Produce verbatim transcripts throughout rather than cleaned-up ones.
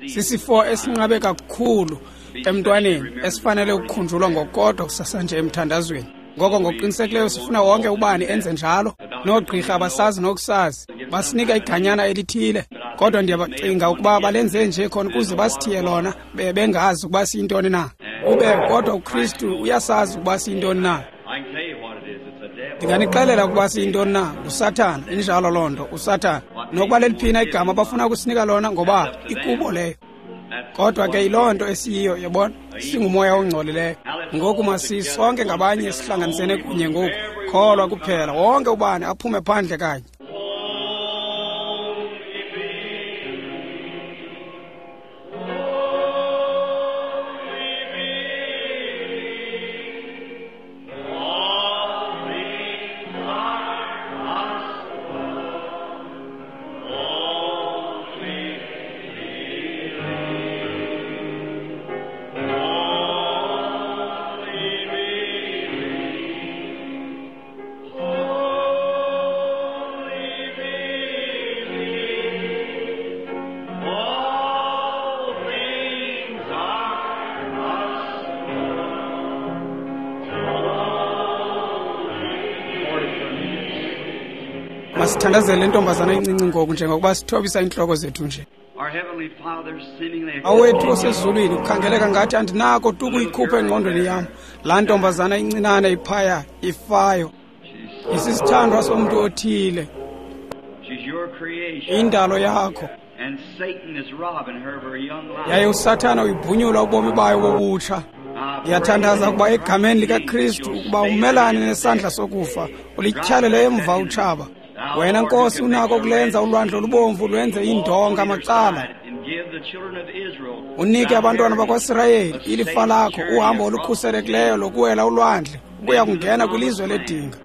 Sisifo esinqabe kakhulu emntwaneni esifanele ukukhunjulwa ngokukodwa kusasa nje emthandazweni. Ngoko ngokuqinisekileyo sifuna wonke ubani enze njalo. Noogqirha abasazi nokusazi, basinika iganyana elithile, kodwa ndiyabacinga ukuba balenze nje khona ukuze basithiye lona bengazi ukuba siyintoni na. Ube kodwa uKristu uyasazi ukuba siyintoni na. Ndinganixelela ukuba siyintoni na, nguSathana. Injalo loo nto, uSathana. Nokuba leliphina igama abafuna ukusinika lona, ngoba ikubo leyo. Kodwa ke yiloo nto esiyiyo, yabona, singumoya ongcolileyo. Ngoku masisonke ngabanye sihlanganisene kunye ngoku. Kholwa kuphela, wonke ubani aphume phandle kanye. Masithandazele intombazana encinci ngoku njengokuba sithobisa iintloko zethu nje. Awethu osezulwini, kukhangeleka ngathi andinako tu ukuyikhupha engqondweni yam laa ntombazana incinane iphaya ifayo. Isisithandwa somntu othile, indalo yakho. Yaye uSathana uyibhunyula ubomi bayo bobutsha. Ndiyathandaza ukuba egameni likaKristu ukuba umelane nesandla sokufa, ulityhalele emva utshaba. Wena Nkosi unako ukulenza ulwandle olubomvu lwenze iindonga macala. Unike abantwana bakwaSirayeli ilifa lakho, uhambo olukhuselekileyo lokuwela ulwandle ukuya kungena kwilizwe ledinga.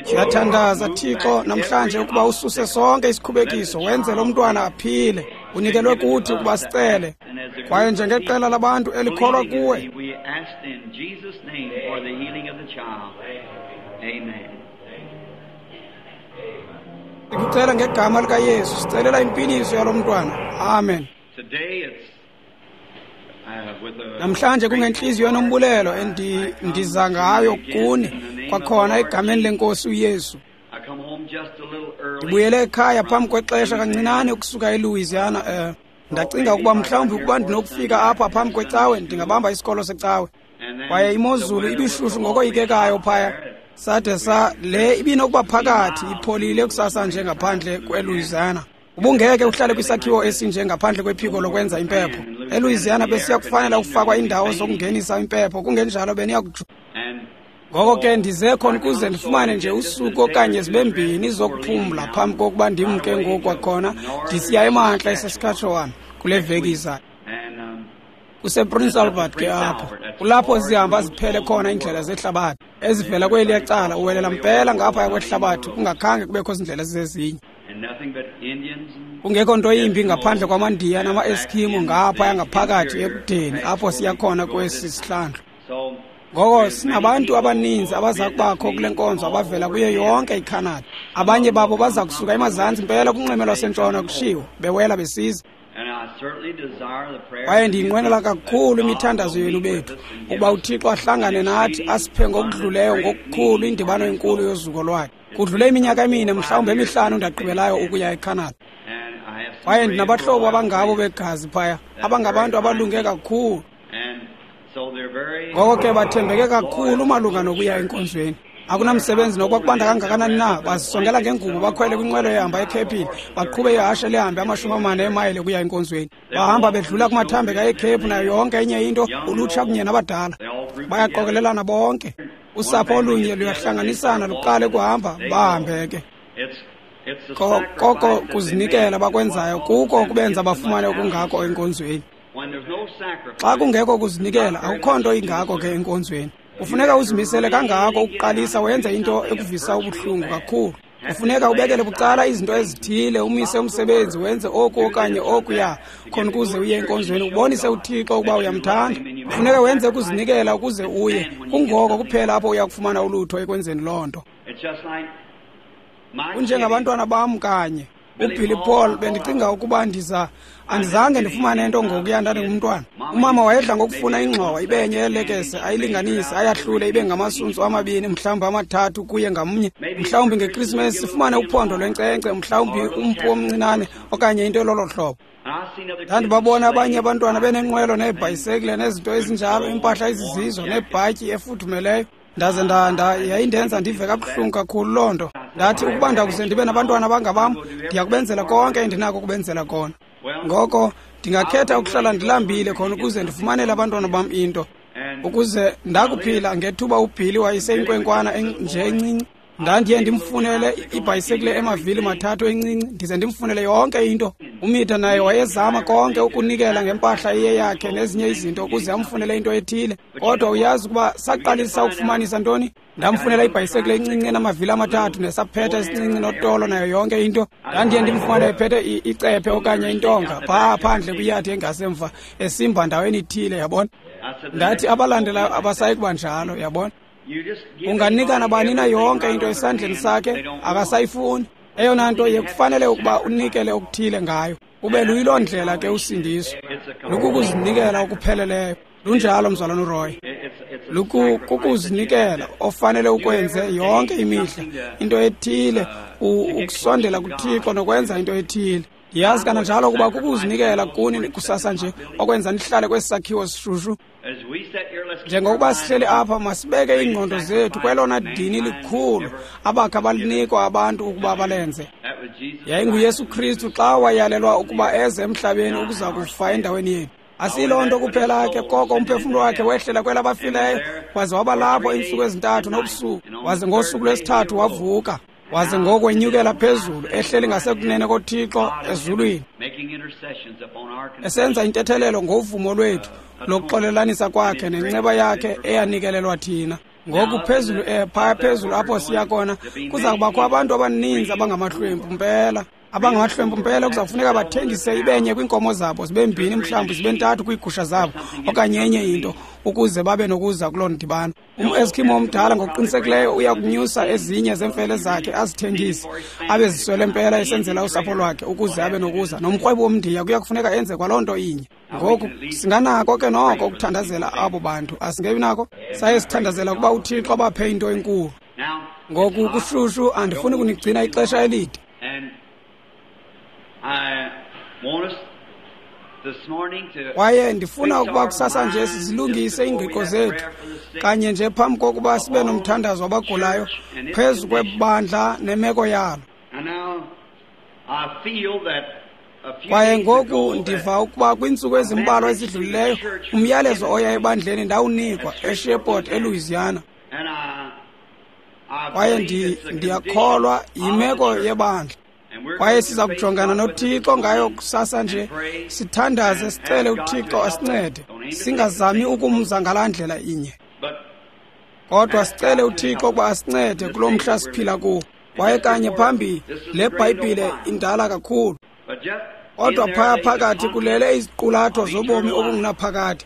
Siyathandaza Thixo namhlanje ukuba ususe sonke isikhubekiso, wenze lo mntwana aphile. Unikelwe kuthi ukuba sicele. Kwaye njengeqela labantu elikholwa kuwe, sikucela ngegama likaYesu, sicelela impiliso yalo mntwana. Amen. Namhlanje kungenhliziyo nombulelo endiza ngayo kuni kwakhona egameni lenkosi uYesu. Ndibuyele ekhaya phambi kwexesha kancinane ukusuka eLouisiana. Eh, ndacinga ukuba mhlawumbi ukuba ndinokufika apha phambi kwecawe ndingabamba isikolo secawe. Kwaye imozulu ibishushu ngokoyikekayo phaya. Sade sa le ibinokuba phakathi ipholile kusasa nje ngaphandle kweLouisiana. Ubungeke uhlale kwisakhiwo esinje ngaphandle kwephiko lokwenza impepho. eLouisiana besiya kufanele ukufakwa indawo zokungenisa impepho, kungenjalo beniya kuju. Ngoko ke ndize khona ukuze ndifumane nje usuku okanye zibe mbini zokuphumla phambi kokuba ndimke ngoku kwakhona ndisiya emantla eSaskatchewan kule veki izayo. KusePrince Albert ke apho, kulapho zihamba ziphele khona iindlela zehlabathi ezivela kweliya cala uwelela mpela ngaphaya kwehlabathi kungakhange kubekho zindlela zizezinye. Kungekho nto yimbi ngaphandle kwamaNdiya namaEskimo ngaphaya ngaphakathi ekudeni apho siya khona kwesi sihlandlo. Ngoko sinabantu abaninzi abaza kubakho kule nkonzo abavela kuyo yonke iCanada. Abanye babo baza kusuka emazantsi mpela kunxweme lwasentshona kushiwo bewela besiza. Kwaye ndiyinqwenela kakhulu imithandazo yenu bethu ukuba uThixo ahlangane nathi asiphe ngokudluleyo ngokukhulu indibano enkulu yozuko lwakhe. Kudlule iminyaka emine mhlawumbi emihlanu ndagqibelayo ukuya eCanada. Kwaye ndinabahlobo abangabo begazi phaya, abangabantu abalunge kakhulu. Ngoko ke bathembeke kakhulu malunga nokuya enkonzweni. Akunamsebenzi nokuba kubanda kangakanani na, bazisongela ngengubo bakhwele kwinqwelo ehamba eKhephini, baqhube ihashe lihambe amashumi amane emayile ukuya enkonzweni. Bahamba bedlula kumathambeka eKhephu nayo yonke enye into, ulutsha kunye nabadala. Bayaqokelelana bonke. Usapho olunye luyahlanganisana luqale kuhamba, bahambe ke. Koko kuzinikela bakwenzayo kuko kubenza bafumane okungako enkonzweni. Xa kungekho kuzinikela, akukho nto ingako ke enkonzweni. Kufuneka uzimisele kangako ukuqalisa wenze into ekuvisa ubuhlungu kakhulu. Kufuneka ubekele bucala izinto ezithile, umise umsebenzi, wenze oku okanye okuya khona ukuze uye enkonzweni, ubonise uThixo ukuba uyamthanda. Kufuneka wenze ukuzinikela ukuze uye. Kungoko kuphela apho uya kufumana ulutho ekwenzeni loo nto. Kunjengabantwana bam kanye. UBilly Paul, bendicinga ukuba ndiza andizange ndifumane nto ngokuya ndandingumntwana. Umama wayedla ngokufuna ingxowa ibe nye yelekese, ayilinganise, ayahlule ibe ngamasuntsu amabini, mhlawumbi amathathu kuye ngamnye. Mhlawumbi ngeKrismesi sifumane uphondo lwenkcenkce, mhlawumbi umpu omncinane okanye into elolo hlobo. Ndandibabona abanye abantwana benenqwelo neebhayisekile nezinto ezinjalo, iimpahla ezizizo neebhatyi efudumeleyo. Ndaze nda nda yayindenza ndive kabuhlungu kakhulu loo nto. Ndathi ukuba ndakuze ndibe nabantwana abangabam, ndiya kubenzela konke endinako ukubenzela kona. Ngoko ndingakhetha ukuhlala ndilambile khona ukuze ndifumanele abantwana bam into, ukuze ndakuphila ngethuba uBilly wayeseyinkwenkwana nje encinci. Ndandiye ndimfunele ibhayisekile emavili mathathu encinci, ndize ndimfunele yonke into. UMitha naye wayezama konke ukunikela ngempahla iyeyakhe nezinye izinto ukuze amfunele into ethile. Kodwa uyazi ukuba saqalisa ukufumanisa ntoni? Ndamfunela ibhayisekile encinci enamavili amathathu nesaphetha esincinci notolo nayo yonke into. Ndandiye ndimfumane ephethe icephe okanye intonga phaa phandle kwiyadi engasemva, esimba ndaweni ithile, yabona. Ndathi abalandelayo abasayi kuba njalo, yabona. Unganika nabani na yonke into esandleni sakhe, akasayifuni. Eyona nto yekufanele ukuba unikele okuthile ngayo. Ube luyiloo ndlela ke usindiso, lukukuzinikela okupheleleyo. Lunjalo mzalwana uRoy, lukukuzinikela ofanele ukwenze yonke imihla, into ethile, ukusondela kuThixo nokwenza into ethile. Ndiyazi kananjalo ukuba kukuzinikela kuni kusasa nje okwenza nihlale kwesi sakhiwo sishushu. Njengokuba sihleli apha, masibeke iingqondo zethu kwelona dini likhulu abakha balinikwa abantu ukuba balenze. YayinguYesu Kristu xa wayalelwa ukuba eze emhlabeni ukuza kufa endaweni yethu. Asiyiloo nto kuphela ke, koko umphefumlo wakhe wehlela kwelabafileyo, waze waba lapho iintsuku ezintathu nobusuku, waze ngosuku lwesithathu wavuka, waze ngokwenyukela phezulu ehleli ngasekunene koThixo ezulwini, esenza intethelelo ngovumo lwethu lokuxolelanisa kwakhe nenceba yakhe eyanikelelwa thina. Ngoku phezulu eh phaya phezulu apho siya khona kuza kubakho abantu abaninzi abangamahlwempu mpela. Abangamahlwempu mpela kuza kufuneka bathengise ibenye kwiinkomo zabo, zibe mbini mhlawumbi zibe ntathu kwiigusha zabo okanye enye into ukuze babe nokuza kuloo ndibano. Um-Eskimo omdala ngokuqinisekileyo uya kunyusa ezinye zeemfele zakhe azithengise, abe ziswele mpela esenzela usapho lwakhe ukuze abe nokuza. Nomrhwebi womndiya kuya kufuneka enze kwaloo nto inye. Ngoku singanako ke noko ukuthandazela abo bantu, asingebi nako? Saye sithandazela ukuba uThixo abaphe into enkulu. Ngoku kushushu, andifuni kunigcina ixesha elide. Kwaye ndifuna ukuba kusasa nje sizilungise iingqiqo zethu kanye nje phambi kokuba sibe nomthandazo wabagulayo phezu kwebandla nemeko yalo. Kwaye ngoku ndiva ukuba kwiintsuku ezimbalwa ezidlulileyo umyalezo oya ebandleni ndawunikwa eShreveport eLouisiana. Kwaye ndiyakholwa yimeko yebandla. Kwaye siza kujongana noThixo ngayo kusasa nje, sithandaze sicele uThixo asincede, singazami ukumza ngalaa ndlela inye, kodwa sicele uThixo ukuba asincede kulo mhla siphila kuwo. Kwaye kanye phambi le Bhayibhile indala kakhulu, kodwa phaya phakathi kulele iziqulatho zobomi obungunaphakade.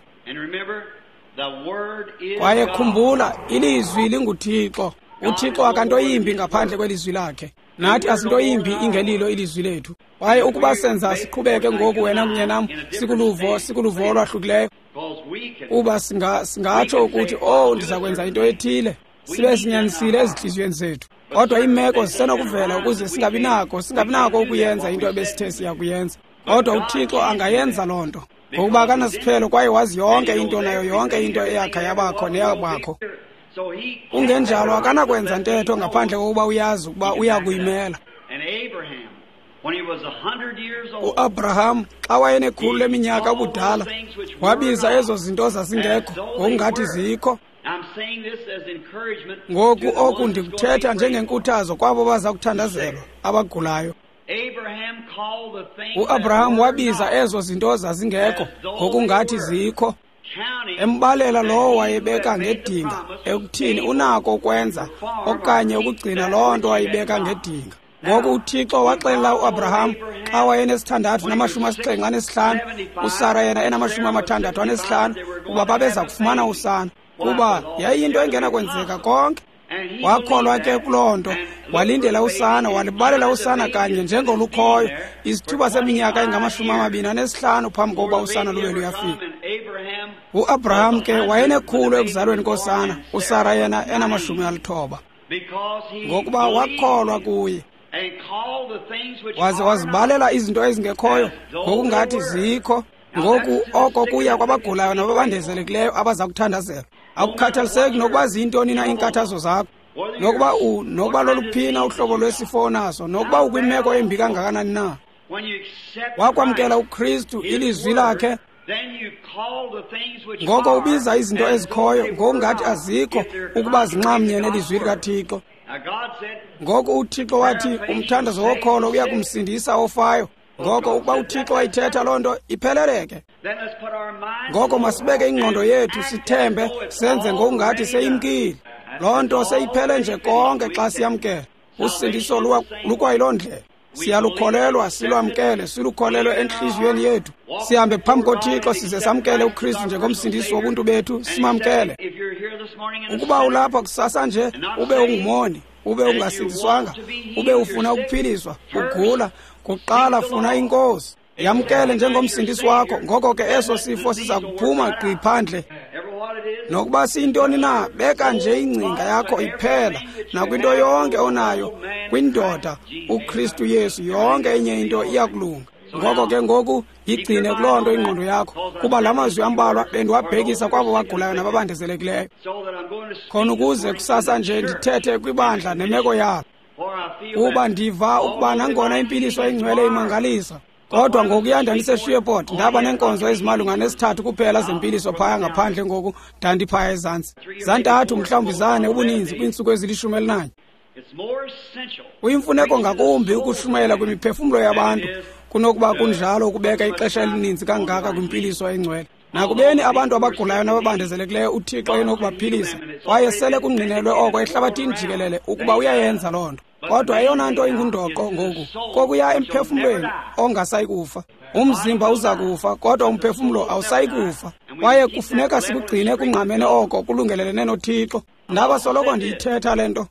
Kwaye khumbula, ilizwi linguThixo. UThixo akanto yimbi ngaphandle kwelizwi lakhe. Nathi asinto yimbi ingelilo ilizwi lethu. Kwaye ukuba senza siqhubeke ngoku wena kunye nam sikuluvo sikuluvo olwahlukileyo, uba singa singatsho ukuthi oh ndiza kwenza into ethile, sibe sinyanisile ezintliziyweni zethu. Kodwa iimeko zisenokuvela ukuze singabi nako singabi nako ukuyenza into ebesithe siya kuyenza. Kodwa uThixo angayenza loo nto, ngokuba akanasiphelo kwaye wazi yonke into nayo yonke into eyakha yabakho neyabakho. Kungenjalo akanakwenza ntetho ngaphandle kokuba uyazi ukuba uya kuyimela. U-Abraham xa wayenekhulu leminyaka ubudala wabiza ezo zinto zazingekho ngokungathi zikho. Ngoku oku ndikuthetha njengenkuthazo kwabo baza kuthandazelwa abagulayo. U-Abraham wabiza ezo zinto zazingekho ngokungathi zikho, embalela lowo wayebeka ngedinga ekuthini unako ukwenza okanye ukugcina loo nto wayibeka ngedinga. Ngoku uThixo waxelela uAbraham xa wayenesithandathu namashumi asixhenxe anesihlanu, uSara yena enamashumi amathandathu anesihlanu, ukuba babeza kufumana usana, kuba yayiyinto engenakwenzeka konke. Wakholwa ke kuloo nto, Walindela usana, walibalela usana kanye njengolukhoyo isithuba seminyaka engamashumi amabini anesihlanu phambi kokuba usana lube luyafika. U-Abraham ke wayenekhulu ekuzalweni kosana, uSara yena enamashumi alithoba, ngokuba wakholwa kuye waze wazibalela izinto ezingekhoyo ngokungathi zikho. Ngoku oko kuya kwabagulayo nababandezelekileyo abaza kuthandazelwa. Akukhathaliseki nokuba ziyintoni na iinkathazo zakho, nokuba u nokuba loluphina uhlobo lwesifo onaso, nokuba ukwimeko embi kangakanani na. Wakwamkela uKristu, ilizwi lakhe, ngoko ubiza izinto ezikhoyo ngokungathi azikho ukuba zinxamnye nelizwi likaThixo. Ngoku uThixo wathi umthandazo wokholo uya kumsindisa ofayo. Ngoko ukuba uThixo wayithetha loo nto, ipheleleke. Ngoko masibeke ingqondo yethu, sithembe, senze ngokungathi seyimkile. Loo nto seyiphele nje konke xa siyamkela. Usindiso lukwayiloo ndlela. Siyalukholelwa, silwamkele, silukholelwe entliziyweni yethu. Sihambe phambi koThixo size samkele uKristu njengomsindisi wobuntu bethu, simamkele. Ukuba ulapha kusasa nje ube ungumoni, ube ungasindiswanga, ube ufuna ukuphiliswa, ugula, kuqala funa iNkosi. Yamkele njengomsindisi wakho. Ngoko ke eso sifo siza kuphuma gqi phandle. Nokuba siyintoni na, beka nje ingcinga yakho iphela nakwinto yonke onayo kwindoda uKristu Yesu, yonke enye into iyakulunga. Ngoko ke ngoku yigcine kuloo nto ingqondo yakho, kuba la mazwi ambalwa bendiwabhekisa kwabo bagulayo nababandezelekileyo, khona ukuze kusasa nje ndithethe kwibandla nemeko yalo. Kuba ndiva ukuba nangona impiliso engcwele imangalisa, kodwa ngokuya ndandiseshreveport ndaba neenkonzo ezimalunga nesithathu kuphela zempiliso phaya ngaphandle. Ngoku ndandiphaya ezantsi zantathu, mhlawumbi zane ubuninzi kwiintsuku ezilishumi elinanye. Kuyimfuneko ngakumbi ukushumayela kwimiphefumlo yabantu kunokuba kunjalo ukubeka ixesha elininzi kangaka kwimpiliso engcwele. Nakubeni abantu abagulayo nababandezelekileyo uThixo enokubaphilisa, kwaye sele kungqinelwe oko ehlabathini jikelele ukuba uyayenza loo nto. Kodwa eyona nto ingundoqo ngoku kokuya emphefumlweni ongasayi kufa. Umzimba uza kufa, kodwa umphefumlo awusayi kufa. Kwaye kufuneka sikugcine kungqamene oko kulungelelene noThixo. Ndaba soloko ndiyithetha le nto.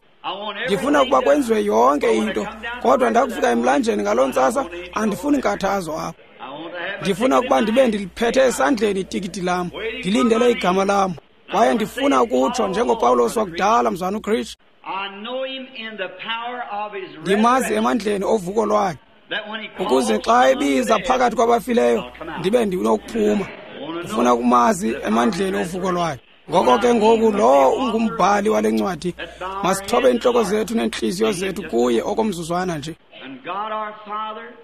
Ndifuna ukuba kwenziwe yonke into, kodwa ndakufika emlanjeni ngaloo ntsasa andifuni nkathazo apho. Ndifuna ukuba ndibe ndiliphethe esandleni itikiti lam, ndilindele igama lam. Kwaye ndifuna ukutsho njengoPawulos wakudala, mzwana uKristu, ndimazi emandleni ovuko lwakhe, ukuze xa ebiza phakathi kwabafileyo ndibe ndinokuphuma. Ndifuna ukumazi emandleni ovuko lwakhe. Ngoko ke ngoku lowo ungumbhali wale ncwadi, masithobe iintloko zethu neentliziyo zethu kuye okomzuzwana nje.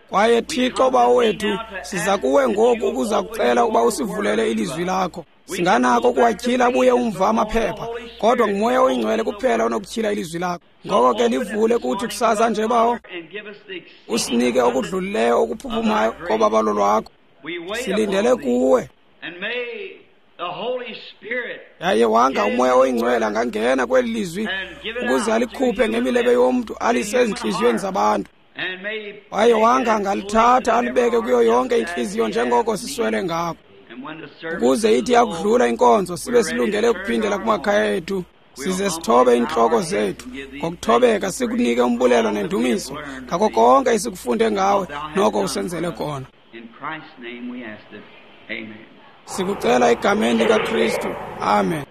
Kwaye Thixo Bawo wethu, siza kuwe ngoku ukuza kucela ukuba usivulele ilizwi lakho. Singanako ukuwatyhila abuye umva amaphepha, kodwa nguMoya oyiNgcwele kuphela onokutyhila ilizwi lakho. Ngoko ke livule kuthi kusasa nje, Bawo, usinike okudlulileyo okuphuphumayo kobabalo lwakho. Silindele kuwe. Yaye wanga uMoya oyiNgcwele angangena kweli lizwi ukuze alikhuphe ngemilebe yomntu alise ezintliziyweni zabantu. Kwaye wanga angalithatha alibeke kuyo yonke intliziyo njengoko siswele ngako, ukuze ithi yakudlula inkonzo sibe silungele ukuphindela kumakhaya ethu, size sithobe iintloko zethu ngokuthobeka, sikunike umbulelo nendumiso ngako konke esikufunde ngawe noko usenzele kona. Sikucela egameni likaKristu. Amen.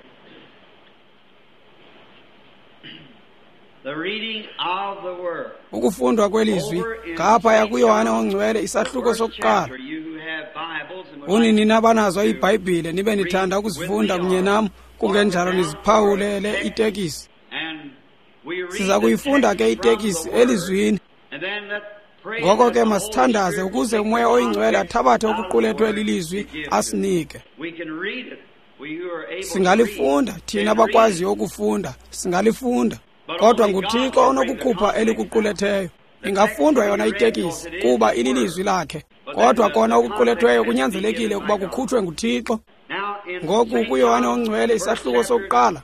Ukufundwa kwelizwi ngaphaya kuYohane oNgcwele isahluko sokuqala. Uni nina abanazo iBhayibhile nibe nithanda ukuzifunda kunye nam, kungenjalo niziphawulele itekisi. Siza kuyifunda ke itekisi elizwini. Ngoko ke masithandaze ukuze uMoya oyiNgcwele athabathe okuqulethwe lilizwi asinike. Singalifunda thina abakwaziyo ukufunda, singalifunda, kodwa nguThixo onokukhupha elikuquletheyo. Ingafundwa yona itekisi kuba ililizwi lakhe, kodwa kona okuqulethweyo kunyanzelekile ukuba kukhutshwe nguThixo. Ngoku kuYohane oNgcwele isahluko sokuqala.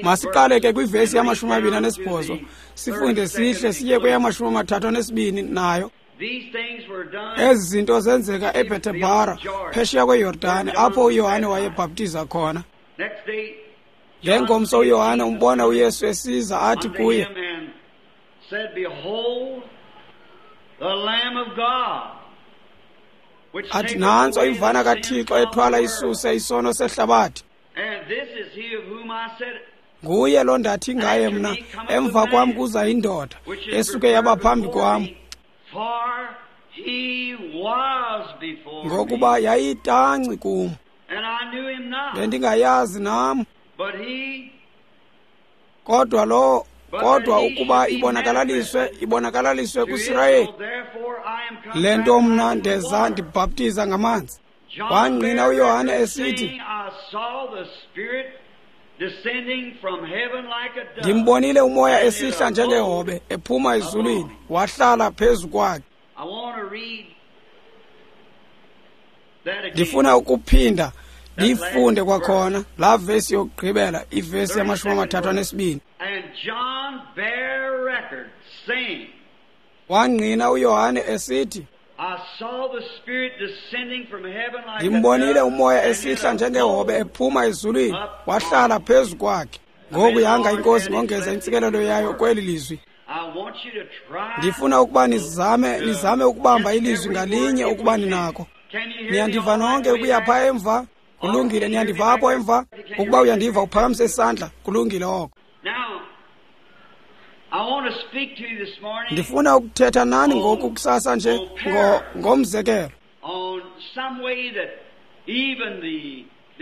Masiqale ke kwivesi yamashumi amabini anesibhozo, sifunde sihle siye kweyamashumi amathathu anesibini nayo. Ezi zinto zenzeka eBhetebhara phesheya kweYordane, apho uYohane wayebhaptiza khona. Ngengomso uYohane umbona uYesu esiza athi kuye, athi nantso imvana kaThixo ethwala isuse isono sehlabathi. Nguye lo ndathi ngaye mna, emva kwam kuza indoda esuke yaba phambi kwam, ngokuba yayitanci kum, bendingayazi nam. Kodwa lo kodwa ukuba ibonakalaliswe ibonakalaliswe kuSirayeli, le nto mna ndeza ndibhaptiza ngamanzi. Wangqina uYohane esithi, ndimbonile umoya esihla njengehobe ephuma ezulwini, wahlala phezu kwakhe. Ndifuna ukuphinda ndiyifunde kwakhona laa vesi yokugqibela, ivesi yamashumi amathathu anesibini. Wangqina uYohane esithi, ndimbonile umoya esihla njengehobe ephuma ezulwini, wahlala phezu kwakhe. Ngoku yanga iNkosi ngongeza intsikelelo yayo kweli lizwi. Ndifuna ukuba nizame nizame ukubamba ilizwi ngalinye ukuba ninako. Niyandiva nonke ukuya phaa emva? Kulungile, niyandiva apho emva? Ukuba uyandiva uphakamise isandla, kulungile oko. Ndifuna ukuthetha nani ngoku kusasa nje ngo ngomzekelo,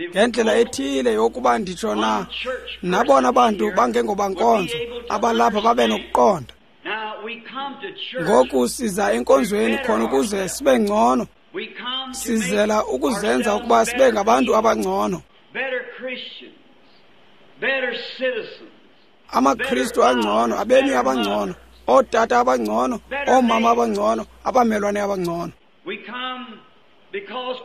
ngendlela ethile yokuba nditsho na nabona bantu bangengobankonzo abalapha babe nokuqonda. Ngoku siza enkonzweni khona ukuze sibe ngcono. Sizela ukuzenza ukuba sibe ngabantu abangcono, amaKristu angcono, abemi abangcono, ootata abangcono, oomama abangcono, abamelwane abangcono.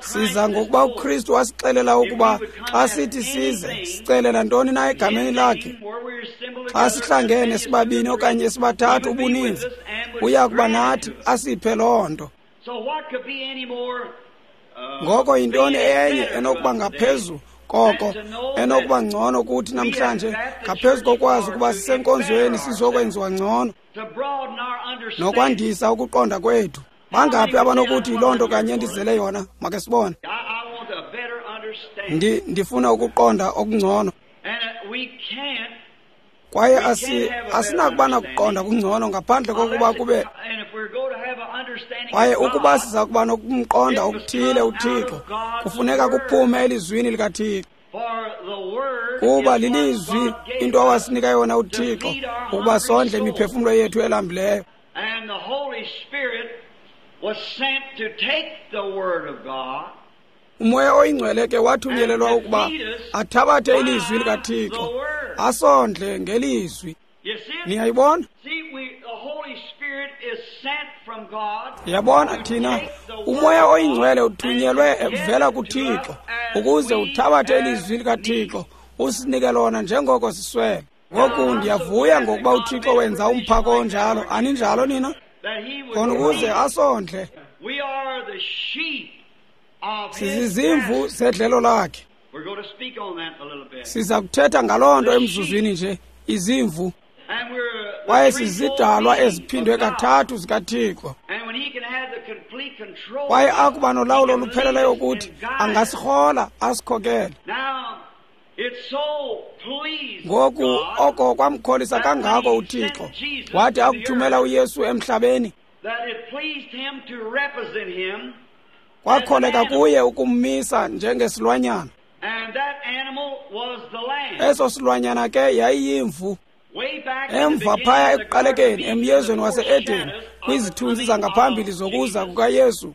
Siza ngokuba uKristu wasixelela ukuba xa sithi size, sicelela ntoni na egameni lakhe. Xa sihlangene sibabini okanye sibathathu ubuninzi, uya kuba nathi asiphe loo nto. Ngoko yintoni enye enokuba ngaphezu koko, enokuba ngcono kuthi namhlanje, ngaphezu kokwazi ukuba sisenkonzweni sizokwenziwa ngcono nokwandisa ukuqonda kwethu? Bangaphi abanokuthi yiloo nto kanye ndizele yona? Make sibone. Ndi ndifuna ukuqonda okungcono. Kwaye asi asinakuba nakuqonda kungcono ngaphandle kokuba kube, kwaye ukuba siza kuba nokumqonda okuthile uThixo, kufuneka kuphume elizwini likaThixo, kuba lilizwi into awasinika yona uThixo ukuba sondle imiphefumlo yethu elambileyo. Umoya oyingcwele ke wathunyelelwa ukuba athabathe ilizwi likaThixo asondle ngelizwi. Niyayibona? Yabona thina, umoya oyingcwele uthunyelwe evela kuThixo ukuze uthabathe ilizwi likaThixo usinike lona njengoko siswele. Ngoku ndiyavuya ngokuba uThixo wenza umphako onjalo. Aninjalo nina? Khona ukuze asondle. Sizizimvu zedlelo lakhe. Siza kuthetha ngaloo nto emzuzwini nje, izimvu. Kwaye sizidalwa eziphindwe kathathu zikaThixo. Kwaye akuba nolawulo olupheleleyo kuthi, angasirhola asikhokele. Ngoku oko kwamkholisa kangako uThixo, wathi akuthumela uYesu emhlabeni, kwakholeka kuye ukummisa njengesilwanyana. Eso silwanyana ke yayiyimvu. Emva phaya ekuqalekeni emyezweni wase-Edeni, kwizithunzi zangaphambili zokuza kukaYesu,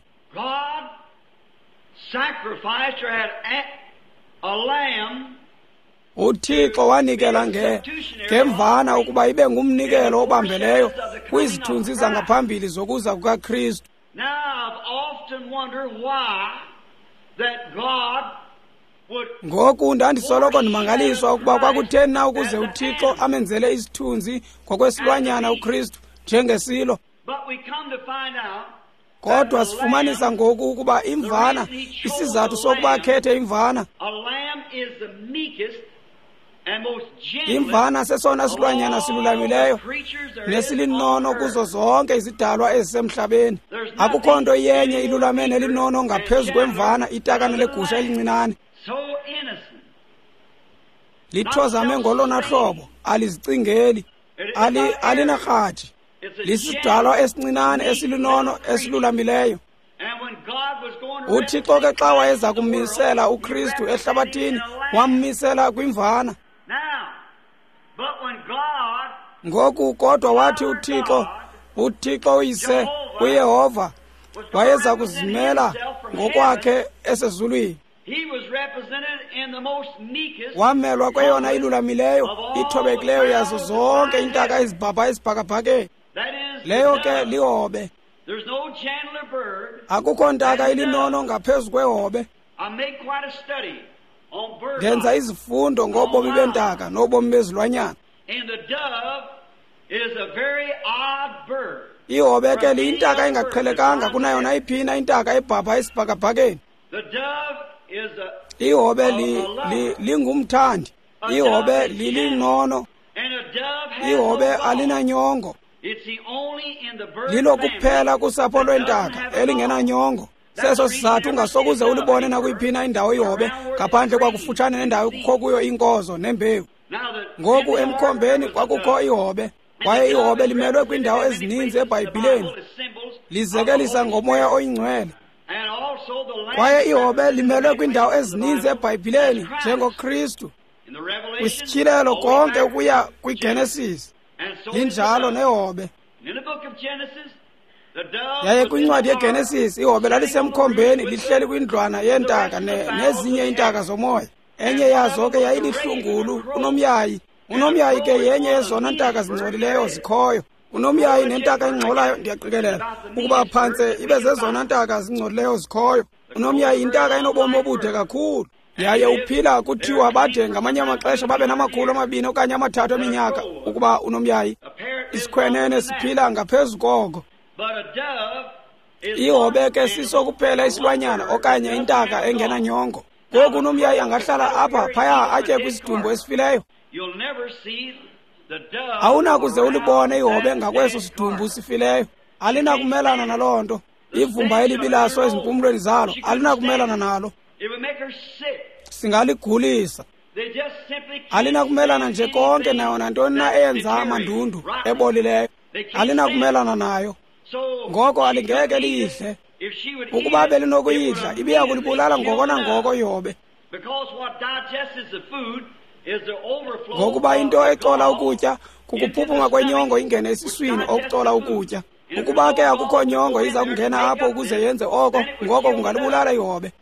uThixo wanikela nge ngemvana ukuba ibe ngumnikelo obambeleyo kwizithunzi zangaphambili zokuza kukaKristu. Ngoku ndandisoloko ndimangaliswa ukuba kwakutheni na ukuze uThixo amenzele isithunzi ngokwesilwanyana uKristu njengesilo. Kodwa sifumanisa ngoku ukuba imvana, isizathu sokuba akhethe imvana, Imvana sesona silwanyana silulamileyo nesilinono kuzo zonke izidalwa ezisemhlabeni. Akukho nto iyenye ilulame nelinono ngaphezu kwemvana, itakane legusha elincinane. Lithozame ngolona hlobo, alizicingeli, ali alinarhathi. Lisidalwa esincinane esilinono esilulamileyo. UThixo ke xa wayeza kumisela uKristu ehlabathini, wammisela kwimvana. Ngoku kodwa wathi uThixo, uThixo uyise, uYehova, wayeza kuzimela ngokwakhe esezulwini. Wamelwa kweyona ilulamileyo, ithobekileyo yazo zonke iintaka ezibhabha esibhakabhakeni. Leyo ke lihobe. Akukho ntaka ilinono ngaphezu kwehobe. Ndenza izifundo ngobomi bentaka nobomi bezilwanyana. Ihobe ke liyintaka engaqhelekanga kunayo nayiphina intaka ebhabha esibhakabhakeni. Ihobe li, li, lingumthandi. Ihobe lilinono. Ihobe alinanyongo. Lilo kuphela kusapho lwentaka elingenanyongo. Seso sizathu ungasokuze ulibone nakuyiphina indawo ihobe ngaphandle kwakufutshane nendawo kukho kuyo inkozo nembewu. Ngoku emkhombeni kwakukho ihobe, kwaye ihobe limelwe kwiindawo ezininzi eBhayibhileni, lizekelisa ngomoya oyingcwele. Kwaye ihobe limelwe kwiindawo ezininzi eBhayibhileni njengoKristu, kwisityhilelo konke ukuya kwiGenesis. Linjalo nehobe. Yaye kwincwadi yeGenesis ihobe lalisemkhombeni lihleli kwindlwana yentaka nezinye iintaka zomoya. Enye yazo ke yayilihlungulu unomyayi. Unomyayi ke yenye yezona ntaka zingcolileyo zikhoyo. Unomyayi nentaka engcolayo ndiyaqikelela ukuba phantse ibe zezona ntaka zingcolileyo zikhoyo. Unomyayi yintaka enobomi obude kakhulu. Yaye uphila kuthiwa bade ngamanye amaxesha babe namakhulu amabini okanye amathathu eminyaka ukuba unomyayi. Isikhwenene siphila ngaphezu koko. Ihobe ke siso kuphela isilwanyana okanye intaka engenanyongo. Ngoku unomyayi angahlala apha phaya atye kwisidumbu esifileyo. Awunakuze ulibone ihobe ngakweso sidumbu sifileyo. Alinakumelana naloo nto. Ivumba elibi laso ezimpumlweni zalo alinakumelana nalo. Singaligulisa. Alinakumelana nje konke nayo nantoni na eyenza amandundu ebolileyo. Alinakumelana nayo. Ngoko alingeke liyidle. Ukuba belinokuyidla, ibiya kulibulala ngoko nangoko ihobe. Ngokuba into ecola ukutya kukuphuphuma kwenyongo ingene esiswini okucola ukutya. Ukuba ke akukho nyongo iza kungena apho ukuze yenze oko, ngoko kungalibulala ihobe.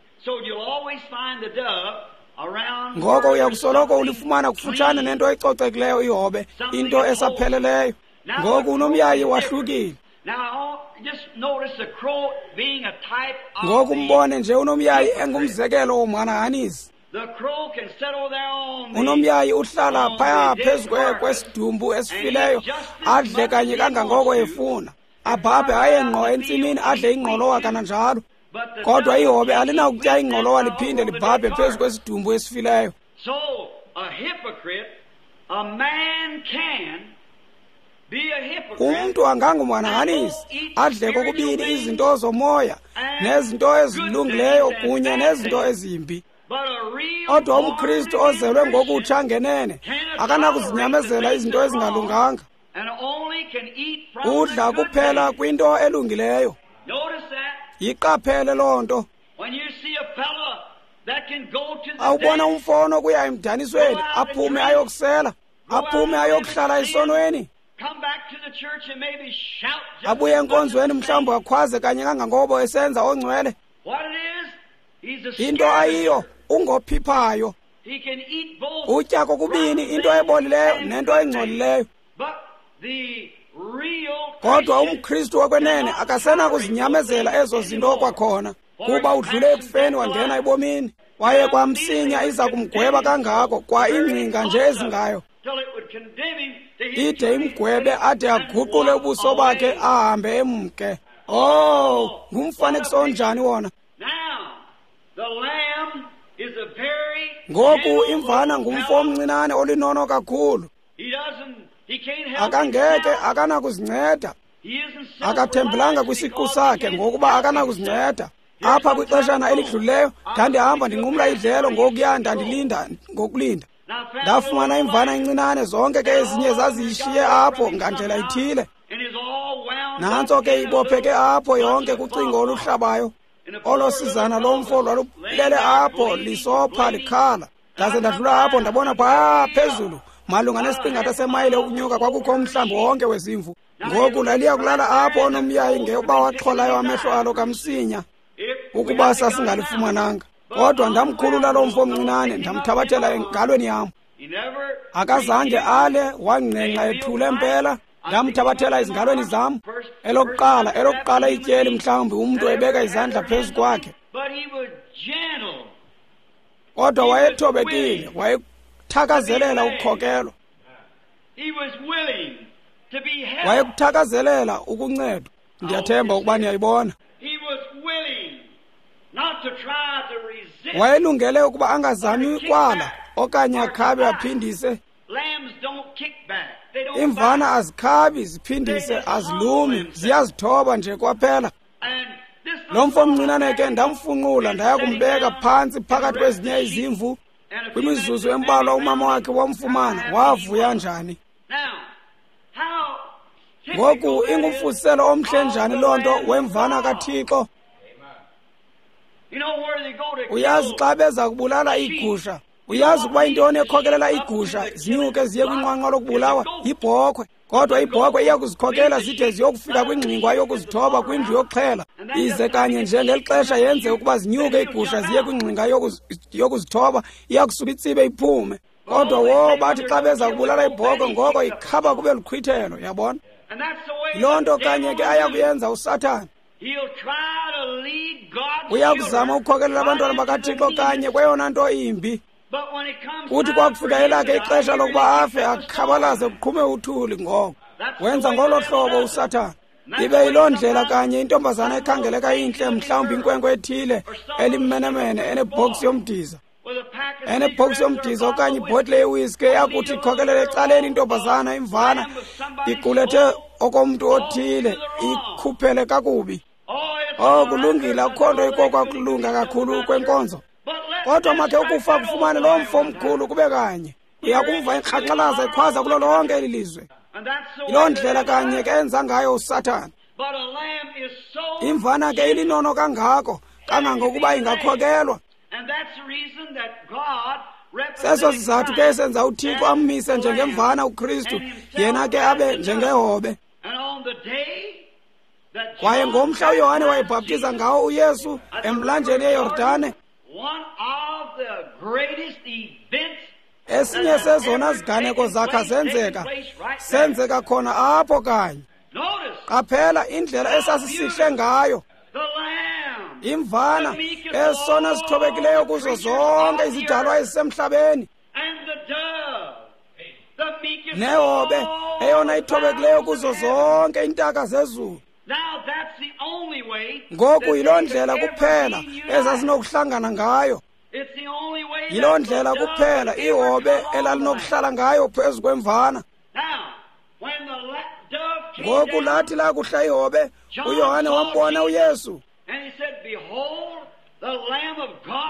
Ngoko uyakusoloko ulifumana kufutshane nento ecocekileyo ihobe, into esapheleleyo. Ngoku unomyayi wahlukile. Ngoku mbone nje unomyayi engumzekelo womhanahanisi. Unomyayi uhlala phaya phezu kwesidumbu esifileyo, adle kanye kangangoko efuna. Abhabhe aye ngqo entsimini adle ingqolowa kananjalo. Kodwa ihobe alinakutya ingqolowa liphinde libhabhe phezu kwesidumbu esifileyo. Umntu angangumhanahanisi adle kokubini izinto zomoya nezinto ezilungileyo kunye nezinto ezimbi. Kodwa umKristu ozelwe ngokutsha ngenene akanakuzinyamezela izinto ezingalunganga. Udla kuphela kwinto elungileyo. Yiqaphele loo nto. Awubona umfo kuya emdanisweni, aphume ayokusela, aphume ayokuhlala esonweni, abuye enkonzweni mhlawumbi akhwaze kanye kangangobo esenza ongcwele. Into ayiyo ungophiphayo. Utya kokubini into ebolileyo nento engcolileyo. Kodwa umKristu wokwenene akasenakuzinyamezela ezo zinto kwakhona, kuba udlule ekufeni wangena ebomini. Kwaye kwamsinya iza kumgweba kangako kwa ingcinga nje ezingayo, ide imgwebe ade aguqule ubuso bakhe ahambe emke. Oh, ngumfanekiso onjani wona? Ngoku imvana ngumfo omncinane olinono kakhulu. Akangeke akanakuzinceda. Akathembelanga kwisiqu sakhe ngokuba akanakuzinceda. Apha kwixeshana elidlulileyo ndandihamba ndinqumla idlelo ngokuya ndandilinda ngokulinda. Ndafumana imvana encinane, zonke ke ezinye zaziyishiye apho ngandlela ithile. Nantso ke ibopheke apho yonke kucingo oluhlabayo. Olo sizana lomfo lwalulele apho lisopha likhala. Ndaze ndadlula apho ndabona phaa phezulu malunga nesiqingatha semayile ukunyuka kwakukho umhlambi wonke wezimvu. Ngoku laliya kulala apho onomyayi ngeuba waxholayo amehlo alo kamsinya ukuba sasingalifumananga. Kodwa ndamkhulula lo mfo omncinane ndamthabathela engalweni yam. Akazange ale, wangqengqa ethule mpela. Ndamthabathela ezingalweni zam. Elokuqala elokuqala ityeli mhlawumbi umntu ebeka izandla phezu kwakhe. Kodwa wayethobekile, wayekuthakazelela ukukhokelwa. Wayekuthakazelela ukuncedwa. Ndiyathemba ukuba niyayibona. Wayelungele ukuba angazami kwala okanye akhabe aphindise. Imvana azikhabi ziphindise, azilumi, ziyazithoba nje kwaphela. Lo mfo omncinane ke ndamfunqula ndaya kumbeka phantsi phakathi kwezinye izimvu. Kwimizuzu embalwa umama wakhe wamfumana, wavuya njani. Ngoku ingumfuziselo omhle njani loo nto wemvana kaThixo. Uyazi xa beza kubulala iigusha, uyazi ukuba intoni ekhokelela iigusha zinyuke ziye kwinqwanqwa lokubulawa? Yibhokhwe. Kodwa ibhokhwe iya kuzikhokela zide ziyokufika kwingxingwa yokuzithoba kwindlu yokuxhela, ize kanye nje ngeli xesha yenze ukuba zinyuke iigusha ziye kwingxinga yokuzithoba, iya kusuka itsibe iphume. Kodwa wo bathi xa beza kubulala ibhokhwe ngoko ikhaba kube luqhwithelo, yabona. Loo nto kanye ke aya kuyenza uSathana. Uyakuzama ukukhokelela abantwana bakaThixo kanye kweyona nto imbi. Kuthi kwakufika elakhe ixesha lokuba afe, akhabalaze kuqhume uthuli ngoko. Wenza ngolo hlobo uSathana. Ibe yiloo ndlela kanye intombazana ekhangeleka intle, mhlawumbi inkwenkwe ethile elimmenemene enebhoksi yomdiza. Enebhoksi yomdiza okanye ibhotile yewiski eyakuthi ikhokelele ecaleni intombazana imvana iqulethe okomntu othile ikhuphele kakubi. Oh, kulungile, akukho nto ikokwakulunga kakhulu kwenkonzo. Kodwa makhe ukufa kufumane lo mfo omkhulu kube kanye. Uyakumva ikraqalaza ikhwaza kulo lonke eli lizwe. Yiloo ndlela kanye ke enza ngayo uSathana. Imvana ke ilinono kangako kangangokuba ingakhokelwa. Seso sizathu ke esenza uThixo ammise njengemvana uKristu, yena ke abe njengehobe. Kwaye ngomhla uYohane wayebhaptiza ngawo uYesu emlanjeni eYordane, esinye sezona ziganeko zakha zenzeka, senzeka khona apho kanye. Qaphela indlela esasisihle ngayo imvana, esona sithobekileyo kuzo zonke izidalwa ezisemhlabeni, nehobe eyona ithobekileyo kuzo zonke iintaka zezulu. Ngoku yiloo ndlela kuphela ezazinokuhlangana ngayo. Yiloo ndlela kuphela ihobe elalinokuhlala ngayo phezu kwemvana. Ngoku lathi lakuhla ihobe, uYohane wambona uYesu.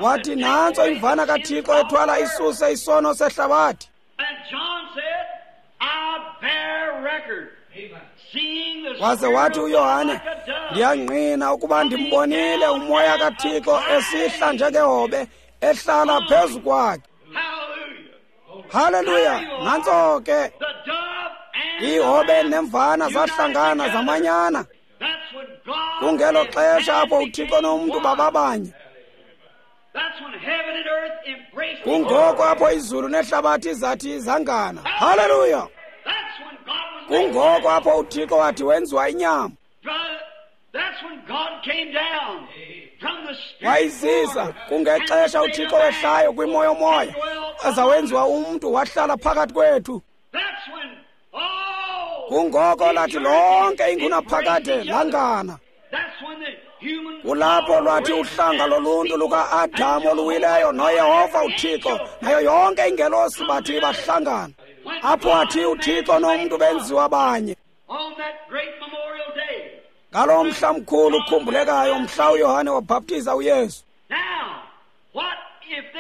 Wathi, nantso imvana kaThixo ethwala isuse isono sehlabathi. Waze wathi uYohane, ndiyangqina ukuba ndimbonile umoya kaThixo esihla njengehobe ehlala phezu kwakhe. Haleluya! Nantso ke ihobe nemvana zahlangana zamanyana. Kungelo xesha apho uThixo nomntu bababanye. Kungoko apho izulu nehlabathi zathi zangana. Haleluya! Kungoko apho uThixo wathi wenziwa inyama. Wayizisa kungexesha uThixo wehlayo kwimoyomoya, aza wenziwa umntu wahlala phakathi kwethu. Kungoko lathi lonke ingunaphakade langana. Kulapho lwathi uhlanga loluntu luka-Adamu oluwileyo noYehova uThixo nayo yonke ingelosi bathi bahlangana. Apho athi uThixo nomntu benziwa banye. Ngaloo mhla mkhulu ukhumbulekayo, mhla uYohane wabhaptiza uYesu.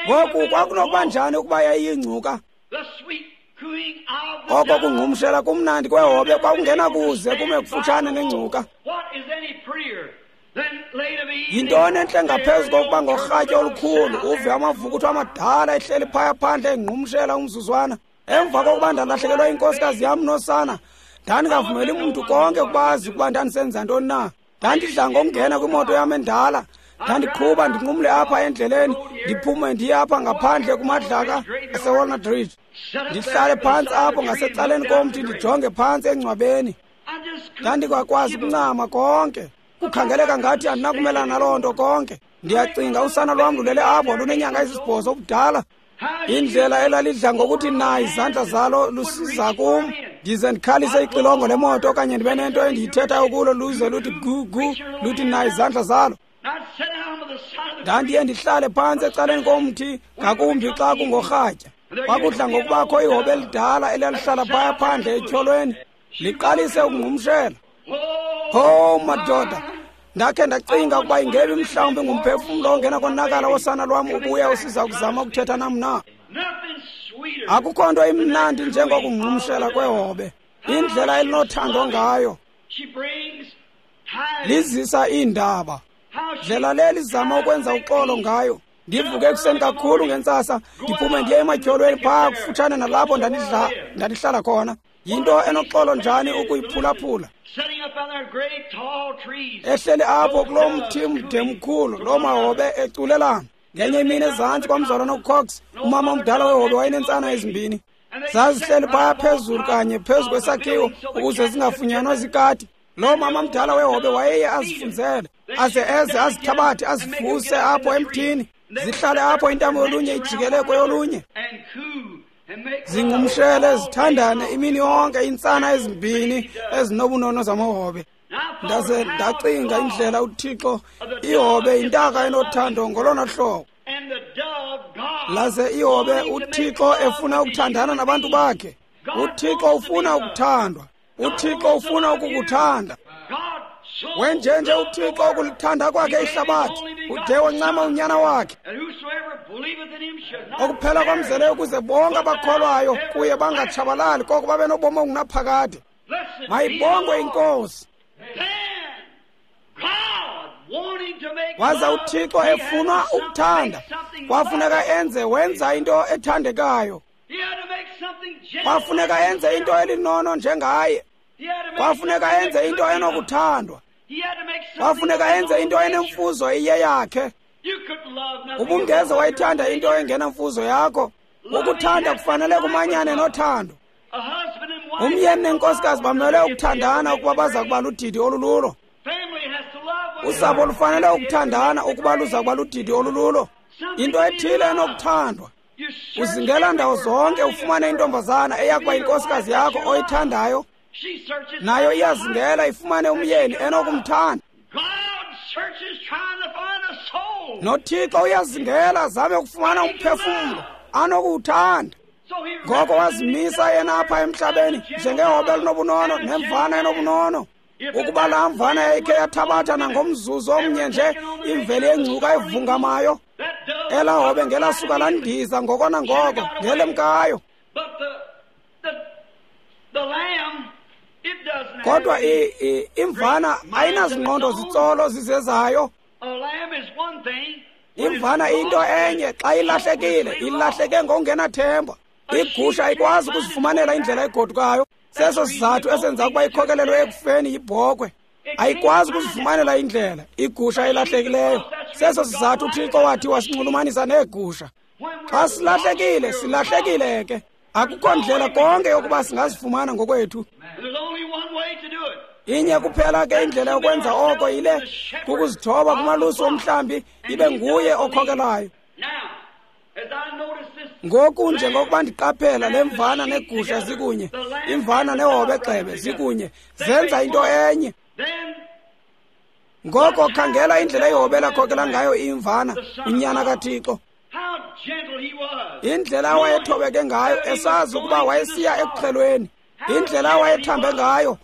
Ngoku kwakunokuba njani ukuba yayiyingcuka? Oko kungqumshela kumnandi kwehobe kwakungenakuze kume kufutshane nengcuka. Yintoni entle ngaphezu kokuba ngorhatya olukhulu uve amavukuthu amadala ehleli phaya phandle engqumshela umzuzwana? Emva kokuba ndalahlekelwa inkosikazi yam nosana, ndandingavumeli mntu konke ukuba azi ukuba ndandisenza ntoni na. Ndandidla ngokungena kwimoto yam endala, ndandiqhuba ndinqumle apha endleleni, ndiphume ndiye apha ngaphandle kumadlaka aseWalnut Ridge. Ndihlale phantsi apho ngasecaleni komthi ndijonge phantsi engcwabeni. Ndandingakwazi ukuncama konke. Kukhangeleka ngathi andinakumelana naloo nto konke. Ndiyacinga usana lwam lulele apho lunenyanga ezisibhozo obudala. Indlela elalidla ngokuthi na izandla zalo lusiza kum, ndize ndikhalise ixilongo lemoto okanye ndibe nento endiyithethayo kulo luze luthi gu gu, luthi na izandla zalo. Ndandiye ndihlale phantsi ecaleni komthi, ngakumbi xa kungorhatya. Kwakudla ngokubakho ihobe elidala elalihlala phaya phandle etyholweni, liqalise ukungqumshela. Ho madoda, ndakhe ndacinga ukuba ingebi mhlawumbi ngumphefumlo ongena konakala wosana lwam ubuya usiza kuzama ukuthetha nam na. Akukho nto imnandi njengokungqumshela kwehobe. Indlela elinothando ngayo, lizisa iindaba. Ndlela le lizama ukwenza uxolo ngayo. Ndivuke ekuseni kakhulu ngentsasa, ndiphume ndiye ematyholweni phaa kufutshane nalapho ndandidla ndandihlala khona. Yinto enoxolo njani ukuyiphulaphula. Ehleli apho kuloo mthi mde mkhulu, loo mahobe eculelana. Ngenye imini ezantsi kwamzalwana uCox, umama omdala wehobe wayeneentsana ezimbini. Zazihleli phaya phezulu kanye phezu kwesakhiwo ukuze zingafunyanwa zikati. Loo mama mdala wehobe wayeye azifunzele, aze eze azithabathe azivuse apho emthini, zihlale apho intamo yolunye ijikele kweyolunye. Zingqumshele zithandane imini yonke iintsana ezimbini ezinobunono zamahobe. Ndaze ndacinga indlela uThixo, ihobe yintaka enothando ngolona hlobo. Laze ihobe uThixo efuna ukuthandana nabantu bakhe. UThixo ufuna ukuthandwa. UThixo ufuna ukukuthanda. Wenjenje uThixo ukulithanda kwakhe ihlabathi, ude wancama unyana wakhe. Okuphela kwamzeleyo ukuze bonke abakholwayo kuye bangatshabalali, koko babe nobomi obungunaphakade. Mayibongwe iNkosi. Waza uThixo efuna ukuthanda, kwafuneka enze wenza into ethandekayo. Kwafuneka enze into elinono njengaye. Kwafuneka enze into enokuthandwa. Kwafuneka enze into enemfuzo iyeyakhe. Ubungeze wayithanda into engenamfuzo yakho. Ukuthanda kufanele kumanyane nothando. Umyeni nenkosikazi bamele ukuthandana ukuba baza kuba ludidi olululo. Usapho lufanele ukuthandana ukuba luza kuba ludidi olululo. Into ethile enokuthandwa. Uzingela ndawo zonke ufumane intombazana eyakuba inkosikazi yakho oyithandayo. Nayo iyazingela ifumane umyeni enokumthanda. NoThixo uyazingela azame ukufumana umphefumlo anokuwuthanda. Ngoko wazimisa yena apha emhlabeni njengehobe elinobunono nemvana enobunono. Ukuba laa mvana yayikhe yathabatha nangomzuzu omnye nje imveli yengcuka evungamayo, elaa hobe ngelasuka landiza ngoko nangoko ngelemkayo. Kodwa imvana ayinazingqondo zitsolo zizezayo. Imvana into enye xa ilahlekile, ilahleke ngokungenathemba. Igusha ayikwazi ukuzifumanela indlela egodukayo. Seso sizathu esenza ukuba ikhokelelwe ekufeni yibhokhwe. Ayikwazi ukuzifumanela indlela igusha elahlekileyo. Seso sizathu uThixo wathi wasinxulumanisa neegusha. Xa silahlekile, silahlekile ke. Akukho ndlela konke yokuba singazifumana ngokwethu. Inye kuphela ke indlela yokwenza oko yile, kukuzithoba kumalusi womhlambi, ibe nguye okhokelayo. Ngoku njengokuba ndiqaphela le mvana negusha zikunye, imvana nehobe gxebe zikunye, zenza into enye. Ngoko khangela indlela ihobe lakhokela ngayo imvana, unyana kaThixo. Indlela awayethobeke ngayo, esazi ukuba wayesiya ekuxhelweni. Indlela awayethambe ngayo,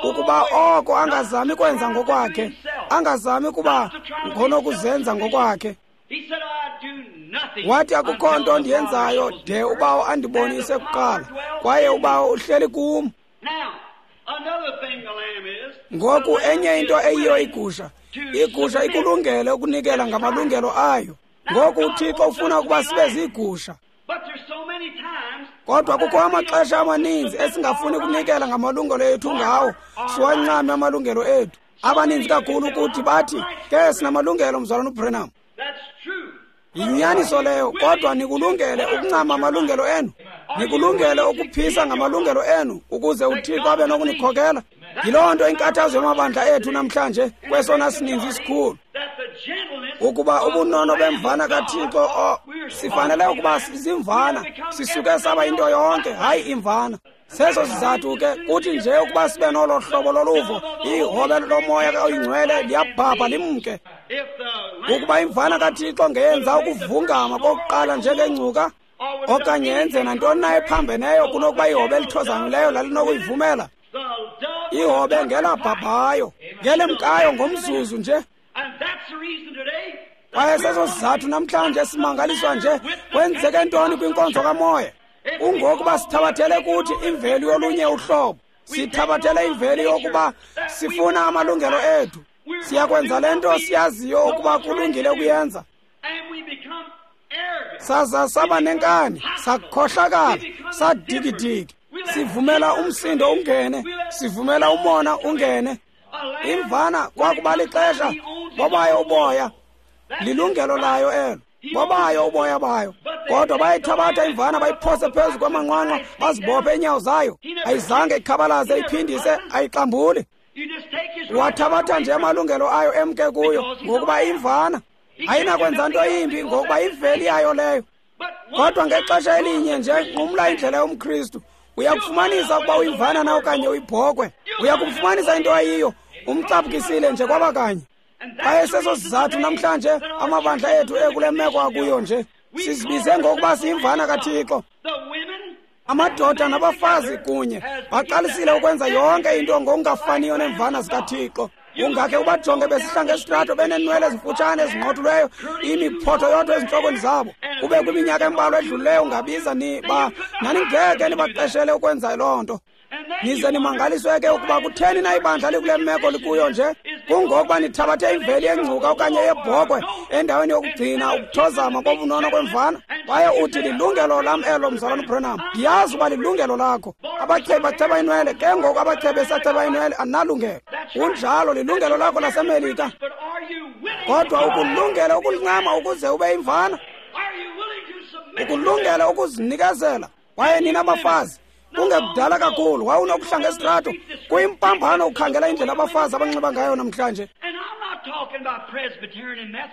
ukuba oko angazami kwenza ngokwakhe, angazami kuba ngonokuzenza ngokwakhe. Wathi akukho nto ndiyenzayo de ubawo andibonise kuqala, kwaye ubawo uhleli kum. Ngoku enye into eyiyo igusha, igusha ikulungele ukunikela ngamalungelo ayo. Ngoku uThixo ufuna ukuba sibe ziigusha. Kodwa kukho amaxesha amaninzi esingafuni ukunikela ngamalungelo ethu ngawo, siwancame amalungelo ethu. Abaninzi kakhulu ukuthi bathi, ke sinamalungelo mzalwana uBranham. Yinyaniso leyo, kodwa nikulungele ukuncama amalungelo enu. Nikulungele ukuphisa ngamalungelo enu ukuze uThixo abe nokunikhokela. Yiloo nto inkathazo yamabandla ethu namhlanje kwesona sininzi isikhulu. Ukuba ubunono bemvana kaThixo, o sifanele ukuba sizimvana, sisuke saba into yonke, hayi imvana. Seso sizathu ke kuthi nje ukuba sibe nolo hlobo loluvo, ihobe lomoya oyingcwele liyabhabha limke. Ukuba imvana kaThixo ngeyenza ukuvungama kokuqala njengengcuka, okanye yenze nantoni na ephambeneyo kunokuba ihobe elithozamileyo lalinokuyivumela, ihobe ngelabhabhayo, ngelemkayo ngomzuzu nje. Kwaye seso sizathu namhlanje simangaliswa nje kwenzeke ntoni kwinkonzo kamoya. Kungokuba sithabathele kuthi imveli yolunye uhlobo, sithabathele imveli yokuba sifuna amalungelo ethu. Siyakwenza le nto siyaziyo ukuba kulungile ukuyenza. Saza saba nenkani, sakhohlakala, sadikidiki. Sivumela umsindo ungene, sivumela umona ungene. Imvana kwakuba lixesha bobayo uboya, lilungelo layo elo, bobayo uboya bayo. Kodwa bayithabatha imvana bayiphose phezu kwamanqwanqwa, bazibophe iinyawo zayo. Ayizange ikhabalaze, iphindise, ayixambuli. Wathabatha nje amalungelo ayo emke kuyo, ngokuba imvana ayinakwenza nto yimbi, ngokuba imveli yayo leyo. Kodwa ngexesha elinye nje nqumla indlela yomKristu, uyakufumanisa ukuba uyimvana na okanye uyibhokwe. Uyakufumanisa into ayiyo, umcaphukisile nje kwaba kanye. Kwaye seso sizathu namhlanje amabandla ethu ekule meko akuyo nje, sizibize ngokuba siyimvana kaThixo. Amadoda nabafazi kunye baqalisile ukwenza yonke into ngokungafaniyo neemvana zikaThixo. Ungakhe ubajonge besihla ngesitrato beneenwele ezimfutshane ezinqothulweyo, imiphotho yodwa ezintlokweni zabo. Kube kwiminyaka embalwa edlulileyo ungabiza niba naningeke nibaqeshele ukwenza loo nto. Nize nimangaliswe ke ukuba kutheni na ibandla likule meko likuyo nje. Kungokuba nithabathe imveli yengcuka okanye yebhokwe endaweni yokugcina ukuthozama kobunono kwemvana. Kwaye uthi lilungelo lam elo mzalwana uBranham. Ndiyazi uba lilungelo lakho. Abachebi bacheba inwele, ke ngoku abachebi besacheba inwele andinalungelo. Kunjalo, lilungelo lakho laseMelika. Kodwa ukulungele ukulincama ukuze ube imvana, ukulungele ukuzinikezela. Kwaye nina bafazi, kungekudala kakhulu wawunokuhla ngesitrato kuyimpambano ukhangela indlela abafazi abanxiba ngayo namhlanje.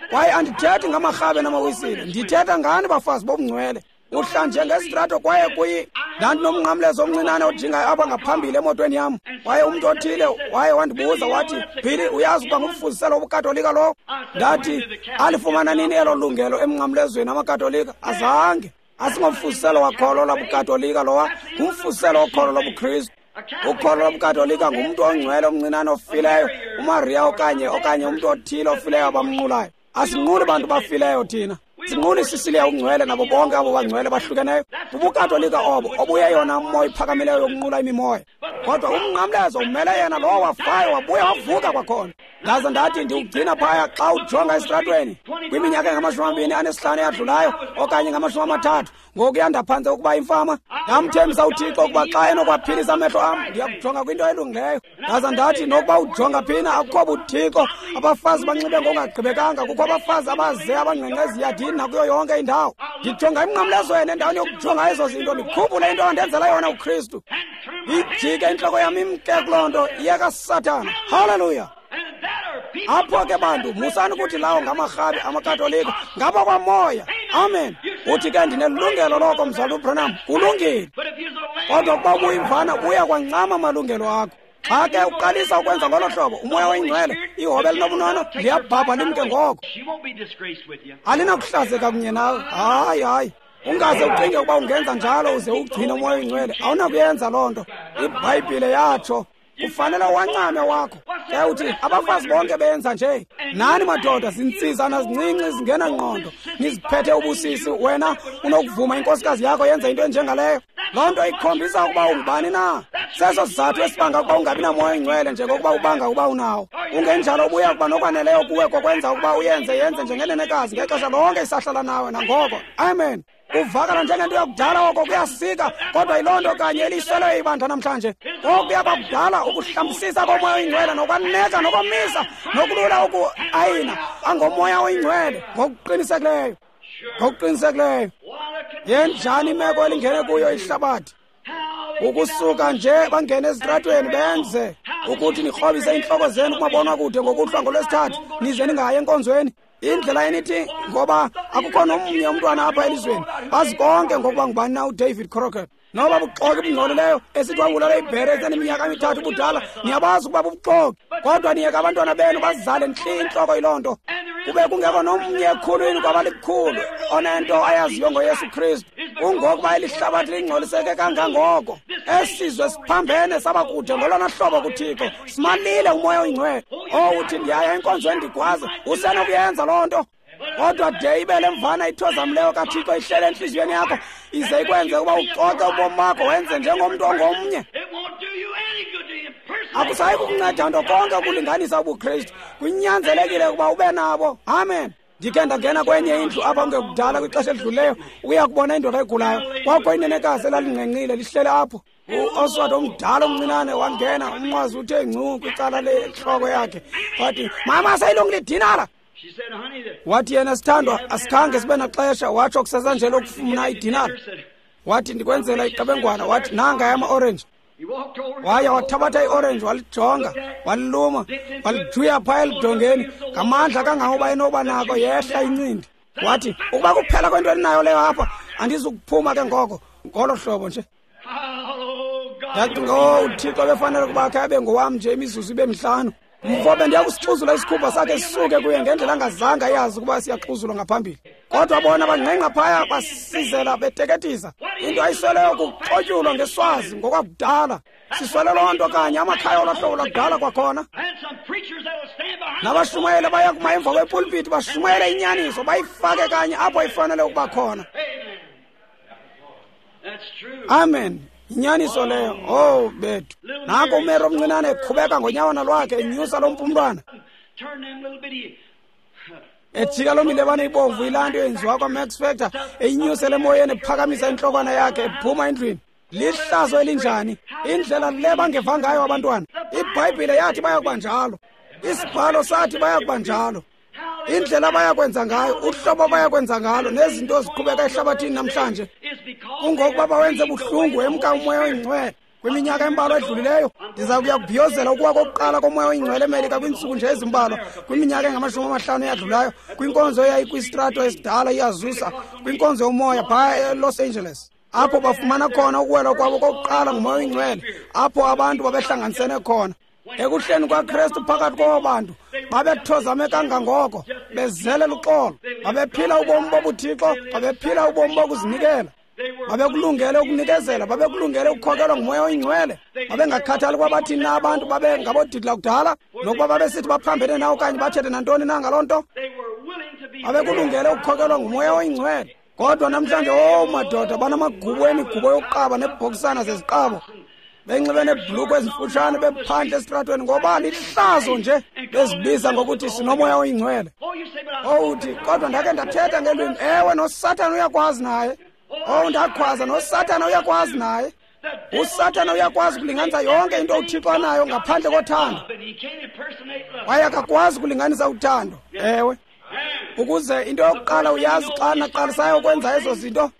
Kwaye andithethi ngamarhabe namawisile, ndithetha ngani bafazi bobungcwele. Uhla nje ngesitrato kwaye kuyi ndandinomnqamlezo omncinane ojingayo apha ngaphambili emotweni yam. Kwaye umntu othile waye wandibuza wathi, Billy, uyazi ukuba ngumfuziselo wobuKatolika lowo? Ndathi, alifumana nini elo lungelo emnqamlezweni amaKatolika? Azange. Asingomfuziselo wakholo lobukatolika lowa, ngumfuziselo wokholo lobuKristu. Ukholo lobukatolika ngumntu ongcwele omncinane ofileyo, uMaria okanye okanye umntu othile ofileyo abamnqulayo. Asinquli bantu bafileyo thina. Sinqula iSicilia ungcwele nabo bonke abo bangcwele bahlukeneyo. Bubukatolika obo obuyeyona moya iphakamileyo yokunqula imimoya. Kodwa umnqamlezo umele yena lowo wafayo wabuya wavuka kwakhona. Ndaze ndathi ndiwugcina phaya xa ujonga esitratweni kwiminyaka engamashumi amabini anesihlanu eyadlulayo okanye ngamashumi amathathu, ngoku yandaphantse ukuba imfama. Ndamthembisa uThixo ukuba xa enokwaphilisa amehlo am ndiyakujonga kwinto elungileyo. Ndaze ndathi nokuba ujonga phina akukho buThixo. Abafazi banxibe ngokungagqibekanga, kukho abafazi abaze abangqengqe eziyadini nakuyo yonke indawo. Ndijonga emnqamlezweni endaweni yokujonga ezo zinto, ndikhumbule into andenzela yona uKristu. Ijike intloko yam imke kuloo nto iyekaSathana. Haleluya! Apho ke bantu, musani ukuthi lawo ngamarhabi amaKatolika, ngaba kwamoya. Amen. Uthi ke ndinelungelo loko mzalwana uBranham. Kulungile. Kodwa ukuba ubuyimvana uya kwancama amalungelo akho. Xa ke uqalisa ukwenza ngolo hlobo, uMoya oyiNgcwele, ihobe elinobunono liyabhabha limke ngoko. Alinakuhlazeka kunye nawe. Hayi, hayi. Ungaze ucinge ukuba ungenza njalo uze ugcine uMoya oyiNgcwele. Awunakuyenza loo nto. IBhayibhile yatsho. Kufanele wancame wakho. Ke uthi abafazi bonke benza nje. Nani madoda, zintsizana zincinci zingenangqondo, niziphethe ubusisi. Wena unokuvuma inkosikazi yakho yenze into enjengaleyo. Loo nto ikhombisa ukuba ungubani na. Seso sizathu esibanga ukuba ungabi namoya oyingcwele njengokuba ubanga ukuba unawo. Ungenjalo ubuya kuba nokwaneleyo kuwe kokwenza ukuba uyenze yenze njengenenekazi ngexesha lonke isahlala nawe nangoko. Amen. Kuvakala njengento yakudala oko kuyasika, kodwa yiloo nto kanye elisweleyo ibandla namhlanje. Okuya kwakudala ukuhlambisisa koMoya oyiNgcwele nokwaneka nokomisa nokulula ukuayina angoMoya oyiNgcwele ngokuqinisekileyo, ngokuqinisekileyo. Yenjani imeko elingene kuyo ihlabathi? Ukusuka nje bangene ezitratweni benze ukuthi nikrobise iintloko zenu kumabonwakude ngokuhlwa ngoLwesithathu nize ningayi enkonzweni. Indlela enithi ngoba akukho nomnye umntwana apha elizweni bazi konke ngokuba ngubani na uDavid Crockett. Noba buxoki bungcolileyo esithi wabulala ibhere eseneminyaka emithathu ubudala, niyabazi ukuba bubuxoki, kodwa niyeka abantwana benu bazizale ntli intloko yiloo nto. Kube kungekho nomnye ekhulwini kwabalikhulu onento ayaziyo ngoYesu Kristu. Kungokuba eli hlabathi lingcoliseke kangangoko. Esizwe siphambene saba kude ngolona hlobo kuThixo. Simalile uMoya oyiNgcwele. Owuthi ndiyaya enkonzweni ndigwaze, usenokuyenza loo nto. Kodwa de ibe le mvana ithozamleyo kaThixo ihlele entliziyweni yakho, ize ikwenze ukuba ucoce ubomi bakho wenze njengomntu ongomnye. Akusayi kukunceda nto konke ukulinganisa ubuKristu. Kunyanzelekile ukuba ube nabo. Amen. Ndikhe ndangena kwenye indlu apha kungekudala kwixesha elidlulileyo ukuya kubona indoda egulayo. Kwakho inenekazi elalinqenqile lihlele apho. U-Oswald omdala omncinane wangena, umnqwazi uthe ngcu kwicala lentloko yakhe. Wathi, mama, seyilungile idinala. Wathi yena, sithandwa, asikhange sibe naxesha. Watsho kusasa lokufuna idinala. Wathi, ndikwenzela iqebengwana. Wathi, nanga yama-orange. Waya wathabatha i-orange, walijonga, waliluma, walijuya phaya elidongeni ngamandla kangangoba enoba nako, yehla incindi. Wathi, ukuba kuphela kwento endinayo leyo apha, andizukuphuma ke ngoko ngolo hlobo nje. Ndacinga, oh, uThixo befanele ukuba akhe abe ngowam nje imizuzu ibe mihlanu. Mfo bendiya kusixhuzula isikhumba sakhe sisuke kuye ngendlela angazange ayazi ukuba siyaxhuzulwa ngaphambili. Kodwa bona bangqengqa phaya basizela beteketisa. Into ayisweleyo kuxotyulwa ngeswazi ngokwakudala. Siswele loo nto kanye amakhaya olohlobo lwakudala kwakhona. Nabashumayeli baya kuma emva kwepulpiti bashumayele inyaniso, bayifake kanye apho ifanele ukuba khona. Amen. Inyaniso leyo. Oh bethu. Nanko uMary omncinane eqhubeka ngonyawana lwakhe enyusa lo mpumlwana. Ejika loo milebane ibomvu yilaa nto yenziwa kwaMax Factor, eyinyusele emoyeni ephakamisa intlokwana yakhe ephuma endlwini. Lihlazo elinjani! Indlela le bangeva ngayo abantwana. IBhayibhile yathi bayakuba njalo. IsiBhalo sathi bayakuba njalo. Indlela abayakwenza ngayo, uhlobo abayakwenza ngalo, nezinto eziqhubeka ehlabathini namhlanje, kungokuba bawenze buhlungu emka uMoya oyiNgcwele. Kwiminyaka embalwa edlulileyo ndiza kuya kubhiyozela ukuwa kokuqala koMoya oyiNgcwele eMelika kwiintsuku nje ezimbalwa. Kwiminyaka engamashumi amahlanu eyadlulayo, kwinkonzo eyayikwistrato esidala iAzusa, kwinkonzo yomoya phaya eLos Angeles, apho bafumana khona ukuwelwa kwabo kokuqala nguMoya oyiNgcwele, apho abantu babehlanganisene khona. Ekuhleni kwaKristu phakathi kwabo bantu babethozame kangangoko, bezele luxolo, babephila ubomi bobuThixo, babephila ubomi bokuzinikela, babekulungele ukunikezela, babekulungele ukukhokelwa nguMoya oyiNgcwele. Babengakhathali ukuba bathini na abantu, babengabodidi lakudala, nokuba babesithi baphambene na okanye bathethe nantoni na ngaloo nto. Babekulungele ukukhokelwa nguMoya oyiNgcwele. Kodwa namhlanje, oh madoda, banamagubu emigubo yokuqaba neebhokisana zeziqabo, benxibe neebhulukhwe ezimfutshane, bephandle esitratweni ngoba lihlazo nje, bezibiza ngokuthi sinoMoya oyiNgcwele. Owuthi, kodwa ndakhe ndathetha ngelwimi. Ewe, noSathana uyakwazi naye. Oh, ndakhwaza, noSathana uyakwazi naye. USathana uyakwazi ukulinganisa yonke into uThixo anayo ngaphandle kothando. Kwaye akakwazi ukulinganisa uthando. Ewe. Ukuze into yokuqala uyazi xa naqalisayo ukwenza ezo zinto,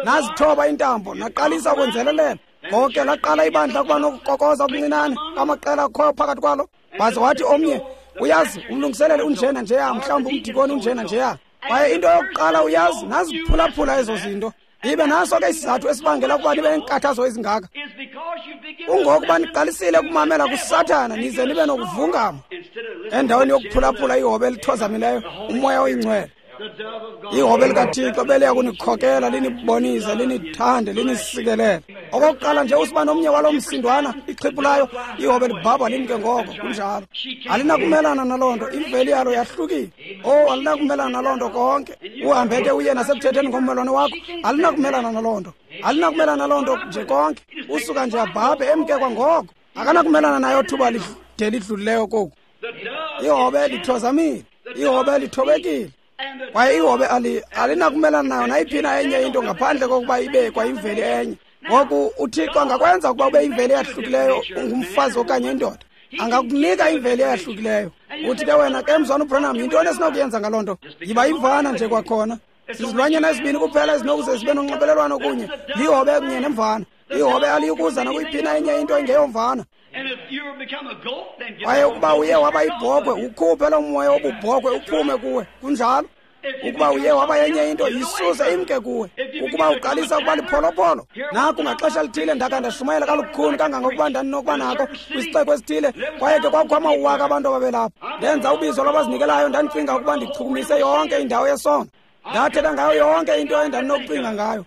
nazithoba intambo, naqalisa ukwenzelelela. Ngoke laqala ibandla kuba nokukokoza okuncinane kwamaqela akhoyo phakathi kwalo. Waze wathi omnye, uyazi umlungiseleli unjena njeya, mhlawumbi umdikoni unjena njeya. Kwaye into yokuqala uyazi, naziphulaphula ezo zinto. Ibe naso ke isizathu esibangela ukuba nibe neenkathazo ezingaka. Kungokuba niqalisile ukumamela kuSathana nize nibe nokuvungama endaweni yokuphulaphula ihobe elithozamileyo, uMoya oyiNgcwele. Ihobe likaThixo beliya kunikhokela, linibonise, linithande, linisikelele. Okokuqala nje usiba nomnye walo msindwana ixhiphulayo, ihobe libhabha limke ngoko. Kunjalo. Alinakumelana naloo nto, imveli yalo yahlukile. Oh, alinakumelana naloo nto konke. Uhambe ke uye nasekuthetheni ngommelwane wakho, alinakumelana naloo nto. Alinakumelana naloo nto nje konke. Usuka nje abhabhe emke kwangoko. Akanakumelana nayo thuba lide lidlulileyo koku. Ihobe lithozamile, ihobe lithobekile. Kwaye ihobe alinakumelana nayo nayiphi na enye into ngaphandle kokuba ibe kwayimveli enye. Ngoku uThixo angakwenza ukuba ube imveli eyahlukileyo, ungumfazi okanye indoda. Angakunika imveli eyahlukileyo. Uthi ke wena ke mzwana uBranham, yintoni esinokuyenza ngaloo nto? Yiba imvana nje kwakhona. Sizilwanyana ezibini kuphela ezinokuze zibe nonxibelelwano kunye, lihobe kunye nemvana. Ihobe aliyikuza nakuyiphi na enye into engeyomvana. Kwaye ukuba uye waba yibhokhwe, ukhuphe loo moya wobubhokhwe uphume kuwe. Kunjalo. Ukuba uye waba yenye into, yisuse imke kuwe. Ukuba uqalisa ukuba lipholopolo, naku ngaxesha lithile ndakha ndashumayela kalukhuni kangangokuba ndandinokuba nako kwisixeko esithile, kwaye ke kwakukho amawaka abantu ababelapho. Ndenza ubizo lwabazinikelayo, ndandicinga ukuba ndichukumise yonke indawo yesono. Ndathetha ngayo yonke into endandinokucinga ngayo.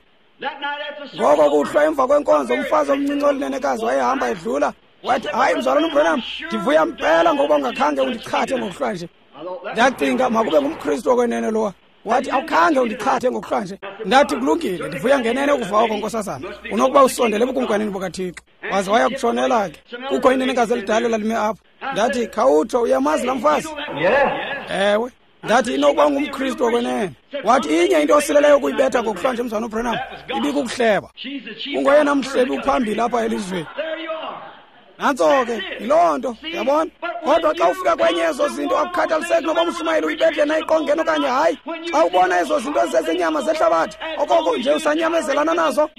Ngoko kuhlwa emva kwenkonzo, umfazi omncinci olinenekazi wayehamba edlula. Wathi, hayi mzalwana uBranham, ndivuya mpela ngokuba ungakhange undichathe ngokuhlwa nje. Ndacinga makube ngumKristu okwenene lowa. Wathi, awukhange undichathe ngokuhlwa nje. Ndathi, kulungile, ndivuya ngenene ukuva oko, nkosazana. Unokuba usondele ebukumkanini bukaThixo. Waze waya kutshonela ke. Kukho inenekazi elidala lalime apho. Ndathi, khawutsho, uyamazi laa mfazi? Ewe. Ndathi, inokuba ungumKristu okwenene. Wathi, inye into osileleyo ukuyibetha ngokuhlwa nje, mzalwana uBranham, ibikukuhleba. Ungoyena mhlebi uphambili apha elizweni. Nantso ke, yiloo nto, yabona? Kodwa xa ufika kwenye ezo zinto, akukhathaliseki noba umshumayeli uyibethe na iqongeni okanye hayi. Xa ubona ezo zinto ezizezenyama zehlabathi, okoko nje usanyamezelana nazo,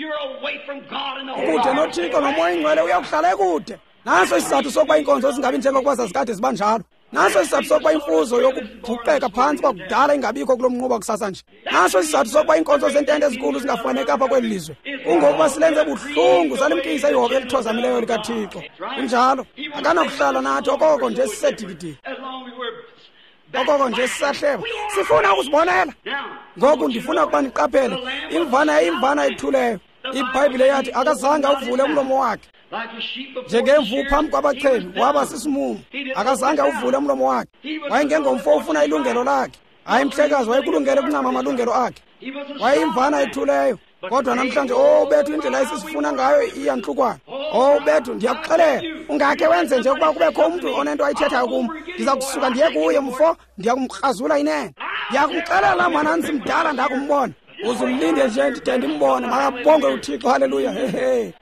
ukude noThixo noMoya oyiNgcwele uyakuhlala ekude. Naso isizathu sokuba iinkonzo zingabi njengokuba zazikade ziba njalo. Naso isizathu sokuba imfuzo yokubhuqeka phantsi kwakudala ingabikho kulo mnquba kusasa nje. Naso isizathu sokuba iinkonzo zentente ezinkulu zingafumaneki apha kweli lizwe. Kungokuba silenze buhlungu, salimkisa ihobe elithozamileyo likaThixo. Kunjalo, akanakuhlala nathi okoko nje sisedikidiki, okoko nje sisahleba. Sifuna ukuzibonela. Ngoku ndifuna ukuba niqaphele, imvana yayimvana ethuleyo. IBhayibhile yathi akazange awuvule umlomo wakhe. Njengemvu phambi kwabachebi, waba sisimumu. Akazange awuvule umlomo wakhe. Wayengengomfo ofuna ilungelo lakhe. Hayi mhlekazi, wayekulungele ukuncama amalungelo akhe. Wayeyimvana ethuleyo. Kodwa namhlanje, oh bethu, indlela esisifuna ngayo iyantlukwana. Oh bethu, ndiyakuxelela, ungakhe wenze nje ukuba kubekho umntu onento ayithethayo kum. Ndiza kusuka ndiye kuye mfo, ndiyakumkrazula inene. Ndiyakumxelela mwanantsi mdala ndakumbona. Uzulinde nje ndide ndimbone. Makabonge uThixo, haleluya. Hehe.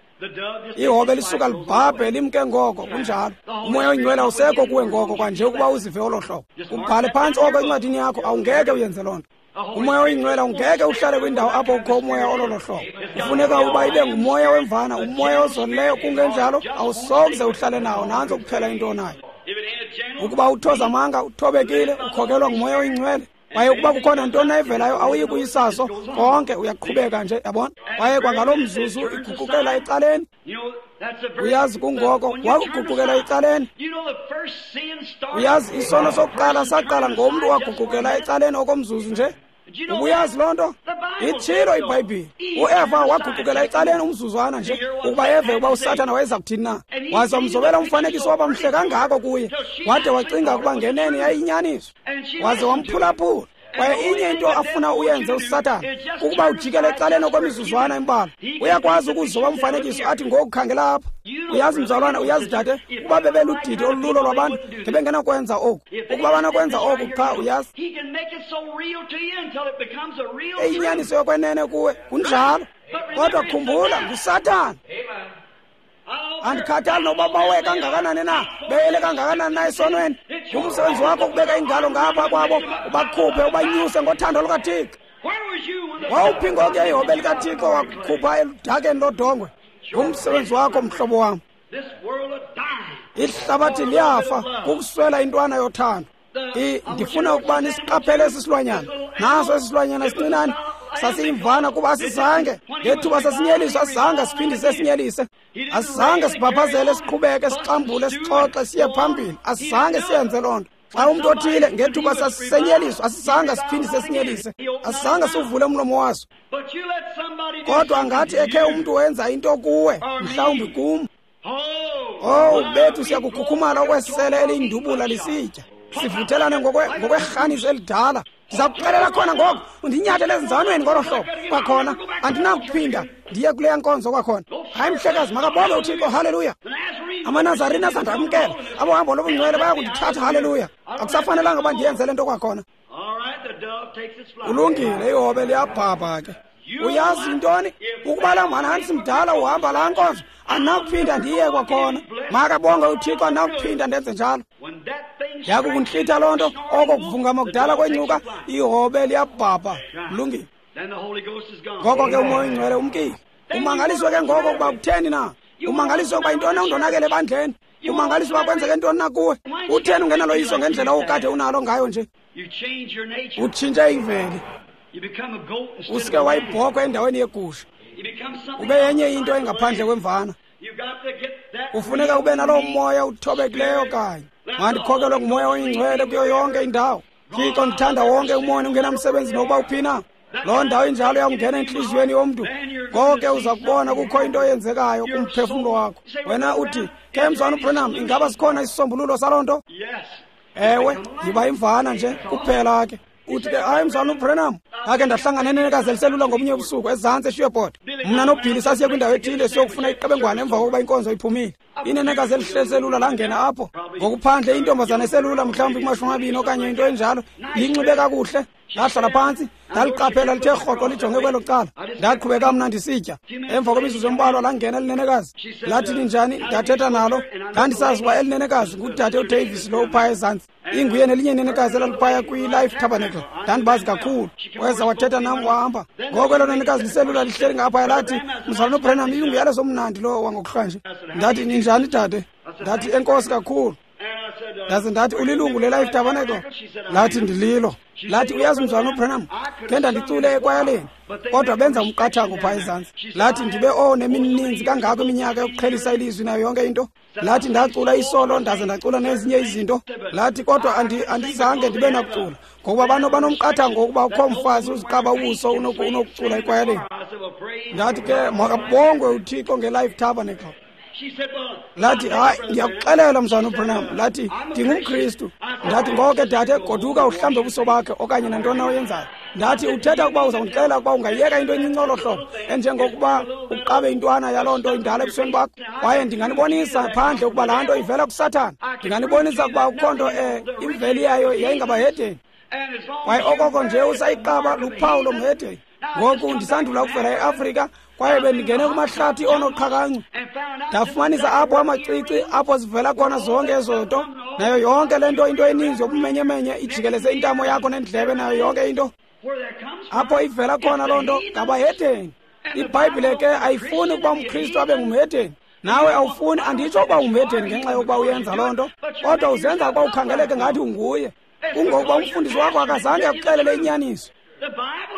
Ihobe lisuka libhabhe limke ngoko. Kunjalo. UMoya oyiNgcwele awusekho kuwe ngoko kwanje ukuba uzive olo hlobo. Ubhale phantsi oko encwadini yakho, awungeke uyenze loo nto. UMoya oyiNgcwele awungeke uhlale kwindawo apho kukho umoya ololo hlobo. Kufuneka ukuba ibe ngumoya wemvana, umoya ozolileyo. Kungenjalo awusokuze uhlale nawo. Nantso kuphela into onayo. Ukuba uthozamanga, uthobekile, ukhokelwa nguMoya oyiNgcwele. Kwaye ukuba kukhona ntoni ayivelayo, awuyi kuyisaso konke, uyaqhubeka nje, yabona? Kwaye kwangaloo mzuzu iguqukela ecaleni. Uyazi kungoko wakuguqukela ecaleni. Uyazi isono sokuqala saqala ngomntu waguqukela ecaleni okomzuzu nje. Ubuyazi loo nto? Itshilo iBhayibhile. UEva waguqukela ecaleni umzuzwana nje ukuba eve ukuba uSathana wayeza kuthini na. Waze wamzobela umfanekiso waba mhle kangako kuye, wade wacinga ukuba ngenene yayinyaniso. Waze wamphulaphula. Kwaye inye into afuna uyenze uSathana kukuba ujikele ecaleni okwemizuzwana embalwa. Uyakwazi ukuzoba umfanekiso athi ngoku khangela apha. Uyazi mzalwana, uyazi dade, ukuba bebeludidi olulo lwabantu ngebengenakwenza oku. Ukuba banokwenza oku qha, uyazi, eyinyaniso yokwenene kuwe. Kunjalo. Kodwa khumbula, nguSathana. Andikhathali nokuba bawe kangakanani na, beyele kangakanani na esonweni. Ngumsebenzi wakho ukubeka ingalo ngapha kwabo, ubakhuphe, ubanyuse ngothando lukaThixo. Wawuphi ngoku ihobe likaThixo wakukhupha eludakeni lodongwe? Ngumsebenzi wakho, mhlobo wam. Ihlabathi liyafa kukuswela intwana yothando. Ndifuna ukuba nisiqaphele esi silwanyana. Naso esi silwanyana sincinane Sasiyimvana kuba asizange. Ngethuba sasinyeliswa asizange siphindise sinyelise. Asizange sibhaphazele siqhubeke sixambule sixoxe siye phambili. Asizange siyenze loo nto. Xa umntu othile ngethuba sasisenyeliswa asizange siphindise sinyelise. Asizange siwuvule umlomo waso. Kodwa angathi ekhe umntu wenza into kuwe, mhlawumbi kum. Oh, bethu siyakukhukhumala okwesele eliyindubula lisitya. Sivuthelane ngokwerhanisi elidala. Ndiza kuxelela khona ngoku, undinyathele ezinzanweni ngolo hlobo. Kwakhona, andinakuphinda ndiye kuleya nkonzo kwakhona. Hayi mhlekazi, makabonge uThixo, haleluya. AmaNazarene asandamkela, abohambo lobungcwele bayakundithatha, haleluya. Akusafanelanga uba ndiyenze le nto kwakhona. Ulungile, ihobe liyabhabha ke. Uyazi intoni? Ukuba laa mhanhanisi mdala uhamba laa nkonzo, andinakuphinda ndiye kwakhona. Makabonge uThixo, andinakuphinda ndenze njalo. Yakukuntlitha loo nto, oko kuvungama kudala kwenyuka, ihobe liyabhabha. Kulungile. Ngoko ke uMoya oyiNgcwele umkile. Umangaliswe ke ngoko ukuba kutheni na? Umangaliswe ukuba yintoni na undonakele ebandleni? Umangaliswe uba kwenzeke ntoni na kuwe? Utheni ungenaloyiso ngendlela okade unalo ngayo nje? Utshintshe imveli. Usuke wayibhokhwe endaweni yegusha. Ube yenye into engaphandle kwemvana. Kufuneka ube naloo moya uthobekileyo kanye. Mandikhokelwe nguMoya oyiNgcwele kuyo yonke indawo. Thixo, ndithanda wonke umoya ungenamsebenzi nokuba uphi na. Loo ndawo injalo yakungena entliziyweni yomntu. Ngoko ke uza kubona kukho into eyenzekayo kumphefumlo wakho. Wena uthi, ke mzwana uBranham, ingaba sikhona isisombululo saloo nto? Ewe, yiba imvana nje kuphela ke. Uthi ke, hayi mzwana uBranham, ndake ndahlangana nenekazi eliselula ngomnye ubusuku ezantsi eSheport. Mna noBilly sasiye kwindawo ethile siyokufuna iqebengwane emva kokuba inkonzo iphumile. Inenekazi elihle eliselula langena apho. Ngokuphandle intombazana eselula mhlawumbi kumashumi amabini okanye into enjalo, linxibe kakuhle. Ndahlala phantsi, ndaliqaphela lithe rhoqo lijonge kwelo cala. Ndaqhubeka mna ndisitya. Emva kwemizuzu embalwa langena elinenekazi. Lathi linjani, ndathetha nalo. Ndandisazi uba elinenekazi ngudade uDavis lo uphaya ezantsi. Inguye nelinye inenekazi elaliphaya kwi-Life Tabernacle. Ndandibazi kakhulu. Weza wathetha nam wahamba. Ngoko elo nenekazi liselula lihleli ngaphaya lathi, mzalwana uBranham, inguyalezo omnandi lo wangokuhlanje. Ndathi, ninjani dade? Ndathi, enkosi kakhulu. Ndaze ndathi, ulilungu le-Life Tabernacle? Lathi, ndililo. Lathi, uyazi mzalwana uBranham, ke ndandicule ekwayaleni, kodwa benza umqathango phaa ezantsi. Lathi, ndibe oh nemininzi kangako iminyaka yokuqhelisa ilizwi nayo yonke into. Lathi, ndacula isolo, ndaze ndacula nezinye izinto. Lathi, kodwa andi, andizange ndibe nakucula, ngokuba bano banomqathango wokuba ukho mfazi uziqaba ubuso unokucula ekwayaleni. Ndathi ke, makabongwe uThixo nge-Life Tabernacle. Lathi, hayi, ndiyakuxelela mzalwana uBranham. Lathi, ndingumKristu. Ndathi, ngoko ke dade, goduka uhlambe ubuso bakhe okanye nantoni na oyenzayo. Ndathi, uthetha ukuba uzawundixelela ukuba ungayiyeka into encinci olo hlobo, enjengokuba uqabe intwana yaloo nto indala ebusweni bakho. Kwaye ndinganibonisa phandle ukuba laa nto ivela kuSathana. Ndinganibonisa ukuba akukho nto um imveli yayo yayingabahedeni. Kwaye okoko nje usayiqaba luphawu lomhedeni. Ngoku ndisandula ukuvela eAfrika, kwaye bendingene kumahlathi onoqhakancu. Ndafumanisa apho amacici, apho zivela khona zonke ezo nto, nayo yonke le nto, into eninzi yobumenyemenye ijikeleze intamo yakho nendlebe nayo yonke into. Apho ivela khona loo nto ngabahedeni. IBhayibhile ke ayifuni ukuba umKristu abe ngumhedeni. Nawe awufuni, anditsho ukuba ungumhedeni ngenxa yokuba uyenza loo nto, kodwa uzenza ukuba ukhangeleke ngathi unguye. Kungokuba umfundisi wakho akazange akuxelele inyaniso.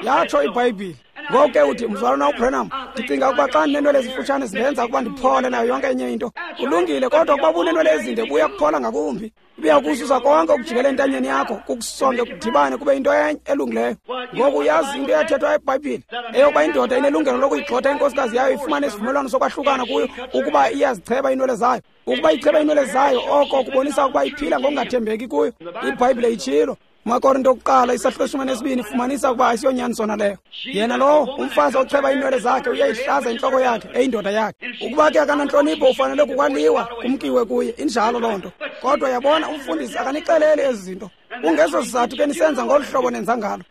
Yatsho iBhayibhile. Ngoku ke uthi, mzalwana uBranham, ndicinga ukuba xa ndineenwele ezifutshane zindenza ukuba ndiphole nayo yonke enye into. Kulungile, kodwa ukuba uneenwele ezinde buya kuphola ngakumbi. Ibuya kususa konke okujikele entanyeni yakho, kukusonge kudibane kube into enye elungileyo. Ngoku uyazi into eyathethwa eBhayibhile, eyokuba indoda inelungelo lokuyigxotha inkosikazi yayo ifumane isivumelwano sokwahlukana kuyo ukuba iyazicheba iinwele zayo. Ukuba icheba iinwele zayo, oko kubonisa ukuba iphila ngokungathembeki kuyo. IBhayibhile itshilo. MaKorinto okuqala isahluko seshumi nesibini fumanisa ukuba asiyonyani sona leyo. Yena lowo umfazi ocheba iinwele zakhe uyayihlaza intloko yakhe eyindoda yakhe. Ukuba ke akanantlonipho ufanele kukwaliwa kumkiwe kuye. Injalo loo nto. Kodwa yabona, umfundisi akanixeleli ezi zinto. Kungeso sizathu ke nisenza ngolu hlobo nenza ngalo.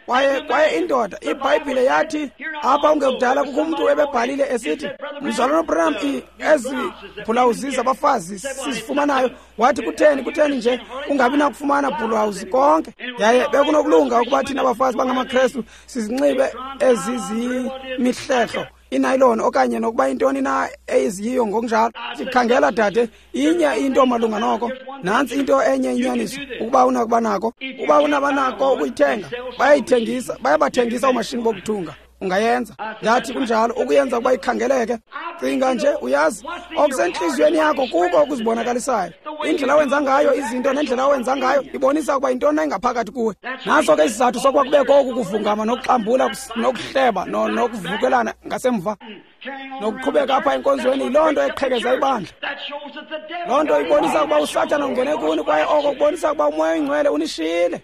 Kwaye kwaye indoda, iBhayibhile yathi apha ungekudala kukho umntu ebebhalile esithi, mzalwana uBranham, ezi bhulawuzi zabafazi sizifumanayo, wathi kutheni kutheni nje ungabi nakufumana bhulawuzi konke. Yaye bekunokulunga ukuba thina bafazi bangamaKrestu sizinxibe ezi zimihlehlo inayiloni okanye nokuba intoni na eyiziyiyo ngokunjalo. Sikhangela dade, inye into malunga noko. Nantsi into enye inyaniso, ukuba unakuba nako, ukuba unabanako ukuyithenga, bayayithengisa, bayabathengisa oomashini bokuthunga. Ungayenza. Ndathi kunjalo, ukuyenza ukuba ikhangeleke. Cinga nje, uyazi, okusentliziyweni yakho kuko okuzibonakalisayo. Indlela owenza ngayo izinto nendlela owenza ngayo ibonisa ukuba yintoni engaphakathi kuwe. Naso ke isizathu sokuba kubekho oku kuvungama nokuxambula nokuhleba nokuvukelana ngasemva nokuqhubeka apha enkonzweni. Yiloo nto eqhekeza ibandla. Loo nto ibonisa ukuba uSathana ungene kuni, kwaye oko kubonisa ukuba uMoya oyiNgcwele unishiyile.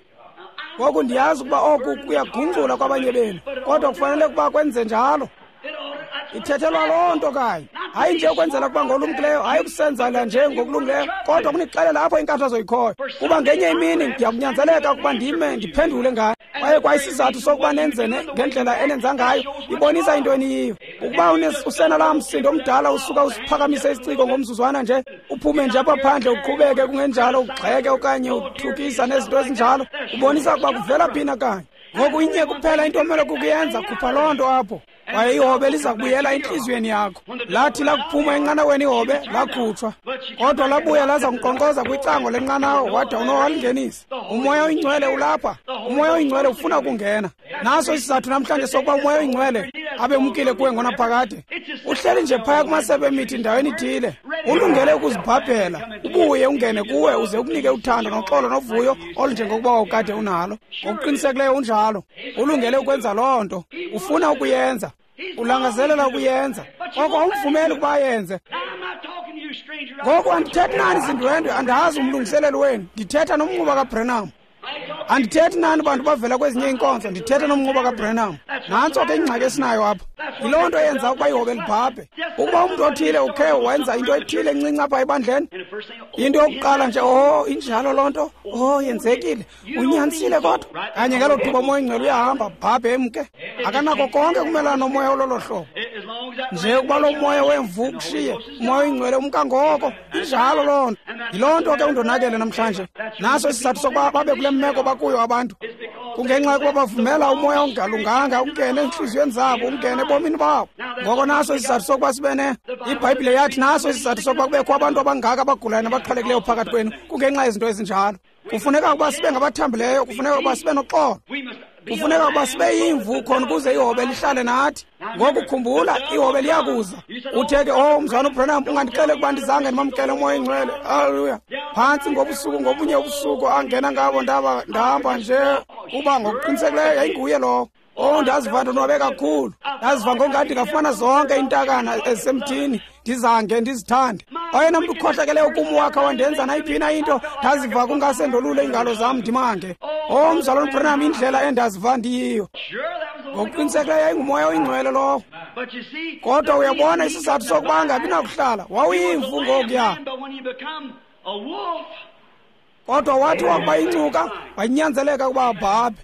Ngoku ndiyazi ukuba oku kuyagungqula kwabanye benu, kodwa kufanele ukuba kwenze njalo. Ithethelwa loo nto kanye, hayi nje ukwenzela ukuba ngolumkileyo, hayi ukusenzela nje ngokulungileyo, kodwa kunixelela apho inkathazo ikhoyo, kuba ngenye imini ndiyakunyanzeleka ukuba ndime ndiphendule ngayo. Kwaye kwayisizathu sokuba nenze ngendlela enenza ngayo ibonisa into eniyiyo. Ukuba usenalaa msindo omdala usuka usiphakamise isiciko ngomzuzwana nje, uphume nje apha phandle uqhubeke kungenjalo ugxeke okanye uthukisa nezinto ezinjalo, ubonisa ukuba kuvela phi na kanye. Ngoku inye kuphela into omele kukuyenza, khupha loo nto apho, kwaye ihobe liza kubuyela entliziyweni yakho. Lathi lakuphuma enqanaweni ihobe lakhutshwa, kodwa labuya laza kunkqonkqoza kwicango lenqanawa, wada uNowa walingenisa. UMoya oyiNgcwele ulapha. UMoya oyiNgcwele ufuna ukungena. Naso isizathu namhlanje sokuba uMoya oyiNgcwele abe umkile kuwe ngonaphakade. Uhleli nje phaya kumasebe emithi ndaweni ithile, ulungele ukuzibhabhela, ubuye ungene kuwe uze ukunike uthando noxolo novuyo olunjengokuba wawukade unalo. Ngokuqinisekileyo unjalo. Ulungele ukwenza loo nto, ufuna ukuyenza, ulangazelela ukuyenza, koko awumvumeli ukuba ayenze. Ngoku andithethi nani zindwendwe, andazi umlungiseleli wenu, ndithetha nomnquba kaBranham. Andithethi nani bantu bavela kwezinye iinkonzo, ndithetha nomnquba kaBranham. Nantso ke ingxaki esinayo apha. Yiloo nto eyenza ukuba ihobe libhabhe. Ukuba umntu othile ukhe wenza into ethile encinci apha ebandleni, into yokuqala nje, oh, injalo loo nto, oh, yenzekile, unyanisile kodwa. Kanye ngelo thuba uMoya oyiNgcwele uyahamba, bhabhe emke. Akanako konke kumelana nomoya ololo hlobo. Nje ukuba lo moya wemvu ukushiye, uMoya oyiNgcwele umka ngoko. Injalo loo nto. Yiloo nto ke undonakele namhlanje. Naso isizathu sokuba babe kule meko bakuyo abantu, kungenxa yokuba bavumela umoya ongalunganga ungene entliziyweni zabo, ungene ebomini babo. Ngoko naso isizathu sokuba sibe ne iBhayibhile yathi naso isizathu sokuba kubekho abantu abangaka abagulayo nabaxhwalekileyo phakathi kwenu, kungenxa yezinto ezinjalo. Kufuneka ukuba sibe ngabathambileyo, kufuneka ukuba sibe noxolo, kufuneka ukuba sibe yimvu khona ukuze ihobe lihlale nathi. Ngoku khumbula, ihobe liyakuza. Uthe ke, oh, mzwana uBranham, ungandixele ukuba ndizange ndimamkele uMoya oyiNgcwele. Haleluya. Phantsi ngobusuku, ngobunye ubusuku angena ngabo, ndaba ndahamba nje, kuba ngokuqinisekileyo yayinguye lowo. Oh, ndaziva ndonwabe kakhulu. Ndaziva ngokungathi ndingafumana zonke iintakana ezisemthini, ndizange ndizithande. Oyena mntu ukhohlakeleyo kum wakha wandenza nayiphi na into, ndaziva kungase ndolule iingalo zam ndimange. Oh, mzalwana uBranham, indlela endaziva ndiyiyo. Ngokuqinisekileyo yayinguMoya oyiNgcwele lowo. Kodwa uyabona isizathu sokuba angabi nakuhlala, wawuyimvu ngokuya. Kodwa wathi wakuba incuka, wanyanzeleka ukuba abhabhe.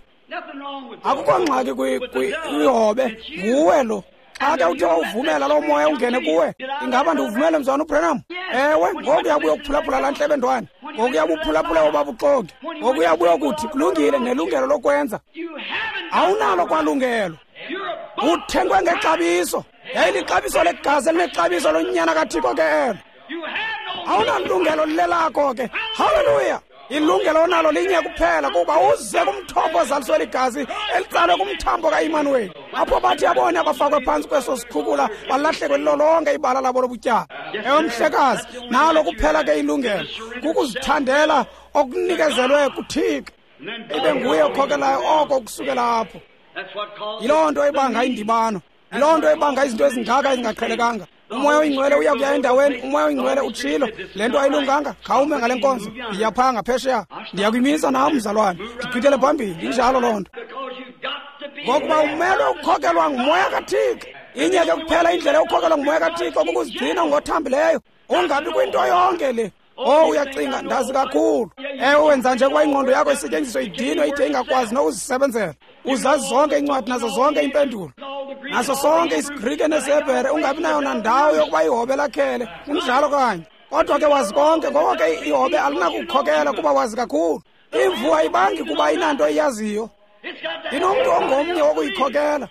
Akukho ngxaki kwihobe, nguwe lo. Xa ke uthe wawuvumela loo moya ungene kuwe, ingaba ndiwuvumele mzwana uBranham? Ewe, ngoku uyabuya ukuphulaphula laa ntlebendwane, ngoku uyabuphulaphula obabuxoki, ngoku uyabuya ukuthi kulungile, nelungelo lokwenza. Awunalo kwalungelo. Uthengwe ngexabiso. Yayilixabiso legazi elinexabiso lonyana kaThixo ke elo. Awunalungelo lilelakho ke. Haleluya. Ilungelo onalo linye kuphela, kuba uze kumthombo ozaliswe ligazi elitsalwe kumthambo kaImanuweli, apho bathi abone abafakwe phantsi kweso sikhukula balahlekwe lilo lonke ibala labo lobutyala. Ewe mhlekazi, nalo kuphela ke ilungelo, kukuzithandela okunikezelwe kuThixo, ibe nguye okhokelayo oko kusukela apho. Yiloo nto ebanga indibano, yiloo nto ebanga izinto ezingaka ezingaqhelekanga. UMoya oyiNgcwele uya kuya endaweni, uMoya oyiNgcwele utshilo, le nto ayilunganga, khawume ngale nkonzo, ndiya phaa ngaphesheya, ndiyakuyimisa nam mzalwane, ndigqithele phambili. Injalo loo nto. Ngokuba umelwe ukukhokelwa nguMoya kaThixo. Inye ke kuphela indlela yokukhokelwa nguMoya kaThixo, kukuzigcina ngothambileyo, ungabi kwinto yonke le. Oh, uyacinga, ndazi kakhulu. Ewe, wenza nje kuba ingqondo yakho isetyenziswe idinwe ide ingakwazi nokuzisebenzela. Uzazi zonke iincwadi nazo zonke iimpendulo, naso sonke isiGrike nesiHebhere, ungabi nayo nandawo yokuba ihobe lakhele. Kunjalo kanye. Kodwa ke wazi konke, ngoko ke ihobe alinakukhokela kuba wazi kakhulu. Imvu ayibangi kuba inanto iyaziyo, inomntu ongomnye wokuyikhokela.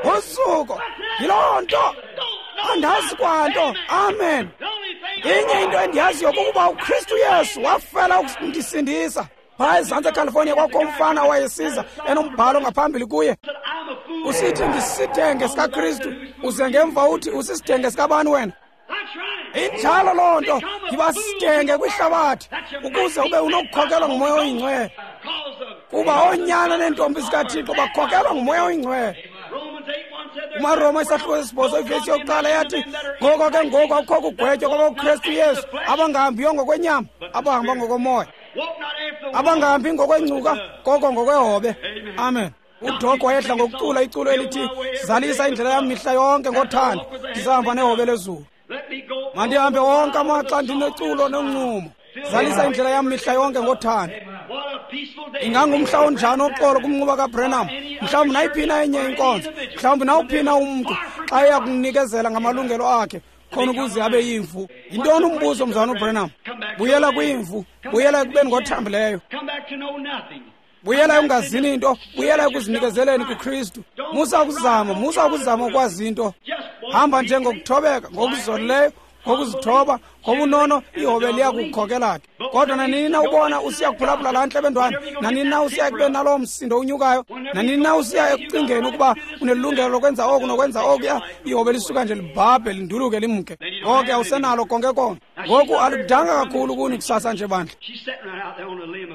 Usuko yiloo nto. Andazi kwanto. Amen. Inye into endiyaziyo kukuba uKristu Yesu wafela ukundisindisa. Phaya ezantsi eCalifornia kwakho umfana owayesiza enombhalo ngaphambili kuye usithi ndisidenge sikaKristu, uze ngemva uthi usisidenge sikabani wena? Injalo loo nto. Yiba sidenge kwihlabathi ukuze ube unokukhokelwa nguMoya oyiNgcwele, kuba oonyana neentombi zikaThixo bakhokelwa nguMoya oyiNgcwele. UmaRoma isahluko sesibhozo ivesi yokuqala yathi, ngoko ke ngoku akukho kugwetywa kwabakuKristu Yesu abangahambiyo ngokwenyama, abahamba ngokomoya, abangahambi ngokwengcuka koko ngokwehobe. Amen. UDoc wayedla ngokucula iculo elithi, zalisa indlela yam mihla yonke ngothando, ndisahamba nehobe lezulu. Mandihambe wonke amaxa ndineculo noncumo, zalisa indlela yam mihla yonke ngothando. Ingangumhla onjani oxolo kumnquba kaBrenham, mhlawumbi nayiphina enye inkonzo, mhlawumbi nawuphina umntu xa eya kunikezela ngamalungelo akhe khona ukuze abe yimvu. Yintoni umbuzo, mzalwana uBrenham? Buyela kwimvu, buyela ekubeni ngothambileyo, buyela ekungazini into, buyela ekuzinikezeleni kuKristu. Musa ukuzama, musa ukuzama ukwazi into. Hamba nje ngokuthobeka, ngokuzolileyo, ngokuzithoba, ngobunono, ihobe liya kukukhokela ke. Kodwa nanini na ubona usiya kuphulaphula laa ntlebendwane, nanini na usiya ekubeni naloo msindo unyukayo, nanini na usiya ekucingeni ukuba unelungelo lokwenza oku nokwenza okuya, ihobe lisuka nje libhabhe linduluke limke. Ngoku awusenalo konke konke. Ngoku aludanga kakhulu kuni kusasa nje bandla.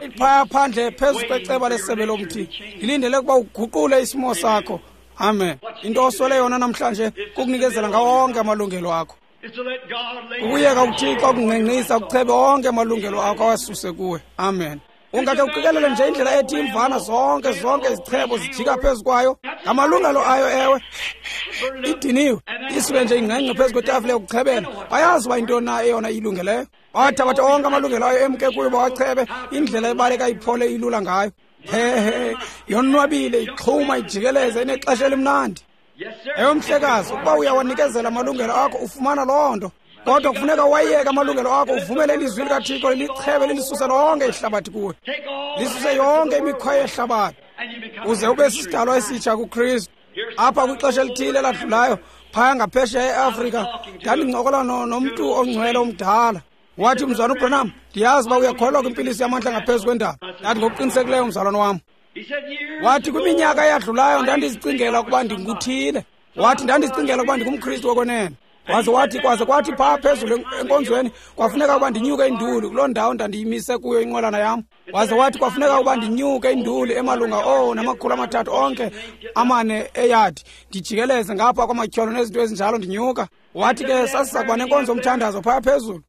Iphaya phandle phezu kweceba lesebe lomthi, ndilindele ukuba uguqule isimo sakho. Amen. Into oswele yona namhlanje kukunikezela ngawo onke amalungelo akho. Ukuyeka uThixo ukungqengqisa ukuchebe onke amalungelo akho awasuse kuwe. Amen. Ungakhe uqikelele nje indlela ethi imvana zonke zonke izichebo zijika phezu kwayo ngamalungelo ayo. Ewe, idiniwe isuke nje ingqengqe phezu kwetafile yokuchebela. Bayazi uba yintoni na eyona ilungeleyo. Bathabatha onke amalungelo ayo emke kuyo bawachebe. Indlela ebaleka iphole ilula ngayo. Hehe, yonwabile, ixhuma ijikeleze, inexesha elimnandi. Ewe mhlekazi, ukuba uyawanikezela amalungelo akho ufumana loo nto. Kodwa kufuneka wayeke amalungelo akho, uvumele ilizwi likaThixo lichebe lilisuse lonke ihlabathi kuwe, lisuse yonke imikhwa yehlabathi, uze ube sisidalwa esitsha kuKristu. Apha kwixesha elithile eladlulayo phaya ngaphesheya eAfrika, ndandincokola nomntu ongcwele omdala. Wathi, mzalwana uBrenham, ndiyazi uba uyakholwa kwimpiliso yamandla ngaphezu kwendalo. Ndathi, ngokuqinisekileyo mzalwana wam. Wathi, kwiminyaka eyadlulayo ndandizicingela ukuba ndinguthile. Wathi, ndandizicingela ukuba ndingumKristu wokwenene. Waze wathi, kwaze kwathi phaa phezulu enkonzweni kwafuneka ukuba ndinyuke induli kuloo ndawo ndandiyimise kuyo inqwelana yam. Waze wathi kwafuneka ukuba ndinyuke induli emalunga oh namakhulu amathathu onke amane eyadi, ndijikeleze ngapha kwamatyholo nezinto ezinjalo ndinyuka. Wathi ke sasiza kuba nenkonzo yomthandazo phaya phezulu.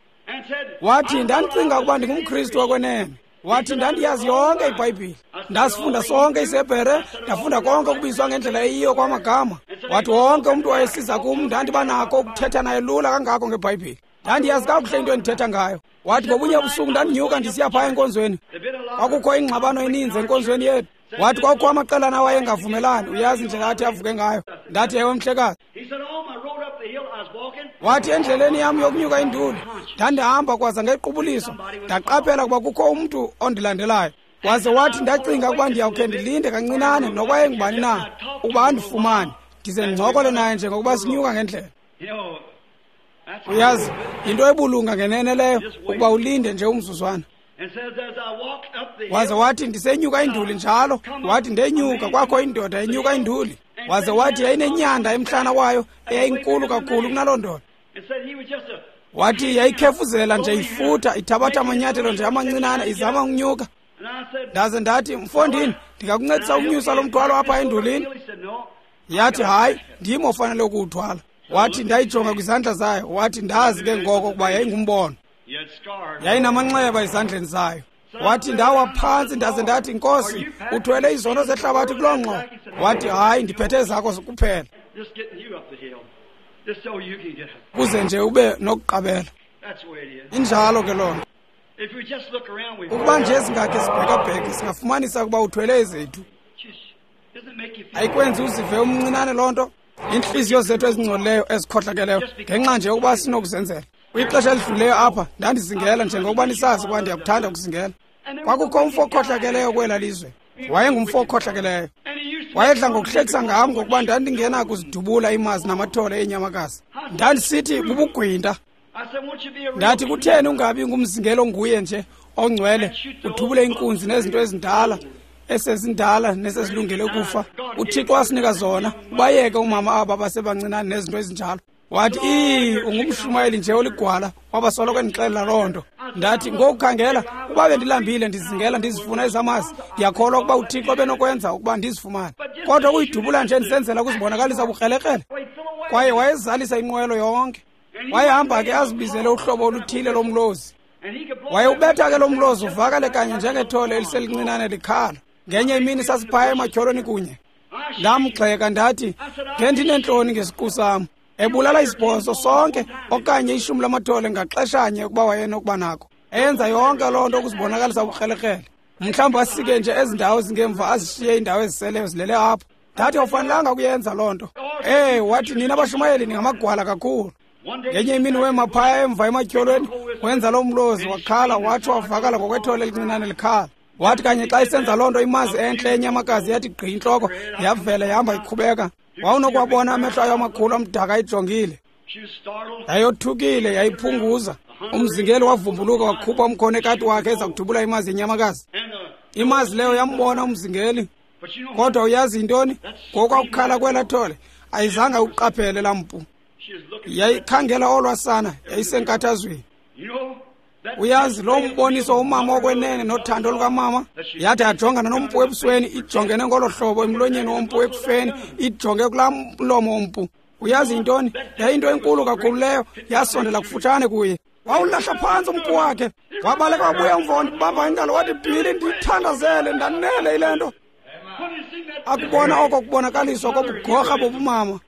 Wathi, ndandicinga ukuba ndingumKristu wokwenene. Wathi, ndandiyazi yonke iBhayibhile, ndasifunda sonke isiHebhere, ndafunda konke okubizwa ngendlela eyiyo kwamagama. Wathi wonke umntu wayesiza kum ndandiba nako ukuthetha naye lula kangako ngeBhayibhile. Ndandiyazi kakuhle into endithetha ngayo. Wathi ngobunye ubusuku ndandinyuka ndisiya phaya enkonzweni. Kwakukho ingxabano eninzi enkonzweni yethu. Wathi kwakukho amaqelana awayengavumelani, uyazi indlela athi avuke ngayo. Ndathi, ewe mhlekazi. Wathi endleleni yam yokunyuka induli ndandihamba kwaza ngequbuliso ndaqaphela ukuba kukho umntu ondilandelayo. Waze wathi ndacinga ukuba ndiyawukhe ndilinde kancinane noba engubani na ukuba andifumane, ndize ndincokole naye njengokuba sinyuka ngendlela. Uyazi, yinto ebulunga ngenene leyo ukuba ulinde nje umzuzwana. Waze wathi ndisenyuka induli njalo. Wathi ndenyuka kwakho indoda enyuka induli. Waze wathi yayinenyanda emhlana wayo eyayinkulu kakhulu kunaloo ndoda. Wathi yayikhefuzela nje ifutha, ithabatha amanyathelo nje amancinane izama ukunyuka. Ndaze ndathi, mfondini, ndingakuncedisa ukunyusa lo mthwalo apha endulini? Yathi, hayi, ndim ofanele ukuwuthwala. Wathi ndayijonga kwizandla zayo. Wathi ndazi ke ngoko ukuba yayingumbono. Yayinamanxeba ezandleni zayo. Wathi ndawa phantsi ndaze ndathi, Nkosi, uthwele izono zehlabathi kuloo ngxowa. Wathi, hayi, ndiphethe ezakho kuphela, kuze nje ube nokuqabela. Injalo ke loo nto. Ukuba nje singakhe sibhekabheke, singafumanisa ukuba uthwele ezethu. Ayikwenzi uzive umncinane loo nto? Iintliziyo zethu ezingcolileyo ezikhohlakeleyo ngenxa nje yokuba sinokuzenzela. Kwixesha elidluleyo apha ndandizingela njengokuba nisazi ukuba ndiyakuthanda ukuzingela. Kwakukho umfo okhohlakeleyo kwela lizwe. Wayengumfo okhohlakeleyo. Wayedla ngokuhlekisa ngam ngokuba ndandingena kuzidubula imazi namathole eenyamakazi. Ndandisithi bubugwinta. Ndathi kutheni ungabi ngumzingelo nguye nje ongcwele, udubule inkunzi nezinto ezindala, esezindala nesezilungele ukufa. UThixo wasinika zona, ubayeke umama aba basebancinane nezinto ezinjalo. Wathi, "Ii, ungumshumayeli nje oligwala." Wabasoloko endixelela loo nto. Ndathi, ngokukhangela, uba bendilambile ndizingela ndizifuna ezamazi, ndiyakholwa ukuba uThixo benokwenza ukuba ndizifumane. Kodwa ukuyidubula nje ndisenzela ukuzibonakalisa bukrelekrele. Kwaye wayezalisa inqwelo yonke. Wayehamba ke azibizele uhlobo oluthile lomlozi. Wayewubetha ke lo mlozi uvakale kanye njengethole eliselincinane likhala. Ngenye imini sasiphaya ematyholweni kunye. Ndamgxeka ndathi, ngendineentloni ngesiqu sam. Ebulala isibhozo sonke okanye ishumi lamathole ngaxeshanye ukuba wayenokuba nako. Eyenza yonke loo nto ukuzibonakalisa ubukrelekrele. Mhlawumbi asike nje ezi ndawo zingemva azishiye iindawo eziseleyo zilele apho. Ndathi awufanelanga ukuyenza loo nto. Eh, wathi nina abashumayeli ningamagwala kakhulu. Ngenye imini wema phaya emva ematyholweni, wenza loo mlozi wakhala watsho wavakala ngokwethole elincinane likhala. Wathi kanye xa isenza loo nto imazi entle enyamakazi yathi gqi intloko, yavela yahamba iqhubeka. Wawunokuwabona amehlo ayo amakhulu amdaka ayijongile. Yayothukile, yayiphunguza. Umzingeli wavumbuluka wakhupha umkhono ekati wakhe eza kudubula imazi yenyamakazi. Imazi leyo yambona umzingeli. Kodwa uyazi yintoni? Ngokwakukhala kwelaa thole, ayizange uqaphele laa mpu. Yayikhangela olwa sana, yayisenkathazweni. Uyazi lo mboniso umama okwenene nothando lukamama, yathi yajongana nompu ebusweni, ijongene ngolo hlobo emlonyeni wompu ekufeni, ijonge kulaa mlomo wompu. Uyazi yintoni? Yayinto enkulu kakhulu leyo, yasondela kufutshane kuye. Wawulahla phantsi umpu wakhe, wabaleka wabuya umva wandibamba ingalo wathi, Bhili, ndithandazele, ndanele yile nto. Akubona oko kubonakaliswa kobugorha bobumama.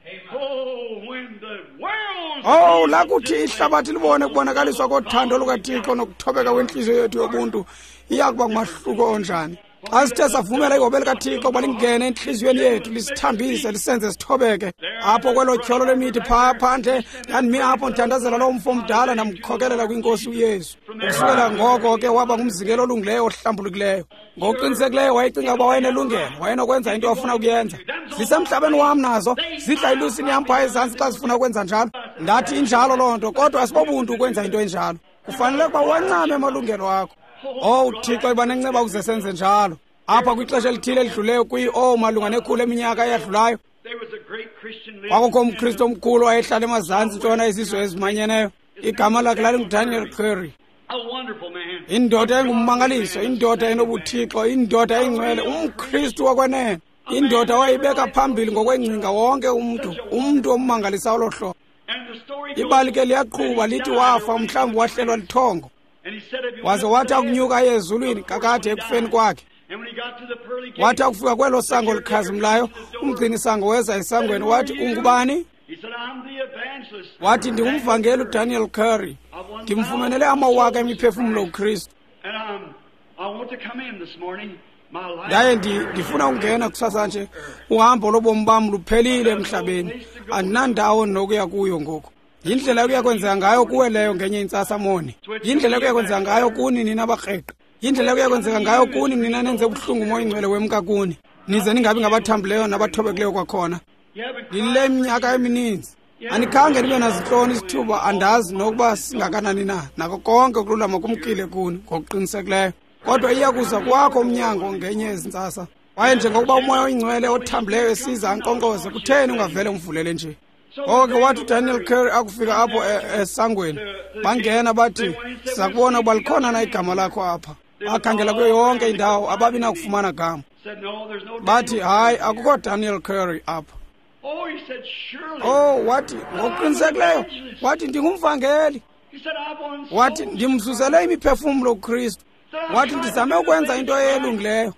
Oh, lakuthi ihlabathi libone kubonakaliswa kothando lukaThixo nokuthobeka kwentliziyo yethu yobuntu, iya kuba ngumahluko onjani. Xa sithe savumela ihobe likaThixo ukuba lingene entliziyweni yethu, lisithambise, lisenze sithobeke. Apho kwelo tyholo lemithi phaa phandle, ndandimi apho ndithandazela loo mfo omdala, ndamkhokelela kwinkosi uYesu. Ukusukela ngoko ke waba ngumzingelo olungileyo ohlambulukileyo. Ngokuqinisekileyo wayecinga ukuba wayenelungelo, wayenokwenza into afuna ukuyenza. Zisemhlabeni wam nazo, zidla ilusini yam phaa ezantsi xa zifuna ukwenza njalo. Ndathi injalo loo nto, kodwa asibobuntu ukwenza into enjalo. Kufanele ukuba wancame amalungelo akho. Oh, uThixo iba nenceba ukuze senze njalo. Apha kwixesha elithile elidluleyo kwi oh malunga nekhulu eminyaka eyadlulayo, kwakukho umKristu omkhulu wayehlala emazantsi ntshona yezizwe ezimanyeneyo. Igama lakhe lalinguDaniel Curry. Indoda engummangaliso, indoda enobuthixo, indoda engcwele, umKristu wokwenene. Indoda wayibeka phambili ngokwengcinga wonke umntu, umntu ommangalisayo olo hlobo. Ibali ke liyaqhuba lithi wafa, mhlawumbi wahlelwa lithongo. Waze wathi akunyuka aye ezulwini kakade ekufeni kwakhe. Wathi akufika kwelo sango likhazimlayo, umgcini-sango weza esangweni wathi, ungubani? Wathi, ndingumvangeli uDaniel Curry. Ndimfumenele amawaka emiphefumlo uKristu. Ndaye ndifuna ukungena kusasa nje. Uhambo lobomi bam luphelile emhlabeni. Andinandawo nokuya kuyo ngoku. Yindlela ekuya kwenzeka ngayo kuwe leyo ngenye intsasa moni. Yindlela ekuya kwenzeka ngayo kuni nina abakreqi. Yindlela ekuya kwenzeka ngayo kuni nina nenze ubuhlungu umoya oyingcwele wemka kuni. Nize ningabi ngabathambileyo nabathobekileyo kwakhona. Ndilile iminyaka emininzi. Andikhange ndibe nazintloni isithuba, andazi nokuba singakanani na. Nako konke ukululama kumkile kuni ngokuqinisekileyo. Kodwa iya kuza kwakho umnyango ngenye ezintsasa. Kwaye njengokuba umoya oyingcwele othambileyo esiza ankqonkqoze, kutheni ungavele umvulele nje? Oke wathi uDaniel Curry akufika apho esangweni, bangena bathi, siza kubona ukuba likhona na igama lakho apha. Bakhangela kuyo yonke indawo, ababi nakufumana gama. Bathi, hayi, akukho Daniel Curry apha. Oh, wathi, ngokuqinisekileyo, wathi ndingumvangeli. Wathi, ndimzuzele imiphefumlo kuKristu. Wathi, ndizame ukwenza into elungileyo.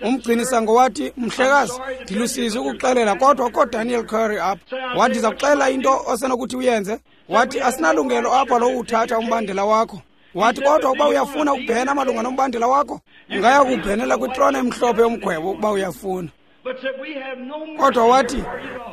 Umgcini-sango wathi, mhlekazi, ndilusizi ukuxelela, kodwa akukho Daniel Curry apha. Wathi, ndiza kuxelela into osenokuthi uyenze. Wathi, asinalungelo apha lowuthatha umbandela wakho. Wathi, kodwa ukuba uyafuna ukubhena malunga nombandela wakho, ungaya kubhenela kwitrone emhlophe yomgwebo ukuba uyafuna. Kodwa wathi,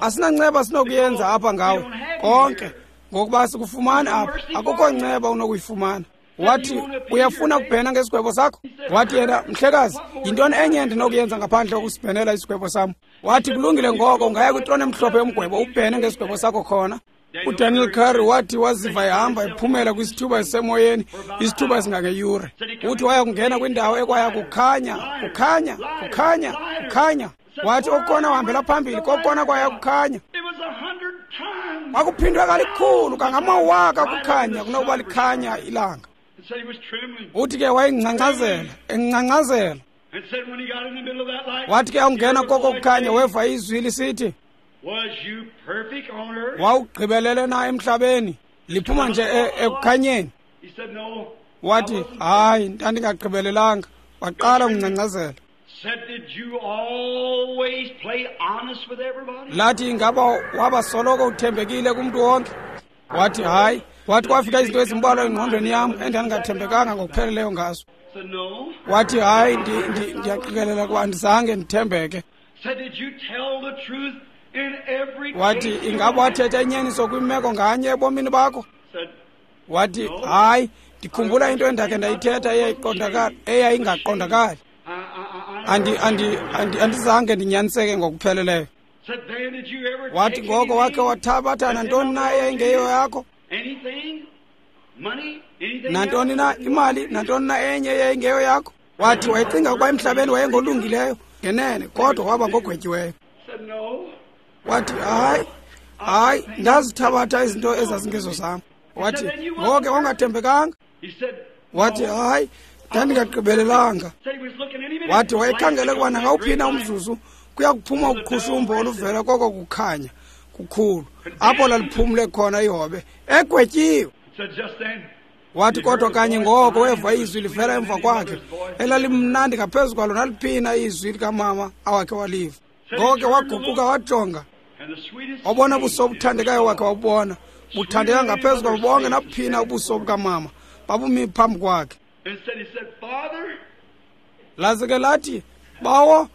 asinanceba sinokuyenza apha ngawe konke, ngokuba sikufumani apha. Akukho nceba unokuyifumana. Wathi, uyafuna ukubhena ngesigwebo sakho? Wathi yena, mhlekazi, yintoni enye endinokuyenza ngaphandle kokusibhenela isigwebo sam? Wathi, kulungile ngoko, ungaya kwitrone emhlophe yomgwebo ubhene ngesigwebo sakho khona. UDaniel Curry wathi waziva ehamba ephumela kwisithuba esisemoyeni, isithuba esingangeyure. Uthi waya kungena kwindawo ekwaya kukhanya, kukhanya, kukhanya, kukhanya. Wathi okukona uhambela phambili, kokukona kwaya kukhanya. Kwakuphindwe kalikhulu kangamawaka kukhanya kunokuba likhanya ilanga. Uthi ke wayengcangcazela, engcangcazela. Wathi ke awungena koko kukhanya weva izwi lisithi, wawugqibelele na emhlabeni? Liphuma nje ekukhanyeni. Wathi, hayi, ndandingagqibelelanga. Waqala ukungcangcazela. Lathi, ingaba waba soloko uthembekile kumntu wonke? Wathi, hayi. Wathi kwafika izinto ezimbalwa engqondweni yam endandingathembekanga ngokupheleleyo ngazo. Wathi, hayi, ndiyaqikelela kuba andizange ndithembeke. Wathi, ingaba wathetha inyaniso kwimeko nganye ebomini bakho? Wathi, hayi, ndikhumbula into endakhe ndayithetha eyayingaqondakali. Andi andi andi andizange ndinyaniseke ngokupheleleyo. Wathi ngoko wakhe wathabatha nantoni na eyayingeyo yakho? Nantoni na imali, nantoni na enye eyayingeyo yakho? Wathi wayecinga ukuba emhlabeni wayengolungileyo ngenene, kodwa waba ngogwetyiweyo. Wathi, hayi, hayi, ndazithabatha izinto ezazingezo zam. Wathi, ngoko wangathembekanga. Wathi, hayi, ndandingagqibelelanga. Wathi wayekhangele ukuba nangawuphi na umzuzu kuya kuphuma uqhushumbo oluvela koko kukhanya kukhulu, apho laliphumle khona ihobe egwetyiwe. Wathi kodwa kanye ngoko weva izwi livela emva kwakhe elalimnandi ngaphezu kwalo naliphina izwi likamama awakhe waliva. Ngoko waguquka wajonga, wabona ubuso obuthandekayo wakhe wabubona buthandeka ngaphezu kwabo bonke nabuphina ubuso bukamama babumi phambi kwakhe. Laze ke lathi, bawo,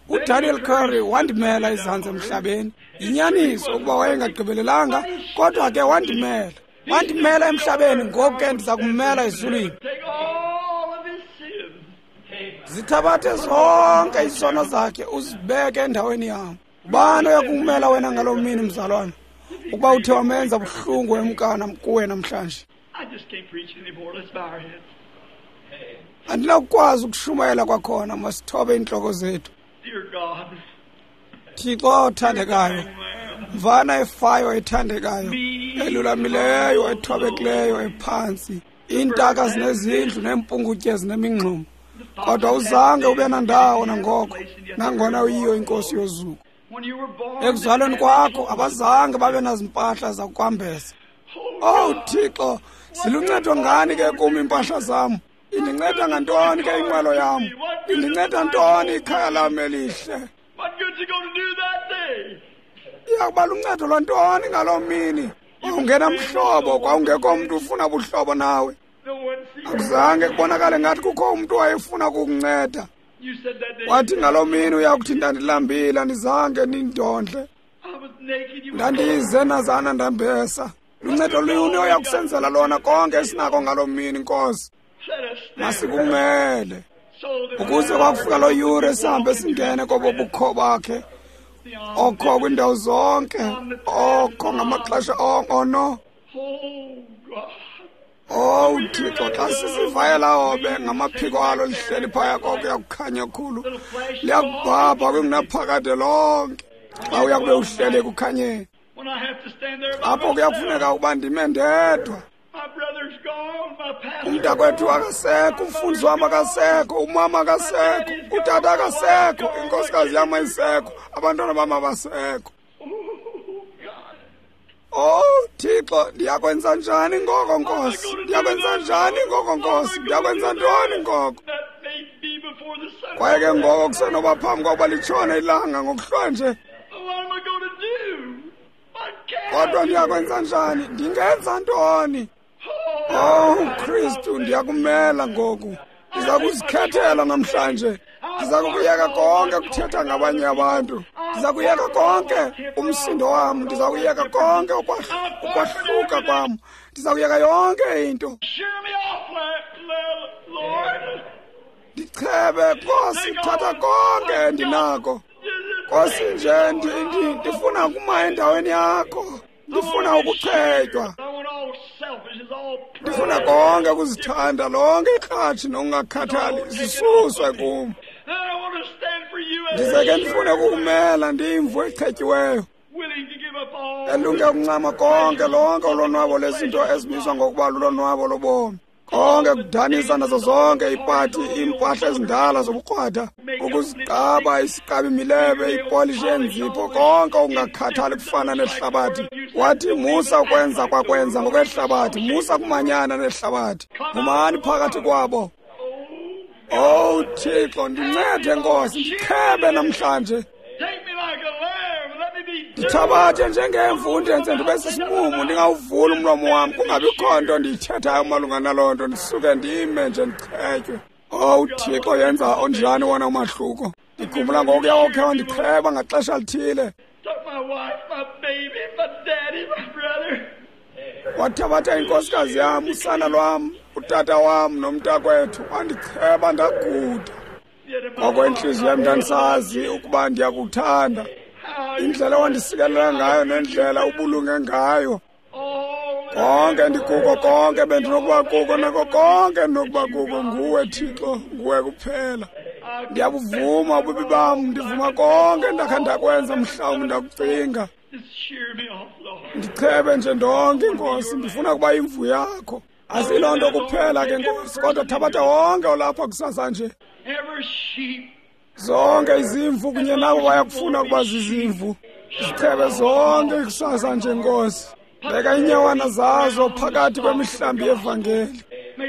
uDaniel Curry wandimela izantsi emhlabeni. Yinyaniso ukuba wayengagqibelelanga, kodwa ke wandimela. Wandimela emhlabeni, ngoku ke ndiza kummela ezulwini. Zithabathe zonke izono zakhe uzibeke endaweni yam. Ubani oyakumela wena ngaloo mini, mzalwana, ukuba uthe wamenza buhlungu emkana kuwe namhlanje? Andinakukwazi ukushumayela kwakhona, masithobe iintloko zethu. Thixo othandekayo, mvana efayo ethandekayo, elulamileyo, ethobekileyo, ephantsi. Iintaka zinezindlu neempungutye zinemingxuma, kodwa uzange ube nandawo nangoko, nangona uyiyo inkosi yozuko. Ekuzalweni kwakho abazange babe nazimpahla zakwambesa. Oh Thixo, ziluncedo ngani ke kum iimpahla zam? Indinceda ngantoni ke inqwelo yam? Indinceda ntoni ikhaya lam elihle? Iyakuba luncedo lwantoni ngaloo mini? Wawungenamhlobo, kwawungekho mntu ufuna buhlobo nawe. Akuzange kubonakale ngathi kukho umntu wayefuna ukukunceda. Wathi ngaloo mini uyakuthi ndandilambile, andizange nindondle. Ndandize nazana ndambesa. Luncedo luni oyakusenzela lona konke esinako ngaloo mini, Nkosi? Masikumele ukuze kwakufika loo yure sihambe singene kobo bukho bakhe, okho kwiindawo zonke, okho ngamaxesha onke. Ono owu Thixo, xa sisivayela hobe ngamaphiko alo lihleli phaya koko kuyakukhanya khulu, liyakubhabha kwingunaphakade lonke xa uya kube uhleli ekukhanyeni. Apho kuyakufuneka ukuba ndime ndedwa. Umntakwethu akasekho, umfundisi wam akasekho, umama akasekho, utata akasekho, inkosikazi yam ayisekho, abantwana bam abasekho. Oh Thixo, ndiyakwenza njani ngoko, Nkosi? Ndiyakwenza njani ngoko, Nkosi? Ndiyakwenza ntoni ngoko? Kwaye ke ngoko kusenoba phambi kokuba litshone ilanga ngokuhlwa nje. Kodwa ndiyakwenza njani? Ndingenza ntoni? Oh Kristu, ndiyakumela ngoku. Ndiza kuzikhethela namhlanje. Ndiza kukuyeka konke kuthetha ngabanye abantu. Ndiza kuyeka konke umsindo wam. Ndiza kuyeka konke ukwahluka kwam. Ndiza kuyeka yonke into. Ndichebe, Nkosi, thatha konke endinako. Nkosi nje ndifuna ukuma endaweni yakho. Ndifuna ukuchetywa. Ndifuna konke ukuzithanda, lonke ikratshi nokungakhathali zisuswe kum. Ndize ke ndifune ukukumela ndiyimvu echetyiweyo, elunge ukuncama konke lonke ulonwabo lezinto ezibizwa ngokuba lulonwabo lobomi. Konke kudanisa nazo zonke iipati, iimpahla ezindala zobukrwada, ukuziqaba isiqaba imilebe, ipolishi yenzipho, konke okungakhathali kufana nehlabathi. Wathi musa ukwenza kwakwenza ngokwehlabathi, musa kumanyana nehlabathi, phumani phakathi kwabo. Oh Thixo, ndincede Nkosi, ndichebe namhlanje. Ndithabathe njengemvu, undenze ndibe sisimumu, ndingawuvuli umlomo wam, kungabikho nto ndiyithethayo malunga naloo nto, ndisuke ndime nje ndichetywe. Oh Thixo, yenza onjani wona umahluko. Ndikhumbula ngokuya okhe wandicheba ngaxesha lithile. Wathabatha inkosikazi yam, usana lwam, utata wam nomntakwethu, wandicheba ndaguda. Ngoko intliziyo yam ndandisazi ukuba ndiyakuthanda. Indlela wandisikelela ngayo nendlela ubulunge ngayo. Konke ndikuko, konke bendinokuba kuko, nako konke ndinokuba kuko nguwe Thixo, nguwe kuphela. Ndiyabuvuma ububi bam, ndivuma konke ndakha ndakwenza, mhlawumbi ndakucinga. Ndichebe nje ndonke Nkosi, ndifuna ukuba imvu yakho. Asiloo nto kuphela ke Nkosi, kodwa thabatha wonke olapha kusasa nje. Zonke izimvu kunye nabo bayakufuna ukuba zizimvu. Zichebe zonke kusasa nje Nkosi. Beka iinyawana zazo phakathi kwemihlambi yevangeli.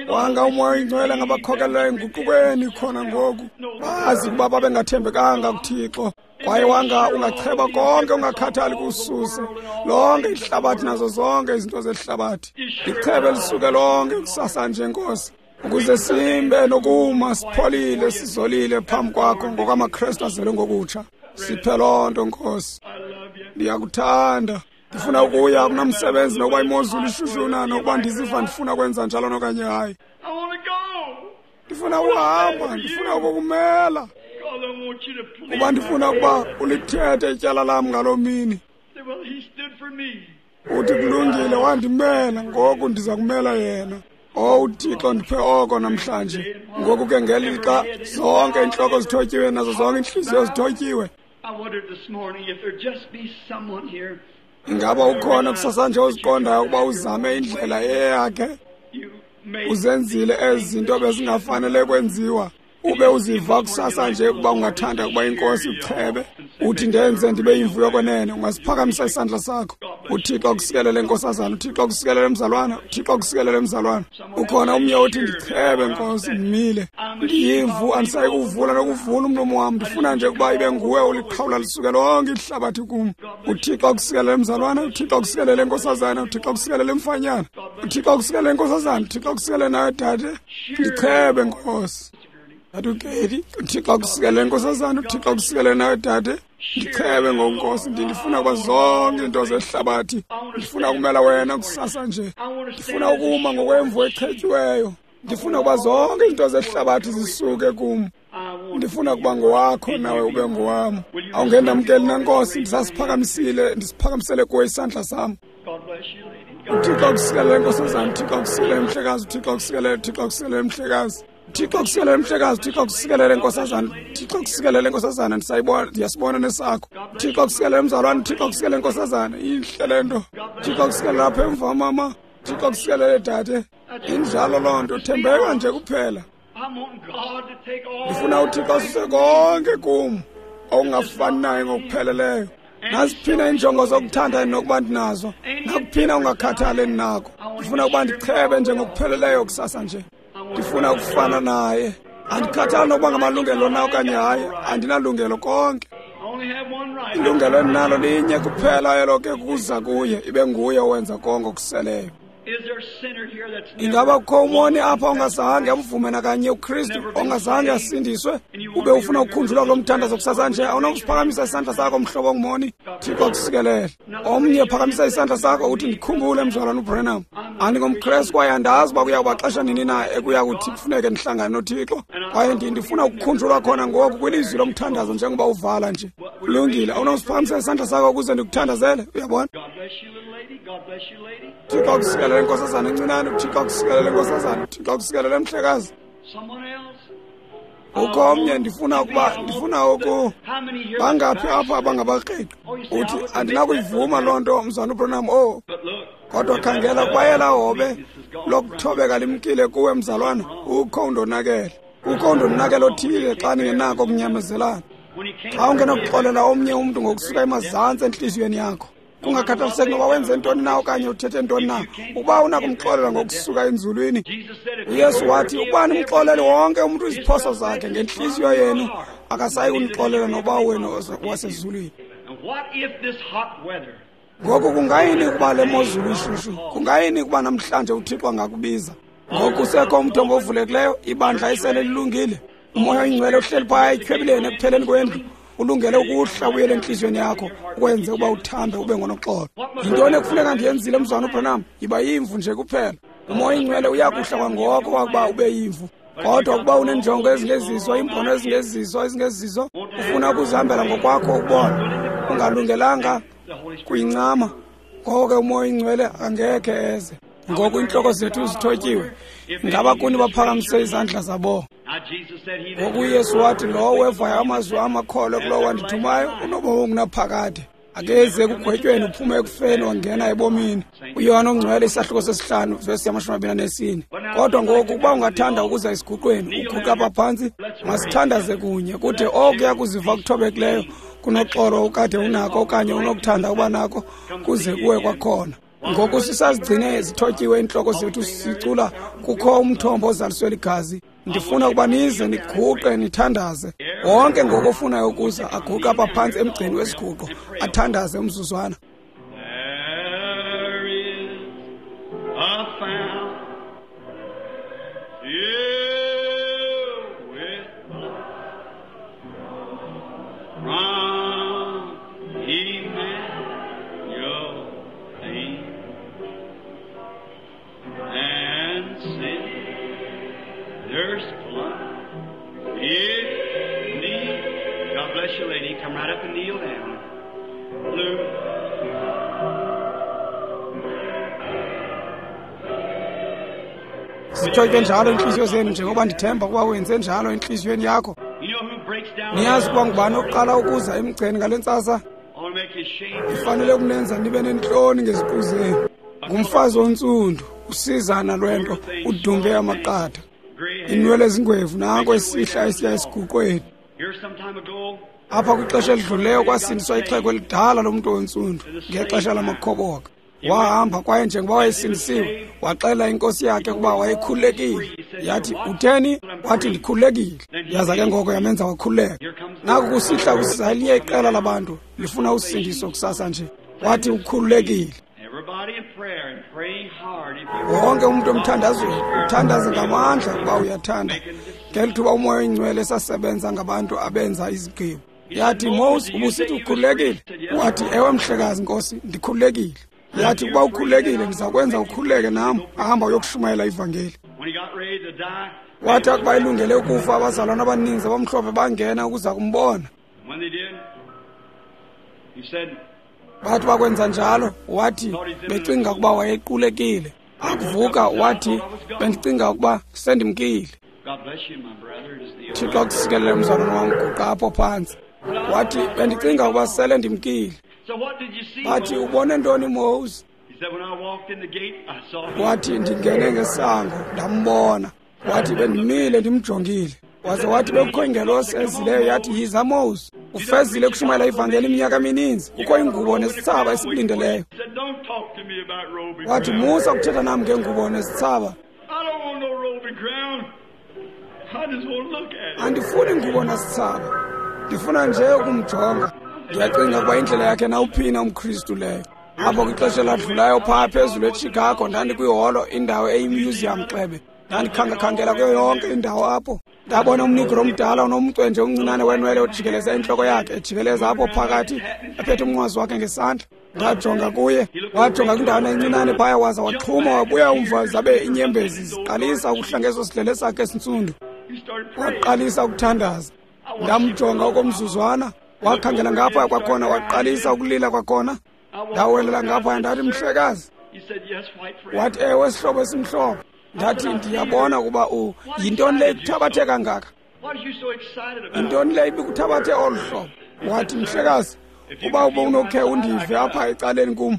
Wanga uMoya oyiNgcwele ngabakhokelela enguqukweni khona ngoku. Bazi ukuba babengathembekanga kuThixo. Kwaye wanga ungacheba konke ungakhathali kususe lonke ihlabathi nazo zonke izinto zehlabathi. Lichebe lisuke lonke kusasa nje Nkosi, ukuze simbe nokuma sipholile sizolile phambi kwakho ngokwamaKrestu azelwe ngokutsha. Siphe loo nto Nkosi. Ndiyakuthanda. Ndifuna ukuya kunamsebenzi nokuba imozulu ishushuna, nokuba ndiziva ndifuna kwenza njalo nokanye hayi. Ndifuna ukuhamba, ndifuna ukukumela. Kuba ndifuna ukuba ulithethe ityala lam ngaloo mini. Uthi kulungile, wandimela, ngoku ndiza kumela yena. Oh Thixo, ndiphe oko namhlanje. Ngoku ke ngelixa zonke iintloko zithotyiwe nazo zonke iintliziyo zithotyiwe. Ingaba ukhona kusasa nje oziqondayo ukuba uzame indlela eyakhe? Uzenzile ezi zinto bezingafanele kwenziwa. Ube uziva kusasa nje ukuba ungathanda ukuba inkosi ikuchebe, uthi ndenze ndibe yimvu yokwenene. Ungasiphakamisa isandla sakho. UThixo akusikelele nkosazana, uThixo akusikelele mzalwana, uThixo akusikelele mzalwana. Ukhona omnye othi ndichebe Nkosi, ndimile, ndiyimvu, andisayi kuvula nokuvula umlomo wam, ndifuna nje ukuba ibe nguwe oliqhawula lisuke lonke ihlabathi kum. UThixo akusikelele mzalwana, uThixo akusikelele nkosazana, uThixo akusikelele mfanyana, uThixo akusikelele nkosazana, uThixo akusikelele nawe dade. Ndichebe Nkosi. Atukeli, uThixo akusikelele nkosazana, uThixo akusikelele nawe dade. Ndichebe ngoNkosi, ndifuna ukuba zonke izinto zehlabathi. Ndifuna ukumela wena kusasa nje. Ndifuna ukuma ngokwemvu echetyiweyo. Ndifuna ukuba zonke izinto zehlabathi zisuke kum. Ndifuna ukuba ngowakho nawe ube ngowam. Awungendamkeli na Nkosi, ndisasiphakamisile, ndisiphakamisele kuwe isandla sam. uThixo akusikelele nkosazana, uThixo akusikelele mhlekazi, uThixo akusikelele, uThixo akusikelele mhlekazi. Thixo akusikelele mhlekazi, Thixo akusikelele nkosazana, Thixo akusikelele nkosazana, ndisayibona, ndiyasibona nesakho. Thixo akusikelele mzalwane, Thixo akusikelele nkosazana, intle le nto. Thixo akusikelele apha emva mama, Thixo akusikelele dade. Injalo loo nto, thembeka nje kuphela. Ndifuna uThixo asuse konke kum okungafani naye ngokupheleleyo. Naziphina iinjongo zokuthanda nokuba ndinazo, nakuphina ungakhathali endinako. Ndifuna ukuba ndichebe nje ngokupheleleyo kusasa nje. Ndifuna ukufana naye. Andikhathali nokuba ngamalungelo na okanye hayi, andinalungelo konke. Ilungelo endinalo linye kuphela, elo ke kuza kuye, ibe nguye owenza konke okuseleyo. Ingaba kukho umoni apha ongazange amvume nakanye uKristu, ongazange asindiswe, ube ufuna ukukhunjulwa kulo mthandazo kusasa nje? Awunokusiphakamisa isandla sakho mhlobo ongumoni? Thixo akusikelele. Omnye phakamisa isandla sakho uthi ndikhumbule mzalwana uBrenham, AndingomKrestu kwaye andazi uba kuya kuba xesha nini na ekuya kuthi kufuneke ndihlangane noThixo. Kwaye ndifuna ukukhunjulwa khona ngoku kwilizwi lomthandazo njengoba uvala nje. Kulungile, awunosiphakamisa isandla sakho ukuze ndikuthandazele, uyabona? Thixo akusikelele nkosazana encinane, Thixo akusikelele nkosazana, Thixo akusikelele mhlekazi. Ukho omnye ndifuna ukuba ndifuna uku bangaphi apha abangabakreqi. Uthi andinakuyivuma loo nto mzana uBranham. Oh, kodwa khangela kwayela hobe lokuthobeka limkile kuwe mzalwana. Ukho undonakele, ukho undonakele othile xa ningenako ukunyamezelana. Xa ungenakuxolela omnye umntu ngokusuka emazantsi entliziyweni yakho, kungakhathaliseki noba wenze ntoni na okanye uthethe ntoni na, ukuba unakumxolela ngokusuka enzulwini. UYesu wathi ukuba nimxolele wonke umntu iziphoso zakhe ngentliziyo yenu, akasayi kunixolela noba wenu wasezulwini. Ngoku kungayini ukuba le mozulu ishushu? Kungayini ukuba namhlanje uThixo angakubiza? Ngoku sekho umthombo ovulekileyo, ibandla esele lilungile. Umoya oyingcwele uhleli phaya etyhwebileni ekupheleni kwendlu, ulungele ukuhla ubuyele entliziyweni yakho, ukwenze uba uthambe ube ngonoxolo. Yintoni ekufuneka ndiyenzile mzwana uBranham? Yiba yimvu nje kuphela. Umoya oyingcwele uyakuhla kwangoko wakuba ube yimvu. Kodwa ukuba uneenjongo ezingezizo, iimbono ezingezizo, ezingezizo, ufuna ukuzihambela ngokwakho ukubona, ungalungelanga kuyincama, ngoko ke umoya oyingcwele angekhe eze. Ngoku iintloko zethu zithotyiwe. Ngaba kuni baphakamise izandla zabo? Ngoku uYesu wathi lowo wevayo amazwi amakholwe kulowo wandithumayo unobomi obungunaphakade. Akeze ekugwetyweni, uphume ekufeni wangena ebomini. UYohane oNgcwele isahluko sesihlanu vesi yamashumi amabini anesine. Kodwa ngoku ukuba ungathanda ukuza esiguqweni, uguqa apha phantsi, masithandaze kunye. Kude okuya kuziva kuthobekileyo kunoxolo ukade unako okanye unokuthanda uba nako kuze kuwe kwakhona. Ngoku sisazigcine zithotyiwe iintloko zethu sicula kukho umthombo ozaliswe ligazi. Ndifuna ukuba nize niguqe nithandaze. Wonke ngoku ofunayo ukuza aguqe apha phantsi emgceni wesiguqo athandaze umzuzwana. There is a fountain with blood from Emmanuel and sin. There's blood. It need. God bless you, lady. Come right up and kneel down. Blue. Zithotywe njalo iintliziyo zenu njengoba ndithemba ukuba wenze njalo entliziyweni yakho. Niyazi ukuba ngubani oqala ukuza emgceni ngale ntsasa? Ndifanele ukunenza nibe nentloni ngeziqu zenu. Ngumfazi ontsundu, usizana lwento, udumbe amaqatha, inwele ezingwevu, nanko esihla esiya esiguqweni. Apha kwixesha elidluleyo kwasindiswa ixhego elidala lomntu ontsundu ngexesha lamakhoboka. Wahamba kwaye njengoba wayesindisiwe, waxela inkosi yakhe ukuba wayekhululekile. Yathi, utheni? Wathi, ndikhululekile. Yaza ke ngoko yamenza wakhululeka. Naku kusihla kusiza elinye iqela labantu lifuna usindiso kusasa nje. Wathi ukhululekile. Wonke umuntu omthandazweni uthandaze ngamandla ukuba uyathanda. Ngeli thuba umoya oyingcwele esasebenza ngabantu abenza izigqibo. Yathi, Moses, ubusithi ukhululekile? Wathi, ewe mhlekazi nkosi, ndikhululekile. Yathi, ukuba ukhululekile ndiza kwenza ukhululeke nam. Ahamba uyokushumayela ivangeli. Wathi akuba elungele ukufa, abazalwana abaninzi abamhlophe bangena ukuza kumbona. Bathi bakwenza njalo, wathi becinga ukuba wayequlekile. Akuvuka wathi, bendicinga ukuba sendimkile. Thixo akusikelele mzalwana wam, guqa apho phantsi. Wathi, bendicinga ukuba sele ndimkile. Bathi, ubone ntoni Moses? Wathi, ndingene ngesango ndambona. Wathi, bendimile ndimjongile. Waze wathi bekukho ingelosi ezileyo yathi, yiza Moses, ufezile ukushumayela ivangeli iminyaka emininzi, kukho ingubo nesithsaba esikulindeleyo. Wathi, musa ukuthetha nam ngengubo nesithsaba. Andifuni ngubo nasithsaba, ndifuna nje ukumjonga. Ndiyacinga ukuba indlela yakhe nawuphina umKristu leyo. Apho kwixesha eladlulayo phaa phezulu eChicago, ndandikwiholo, indawo eyimuseum xebe. Ndandikhangekhangela kuyo yonke indawo apho. Ndabona umnigro omdala onomcwe nje omncinane wenwele ojikeleza intloko yakhe, ejikeleza apho phakathi, ephethe umnqwazi wakhe ngesandla. Ndajonga kuye, wajonga kwindawana encinane phaya, waza waxhuma wabuya umva, zabe iinyembezi ziqalisa ukuhla ngeso sidlele sakhe esintsundu. Waqalisa ukuthandaza. Ndamjonga okomzuzwana, wakhangela ngapha kwakhona, waqalisa ukulila kwakhona. Ndawelela ngapha ndathi, mhlekazi. Wathi, ewe sihlobo esimhlophe. Ndathi, ndiyabona ukuba u yintoni le ikuthabathe kangaka? Yintoni le ibikuthabathe olu hlobo? Wathi, mhlekazi, uba ubunokhe undive apha ecaleni kum,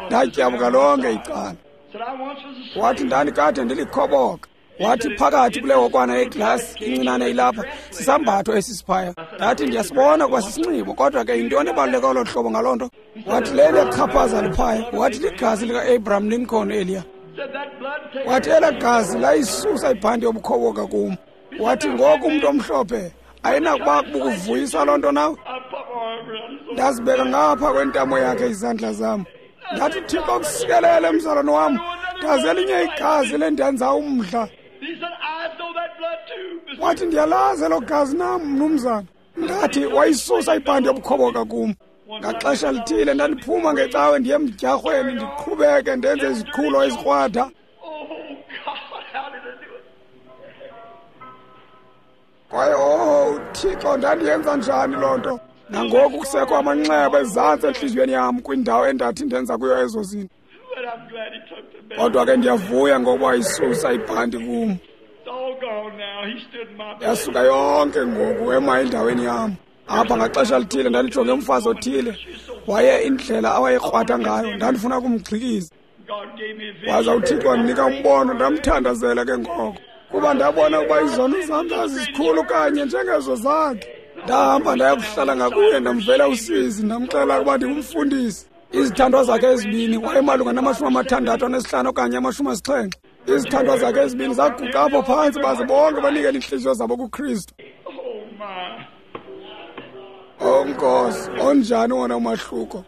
ndatyabuka lonke icala. Wathi, ndandikade ndilikhoboka. Wathi, phakathi kule hokwana yeglasi incinane ilapha sisambatho esisiphaya. Ndathi, ndiyasibona ukuba sisinxibo, kodwa ke yintoni ebaluleke olo hlobo ngaloo nto? Wathi, lele chaphaza liphaya. Wathi, ligazi lika-Abraham Lincoln eliya. Wathi, elaa gazi layisusa ibhanti yobukhoboka kum. Wathi, ngoku umntu omhlophe ayinakuba bukuvuyisa loo nto nawe? Ndazibeka ngapha kwentamo yakhe izandla zam. Ndathi, Thixo kusikelele mzalwane wam, ndazi elinye igazi lendenza umdla. Wathi, ndiyalazi elo gazi nam, mnumzana. Ndathi, wayisusa ibhanti yobukhoboka kum. Ngaxesha lithile ndandiphuma ngecawe ndiye emdyarhweni, ndiqhubeke ndenze iziqhulo ezikrwada. Kwaye oh Thixo, ndandiyenza njani loo nto? Nangoku kusekho amanxeba ezantsi entliziyweni yam kwindawo endathi ndenza kuyo ezo zinto. Kodwa ke ndiyavuya ngokuba isusa ibhanti kum. Yasuka yonke ngoku ema endaweni yam. Apha ngaxesha lithile ndandijonge umfazi othile, waye indlela awayekrwada ngayo ndandifuna ukumgxikiza. Waza uThixo wandinika umbono, ndamthandazela ke ngoko, kuba ndabona ukuba izono zam zazizikhulu kanye njengezo zakhe. Ndahamba ndaya kuhlala ngakuye, ndamvela usizi, ndamxelela ukuba ndingumfundisi. Izithandwa zakhe ezibini, wayemalunga namashumi amathandathu anesihlanu okanye amashumi asixhenxe. Izithandwa zakhe ezibini zaguqa apho phantsi, baze bonke banikele iintliziyo zabo kuKristu. Oh Nkosi, onjani wona umahluko?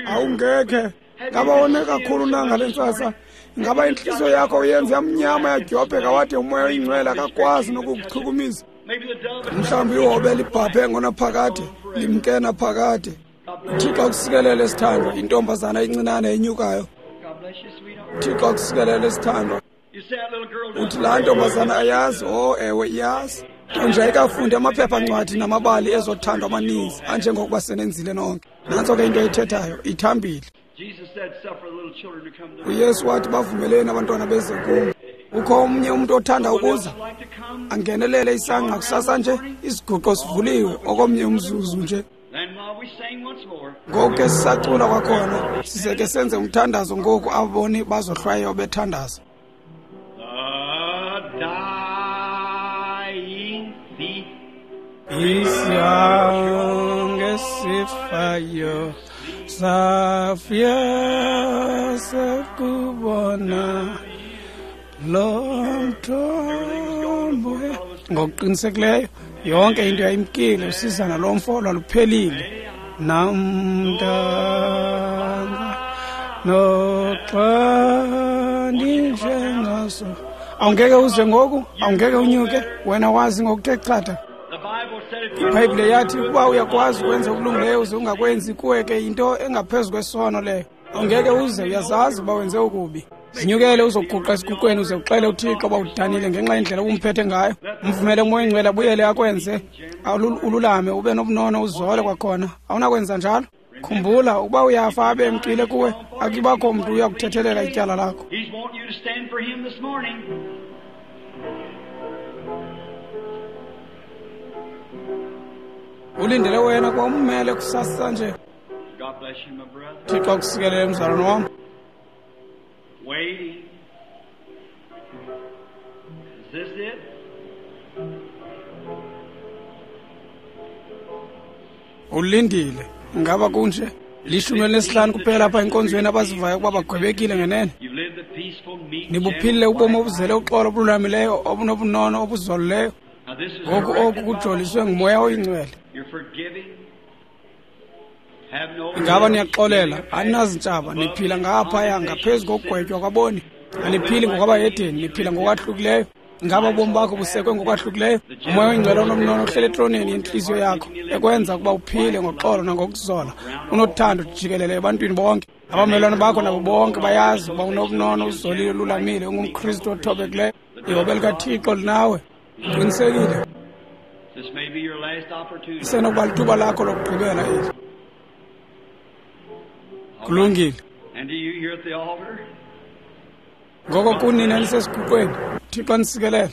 Awungekhe ngaba wone kakhulu na ngale ntsasa? Ngaba intliziyo yakho uyenze yamnyama yadyobheka wade umoya oyingcwele akakwazi nokukuchukumisa? Mhlawumbi ihobe libhabhe ngonaphakade, limke naphakade. Thixo akusikelele sithandwa, intombazana encinane enyukayo. Thixo akusikelele sithandwa. Uthi laa ntombazana ayazi? Oh ewe, iyazi. Nje ayikafundi amaphephancwadi namabali ezothando amaninzi anjengokuba senenzile nonke. Nantso ke into ayithethayo, ithambile. UYesu wathi, bavumeleni abantwana beze kum. Ukho omnye umntu othanda ukuza angenelele isangqa kusasa nje, isiguqo sivuliwe okomnye umzuzu nje. Ngoku ke sisacula kwakhona, size ke senze umthandazo ngoku aboni bazohlwayo bethandaza. Isyange sifayo safya sakubona lo mthombo. Ngokuqinisekileyo yonke into yayimkile, usizana lo mfo lwaluphelile. Namntanga noxa ndinjengaso. Awungeke uze ngoku, awungeke unyuke, wena wazi ngokuthe chatha. IBhayibhile yathi ukuba uyakwazi ukwenza okulungileyo uze ungakwenzi, kuwe ke yinto engaphezu kwesono leyo. Awungeke uze, uyazazi uba wenze okubi. Zinyukele uzoguqa esiguqweni uze uxele uThixo uba udanile ngenxa yendlela obumphethe ngayo. Umvumele umoya oyingcwele abuyele akwenze ululame, ube nobunono, uzole kwakhona. Awunakwenza njalo? Khumbula, ukuba uyafa abe emkile kuwe, akubakho mntu uya kuthethelela ityala lakho. Ulindele wena kwa ummele kusasa nje. Thixo akusikelele mzalwane wam. Waiting. Is this it? Ulindile. Ngaba kunje? Lishumi elinesihlanu kuphela apha enkonzweni abazivayo ukuba bagwebekile ngenene. Nibuphilile ubomi obuzele uxolo obululamileyo, obunobunono, obuzolileyo. Ngoku oku kujoliswe ngumoya oyingcwele. Ingaba niyaxolela, aninazintshaba, niphila ngaphaya ngaphezu kokugwetywa kwaboni. Aniphili ngokwabahedeni, niphila ngokwahlukileyo. Ingaba ubomi bakho busekwe ngokwahlukileyo? Umoya oyingcwele onobunono uhleli etroneni yentliziyo yakho, ekwenza ukuba uphile ngoxolo nangokuzola, unothando jikelele ebantwini bonke. Abamelwane bakho nabo bonke bayazi ukuba unobunono, uzolile, ululamile, ungumKristu othobekileyo. Ihobe likaThixo linawe. Uqinisekile. Isenokuba lithuba lakho lokugqibela eli. Kulungile. Ngoko kunina nisesiguqweni, Thixo anisikelele.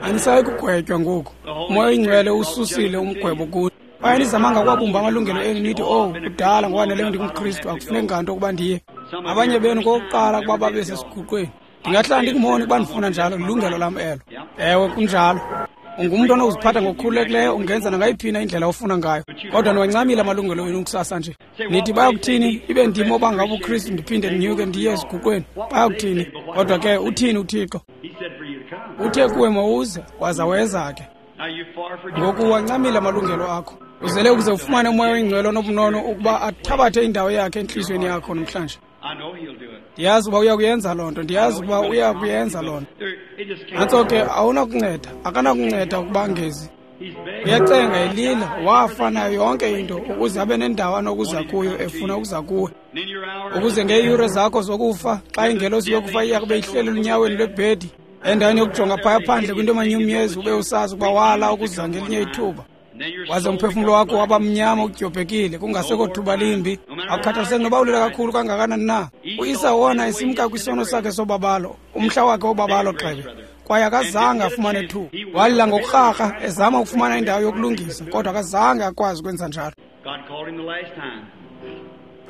Anisayi kugwetywa ngoku. Umoya oyingcwele ususile umgwebo kuni. Kwaye nizamanga ukwabumba amalungelo enu nithi, "Oh, kudala ngokwaneleyo ndingumKristu, akufuneki nganto ukuba ndiye." Abanye benu kokuqala ukuba babe sesiguqweni. Ndingahlala ndingumoni ukuba ndifuna njalo, lilungelo lam elo. Ewe, kunjalo. Ungumntu onokuziphatha ngokukhululekileyo, ungenza nangayiphi na indlela ofuna ngayo. Kodwa niwancamile amalungelo enu kusasa nje. Nithi bayakuthini, ibe ndim obanga ubuKristu ndiphinde ndinyuke ndiye esiguqweni. Bayakuthini? Kodwa ke uthini uThixo? Uthe kuwe mawuze, waza weza ke. Ngoku wancamile amalungelo akho. Uzele ukuze ufumane umoya oyingcwele onobunono ukuba athabathe indawo yakhe entliziyweni yakho namhlanje. Ndiyazi uba uyakuyenza loo nto, ndiyazi ukuba uyakuyenza loo nto. Nantso ke awunakunceda, akanakunceda ukuba ngezi. Uyacenga elila, wafa nayo yonke into ukuze abe nendawo anokuza kuyo efuna ukuza kuwe. Ukuze ngeeyure zakho zokufa, xa ingelosi yokufa iya kube ihleli elunyaweni lwebhedi, endaweni yokujonga phaya phandle kwinto emanyumnyezi ube usazi ukuba wala ukuza ngelinye ithuba. Waze umphefumlo wakho waba mnyama udyobhekile, kungasekho thuba limbi. Akukhathaliseki noba ulila kakhulu kangakanani na. UEsau wona esimka kwisono sakhe sobabalo, umhla wakhe wobabalo gxebe, kwaye akazange afumane thuba. Walila ngokurharha ezama ukufumana indawo yokulungisa, kodwa akazange akwazi ukwenza njalo.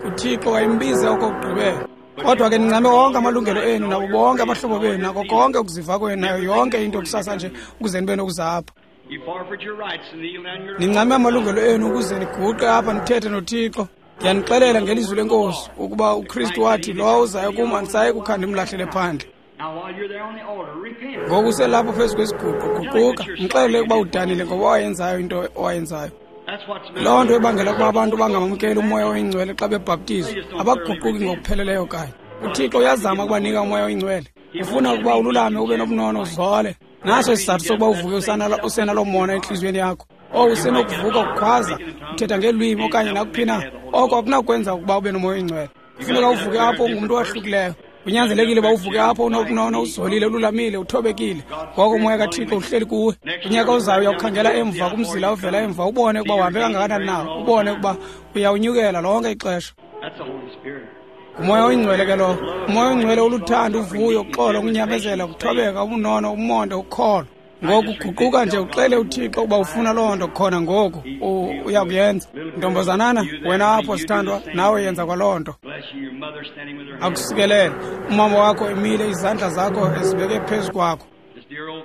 UThixo wayembize okokugqibela. Kodwa ke nincame wonke amalungelo enu nabo bonke abahlobo benu nako konke ukuziva kwenu nayo yonke into kusasa nje ukuze nibe nokuza apha. Nincame amalungelo enu ukuze niguqe apha nithethe noThixo. Ndiyanixelela ngelizwi lenkosi ukuba uKristu wathi, lowo uzayo kum andisayi kukha ndimlahlele phandle. Ngoku uselapho phezu kwesiguqo, guquka, mxelele ukuba udanile ngoba wayenzayo into owayenzayo. Loo nto ebangela ukuba abantu bangamamkeli umoya oyingcwele xa bebhaptizwa, abaguquki ngokupheleleyo kanye. uThixo uyazama ukubanika umoya oyingcwele. Ufuna ukuba ululame, ube nobunono, uzole. Naso isizathu sokuba uvuke usenalo mona entliziyweni yakho. Owu, usenokuvuka ukhwaza, uthetha ngeelwimi okanye nakuphi na. Oko akunakwenza ukuba ube nomoya oyingcwele. Kufuneka uvuke apho ungumntu owahlukileyo. Kunyanzelekile uba uvuke apho unobunono, uzolile, ululamile, uthobekile. Ngoko umoya kaThixo uhleli kuwe. Unyaka ozayo uyawukhangela emva kumzila ovela emva, ubone ukuba uhambe kangakanani na, ubone ukuba uyawunyukela lonke ixesha. Umoya oyingcwele ke lowo. Umoya oyingcwele uluthando, uvuyo, uxolo, ukunyamezela, ukuthobeka, ubunono, umonde, ukholo. Ngoku guquka nje uxele uThixo ukuba ufuna loo nto khona ngoku, uyakuyenza. Ntombazanana, wena apho sithandwa, nawe yenza kwaloo nto. Akusikelele. Umama wakho emile, izandla zakho ezibeke phezu kwakho.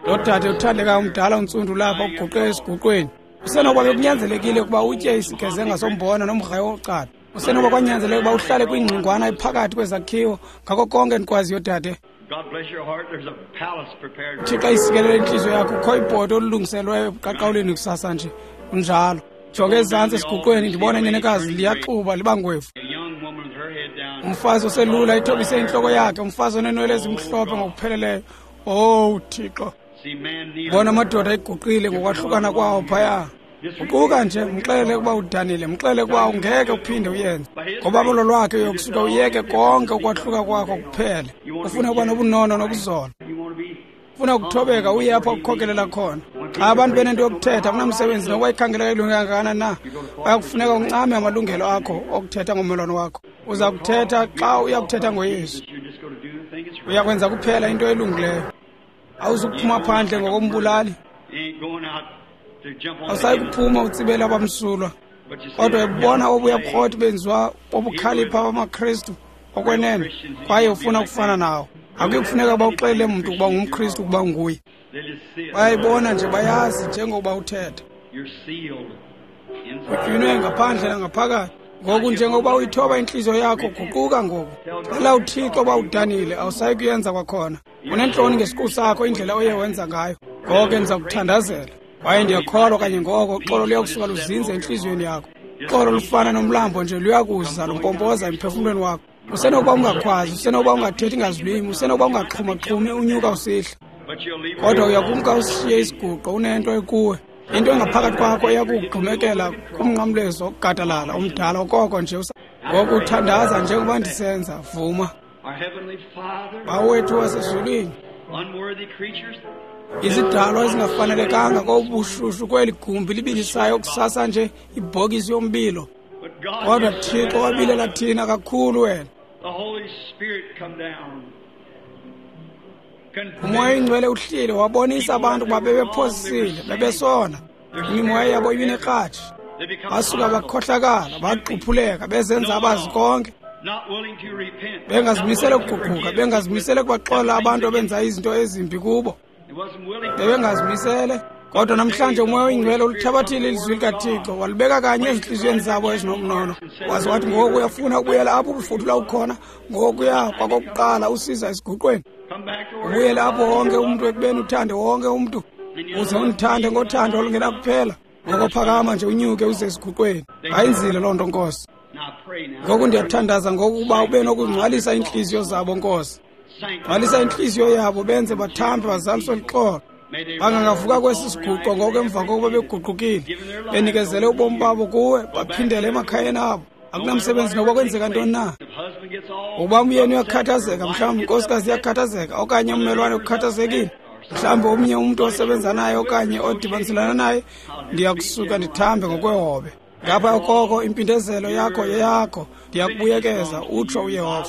Lo dade uthandekayo umdala untsundu lapha uguqe esiguqweni. Usenokuba bekunyanzelekile ukuba utye isigezenga sombona nomgrayo wokuqala. Usenokuba kwanyanzeleka ukuba uhlale kwingxingwana ephakathi kwezakhiwo, ngako konke ndikwaziyo dade. Thixo ayisikelele intliziyo yakho, kukho ibhodo olulungiselweyo ebuqaqawulini kusasa nje. Kunjalo. Jonge ezantsi esiguqweni, ndibona inenekazi liyaxuba liba ngwevu. Umfazi oselula ithobise intloko yakhe, umfazi oneenwele ezimhlophe ngokupheleleyo. Owu Thixo. Bona amadoda eguqile ngokwahlukana kwawo phaya. Guquka nje, mxelele ukuba udanile, mxelele ukuba ungeke uphinde uyenze. Ngobabalo lwakhe uyokusuka uyeke konke ukwahluka kwakho kuphele. Ufuna ukuba nobunono nokuzola. Ufuna ukuthobeka uye apho ukukhokelela khona. Xa abantu benento yokuthetha, akunamsebenzi nokuba ikhangeleka ilunge kangakanani na. Bayakufuneka uncame amalungelo akho okuthetha ngommelwane wakho. Uza kuthetha xa uyakuthetha ngoYesu. Uyakwenza kuphela into elungileyo. Awuzukuphuma phandle ngokombulali. Awusayi kuphuma utsibele abamsulwa. Kodwa ebona obuya bukroti benziwa bobukhalipha bamaKristu okwenene, kwaye ufuna ukufana nawo. Akuyi kufuneka uba uxelele mntu ukuba ungumKristu ukuba unguye. Bayayibona nje, bayazi njengokuba uthetha. Utywinwe ngaphandle nangaphakathi. Ngoku njengokuba uyithoba intliziyo yakho, guquka ngoku. Cela uThixo uba udanile, awusayi kuyenza kwakhona. Unentloni ngesiqu sakho, indlela oye wenza ngayo. Ngoko ke ndiza kuthandazela. Kwaye ndiyakholwa kanye ngoko uxolo luyakusuka luzinze entliziyweni yakho. Uxolo lufana nomlambo nje, luyakuza lumpompoza emphefumlweni wakho. Usenokuba ungakhwazi, usenokuba ungathethi ngazilwimi, usenokuba ungaxhumaxhumi unyuka usihla. Kodwa uyakumka usishiye isiguqo unento ekuwe. Into engaphakathi kwakho iyakugxumekela kumnqamlezo ogadalala umdala okoko nje. Ngoku uthandaza njengoba ndisenza, vuma. Bawo wethu wasezulwini, izidalwa ezingafanelekanga kobushushu kweli gumbi libilisayo kusasa nje ibhokisi yombilo. Kodwa Thixo wabilela thina kakhulu wena. Umoya oyingcwele uhlile wabonisa abantu ukuba bebephosisile, bebesona. Imimoya yabo ibinekratshi. Basuka bakhohlakala, baquphuleka, bezenza abazi konke. Bengazimisele ukuguquka, bengazimisele kubaxola abantu abenza izinto ezimbi kubo. Bebengazimisele. Kodwa namhlanje umoya oyingcwele ulithabathile ilizwi likaThixo, walibeka kanye ezintliziyweni zabo ezinomnono. Waze wathi ngoku uyafuna ukubuyela apho ubufudula ukhona, ngokuya kwakokuqala usiza esiguqweni. Ubuyele apho wonke umntu ekubeni uthande wonke umntu, uze undithande ngothando olungenakuphela. Ngoko phakama nje unyuke uze esiguqweni. Bayenzile loo nto, Nkosi. Ngoku ndiyathandaza ngokuba ube nokungcwalisa iintliziyo zabo, Nkosi. Ngcwalisa intliziyo yabo, benze bathambe bazaliswe luxolo. Bangangavuka kwesi siguqo ngoku emva kokuba beguqukile, benikezele ubomi babo kuwe, baphindele emakhayeni abo. Akunamsebenzi nokuba kwenzeka ntoni na. Ukuba umyeni uyakhathazeka, mhlawumbi inkosikazi iyakhathazeka, okanye ummelwane ukhathazekile, mhlawumbi omnye umntu osebenza naye okanye odibaniselana naye, ndiyakusuka ndithambe ngokwehobe. Ngapha koko impindezelo yakho yeyakho, ndiyakubuyekeza, utsho uYehova.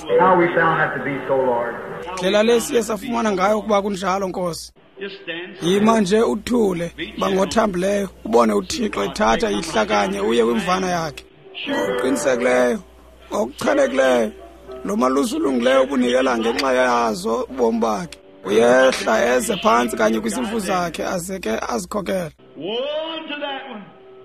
Ndlela le siye safumana ngayo ukuba kunjalo, Nkosi. Yima nje uthule, bangothambileyo, ubone uThixo ethatha ihlakanye uye kwimvana yakhe. Ngokuqinisekileyo, ngokuchanekileyo, lo malusi ulungileyo ubunikela ngenxa yazo ubomi bakhe. Uyehla eze phantsi kanye kwizimvu zakhe aze ke azikhokele.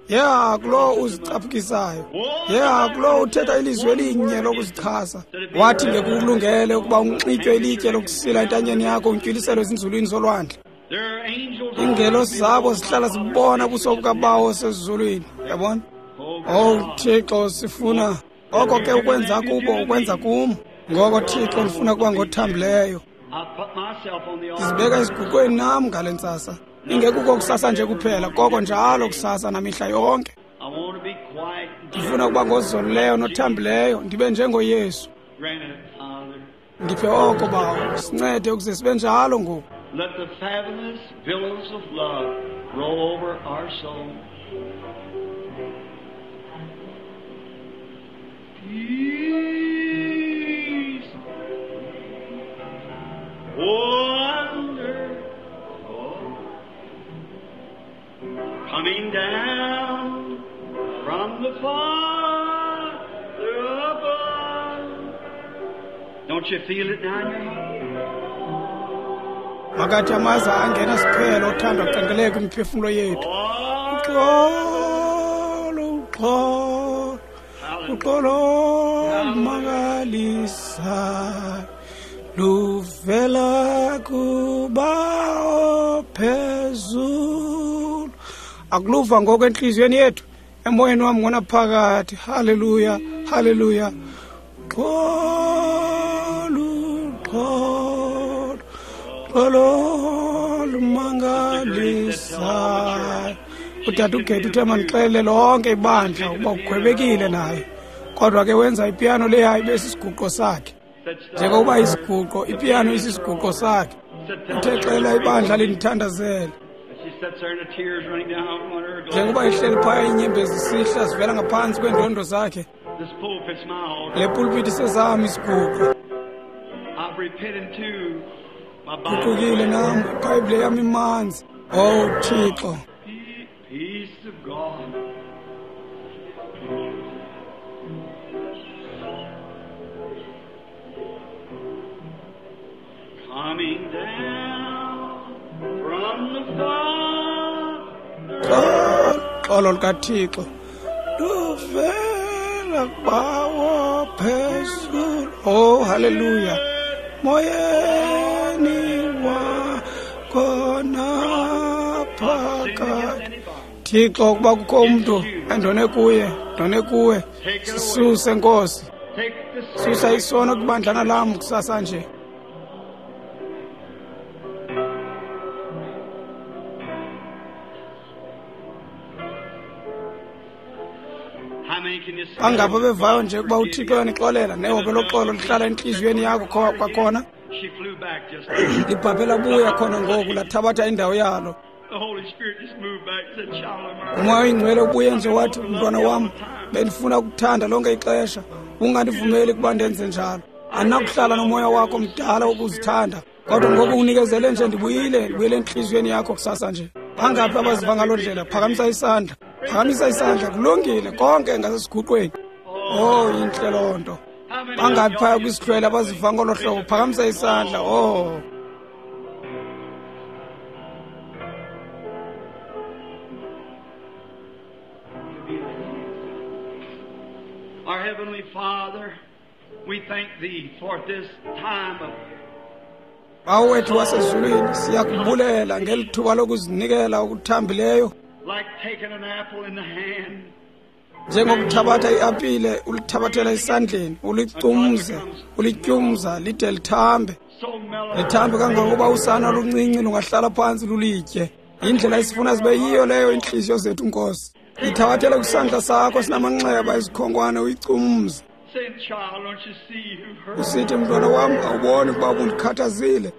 Yeha kulowo uzicaphukisayo, yeha kulowo uthetha ilizwi elinye lokuzichasa. Wathi ngekulungele ukuba unxitywe ilitye lokusila entanyeni yakho, untyuliselwe ezinzulwini zolwandle. Iingelosi zabo zihlala zibona ubuso bukaBawo osezulwini. Yabona? Oh Thixo, sifuna oko ke ukwenza kubo ukwenza kum. Ngoko Thixo, ndifuna kuba ngothambileyo. Ndizibeka esiguqweni nam ngale ntsasa. Ingekuko kusasa nje kuphela, koko njalo kusasa namihla yonke. Ndifuna ukuba ngozolileyo nothambileyo, ndibe njengoYesu. Ndiphe oko, Bawo, sincede ukuze sibe njalo ngoku. Let the fathomless billows of love roll over our soul. Peace, wonderful, coming down from the Father above. Don't you feel it now in your heart? Makathi amaza angena siphelo uthando aqangeleke kwimiphefumlo yethu. Uxolo, uxolo, uxolo lumangalisa luvela kuBawo phezulu. Akuluva ngoko entliziyweni yethu, emoyeni wam ngonaphakathi. Haleluya, haleluya. Uxolo, uxolo, uxolo lumangalisa. Utata uGethu uthe mandixelele lonke ibandla ukuba ugwebekile naye. Kodwa ke wenza ipiyano leya ibe sisiguqo sakhe. Njengokuba isiguqo, ipiyano isisiguqo sakhe. Uthe xela ibandla lindithandazele. Njengoba ihleli phaya iinyembezi zisihla zivela ngaphantsi kweendondo zakhe. Le pulpiti sezam isiguqo. Guqukile nam, iBhayibhile yam imanzi. Oh Thixo. Peace of God. Coming down from the Father. Uxolo lukaThixo luvela kuBawo phezulu. Oh haleluya. Moyeni wakho naphakathi. Thixo, ukuba kukho umntu endone kuye, ndone kuwe, sisuse Nkosi. Susa isono kubandlana lam kusasa nje. Bangapha bevayo nje ukuba uThixo uyanixolela nehobe loxolo lihlala entliziyweni yakho kwakhona. Libhabhe labuya khona ngoku lathabatha indawo yalo. Umoya oyingcwele ubuye nje wathi, mntwana wam, bendifuna ukuthanda lonke ixesha, ungandivumeli ukuba ndenze njalo. Andinakuhlala nomoya wakho mdala wokuzithanda, kodwa ngoku unikezele nje, ndibuyile, ndibuyele entliziyweni yakho kusasa nje. Bangaphi abaziva ngaloo ndlela? Phakamisa isandla, phakamisa isandla. Kulungile konke ngasesiguqweni. Oh, intle loo nto. Bangaphi phaya kwisihlwele abaziva ngolo hlobo? Phakamisa isandla. Oh. Our Heavenly Father, we thank Thee for this time of Bawo wethu wasezulwini, siyakubulela ngeli thuba lokuzinikela okuthambileyo, like taking an apple in the hand, njengokuthabatha iapile ulithabathela esandleni, ulicumze, ulityumza lide lithambe, lithambe kangangokuba usana oluncinci lungahlala phantsi lulitye. Indlela esifuna zibe yiyo leyo iintliziyo zethu, Nkosi. Ithabathele kwisandla sakho sinamanxeba ezikhonkwane uyicumze. Usithi, mntwana wam, awuboni ukuba ubundikhathazile?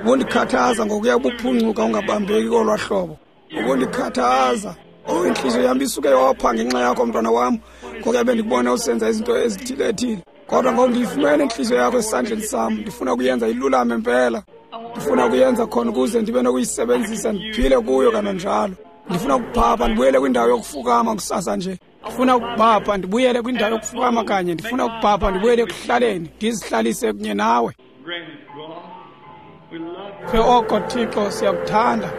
Ubundikhathaza ngokuya buphuncuka ungabambeki kolwa hlobo. Ubundikhathaza. Oh, intliziyo yam isuke yopha ngenxa yakho, mntwana wam, ngokuya bendikubona usenza izinto ezithile ethile. Kodwa ngoku ndiyifumene intliziyo yakho esandleni sam, ndifuna ukuyenza ilulame mpela. Ndifuna ukuyenza khona ukuze ndibe nokuyisebenzisa ndiphile kuyo kananjalo. Ndifuna ukuphapha ndibuyele kwindawo yokufukama kusasa nje. Ndifuna ukuphapha ndibuyele kwindawo yokufukama kanye. Ndifuna ukuphapha ndibuyele ekuhlaleni, ndizihlalise kunye nawe. Phe oko, Thixo, siyakuthanda.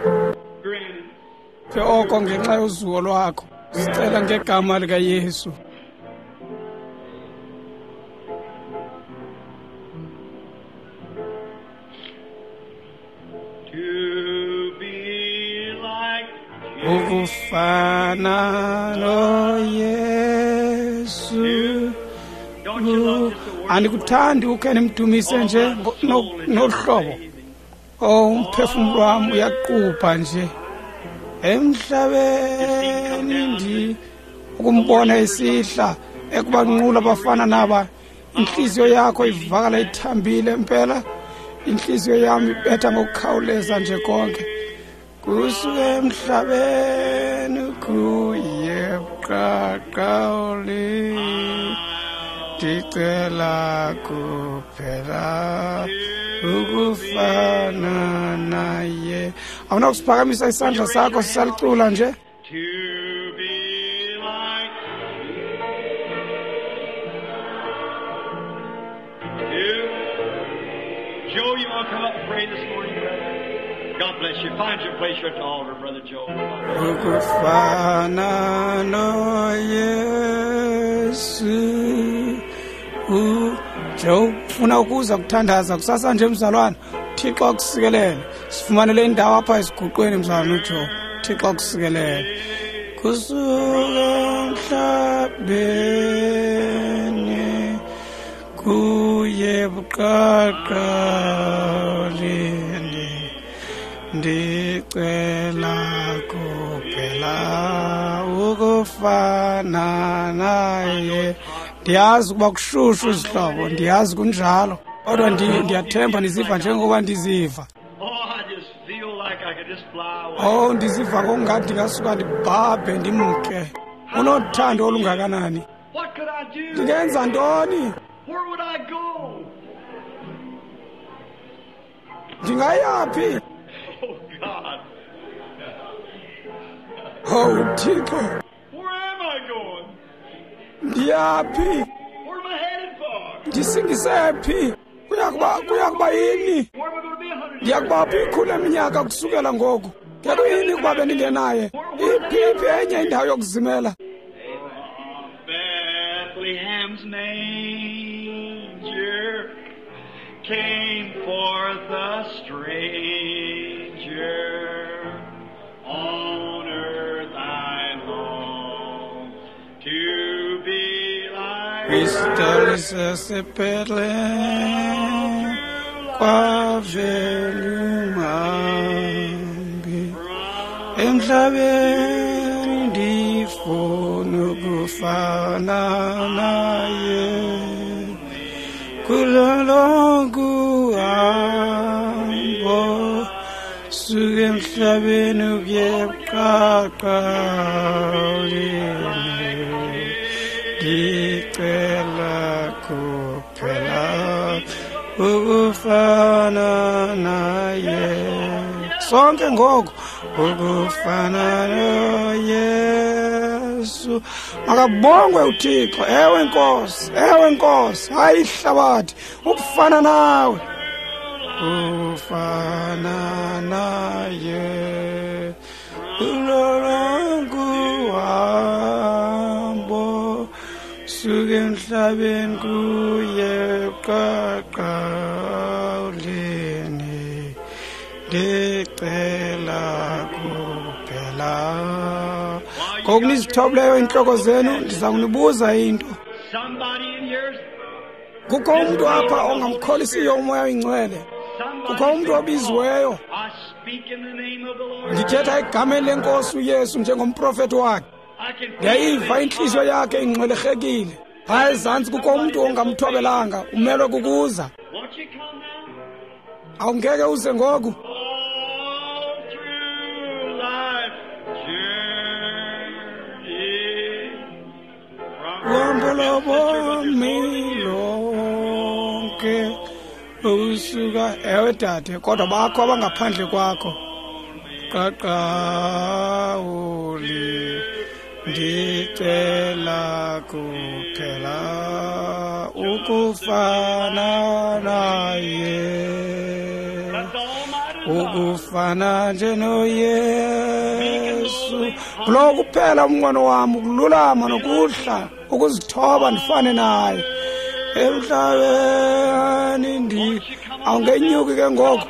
Phe oko ngenxa yozuko lwakho. Sicela ngegama likaYesu. Ukufana noYesu. Andikuthandi ukhe nimdumise nje nohlobo. Oh, umphefumlo wam uyaqupha nje emhlabeni, ndi ukumbona esihla ekubanqula abafana naba. Intliziyo yakho ivakala ithambile mpela. Intliziyo yam ibetha ngokukhawuleza nje konke. Kusuka emhlabeni kuye buqaqawuli, ndicela kuphela ukufana naye. Awunakusiphakamisa isandla sakho sisalicula nje? Joe, you want to come up and pray this morning, brother? God bless you. Find your place here at the altar, Brother Joe. Ukufana noYesu. Joe, ufuna ukuza kuthandaza kusasa nje, mzalwana? Thixo akusikelele. Sifumanele indawo apha esiguqweni, mzalwana uJoe. Thixo akusikelele. Kusuka emhlabeni kuye buqaqawulini, ndicela kuphela ukufana naye. Ndiyazi ukuba kushushu izihlobo, ndiyazi kunjalo, kodwa ndiyathemba ndiziva njengoba ndiziva. Oh, ndiziva ngokungathi ndingasuka ndibhabhe ndimke. Unothando olungakanani! Ndingenza ntoni? Ndingayaphi? Oh, Thixo, ndiyaphi? Ndisingise phi? Kuyakuba kuyakuba yini? Ndiyakuba phi ikhulu leminyaka kusukela ngoku? Ngekuyini ukuba bendingenaye? Iphi iphi enye indawo yokuzimela? Bethlehem's manger came forth a stranger. On earth I long to be like Crystal sasebethlehem kwavela umhambi emhlabeni, ndifuna ukufana Ukufana naye kulo lonke uhambo suke emhlabeni ukuye ebuqaqawulini ndicela kuphela ukufana naye sonke ngoku ukufana noYesu. Makabongwe uThixo. Ewe Nkosi, ewe Nkosi, hayi ihlabathi ukufana nawe, ukufana naye kulo lonke uhambo suke emhlabeni kuye ebuqaqawulini ndicela kuphela. Ngoku nizithobileyo iintloko zenu, ndiza kunibuza into. Kukho umntu apha ongamkholisiyo uMoya oyiNgcwele. Kukho umntu obiziweyo. Ndithetha egameni leNkosi uYesu njengomprofethi wakhe. Ndiyayiva intliziyo yakhe ingxwelerhekile. Phaya ezantsi kukho umntu ongamthobelanga, umelwe kukuza. Awungeke uze ngoku. Uhambo lobomi lonke usuka, ewe dade, kodwa bakho abangaphandle kwakho. Qaqawuli ndicela kuphela ukufana naye, ukufana nje noYesu. Kulo kuphela umnqweno wam, ukululama nokuhla, ukuzithoba ndifane naye emhlabeni. Ndi awungenyuki ke ngoku.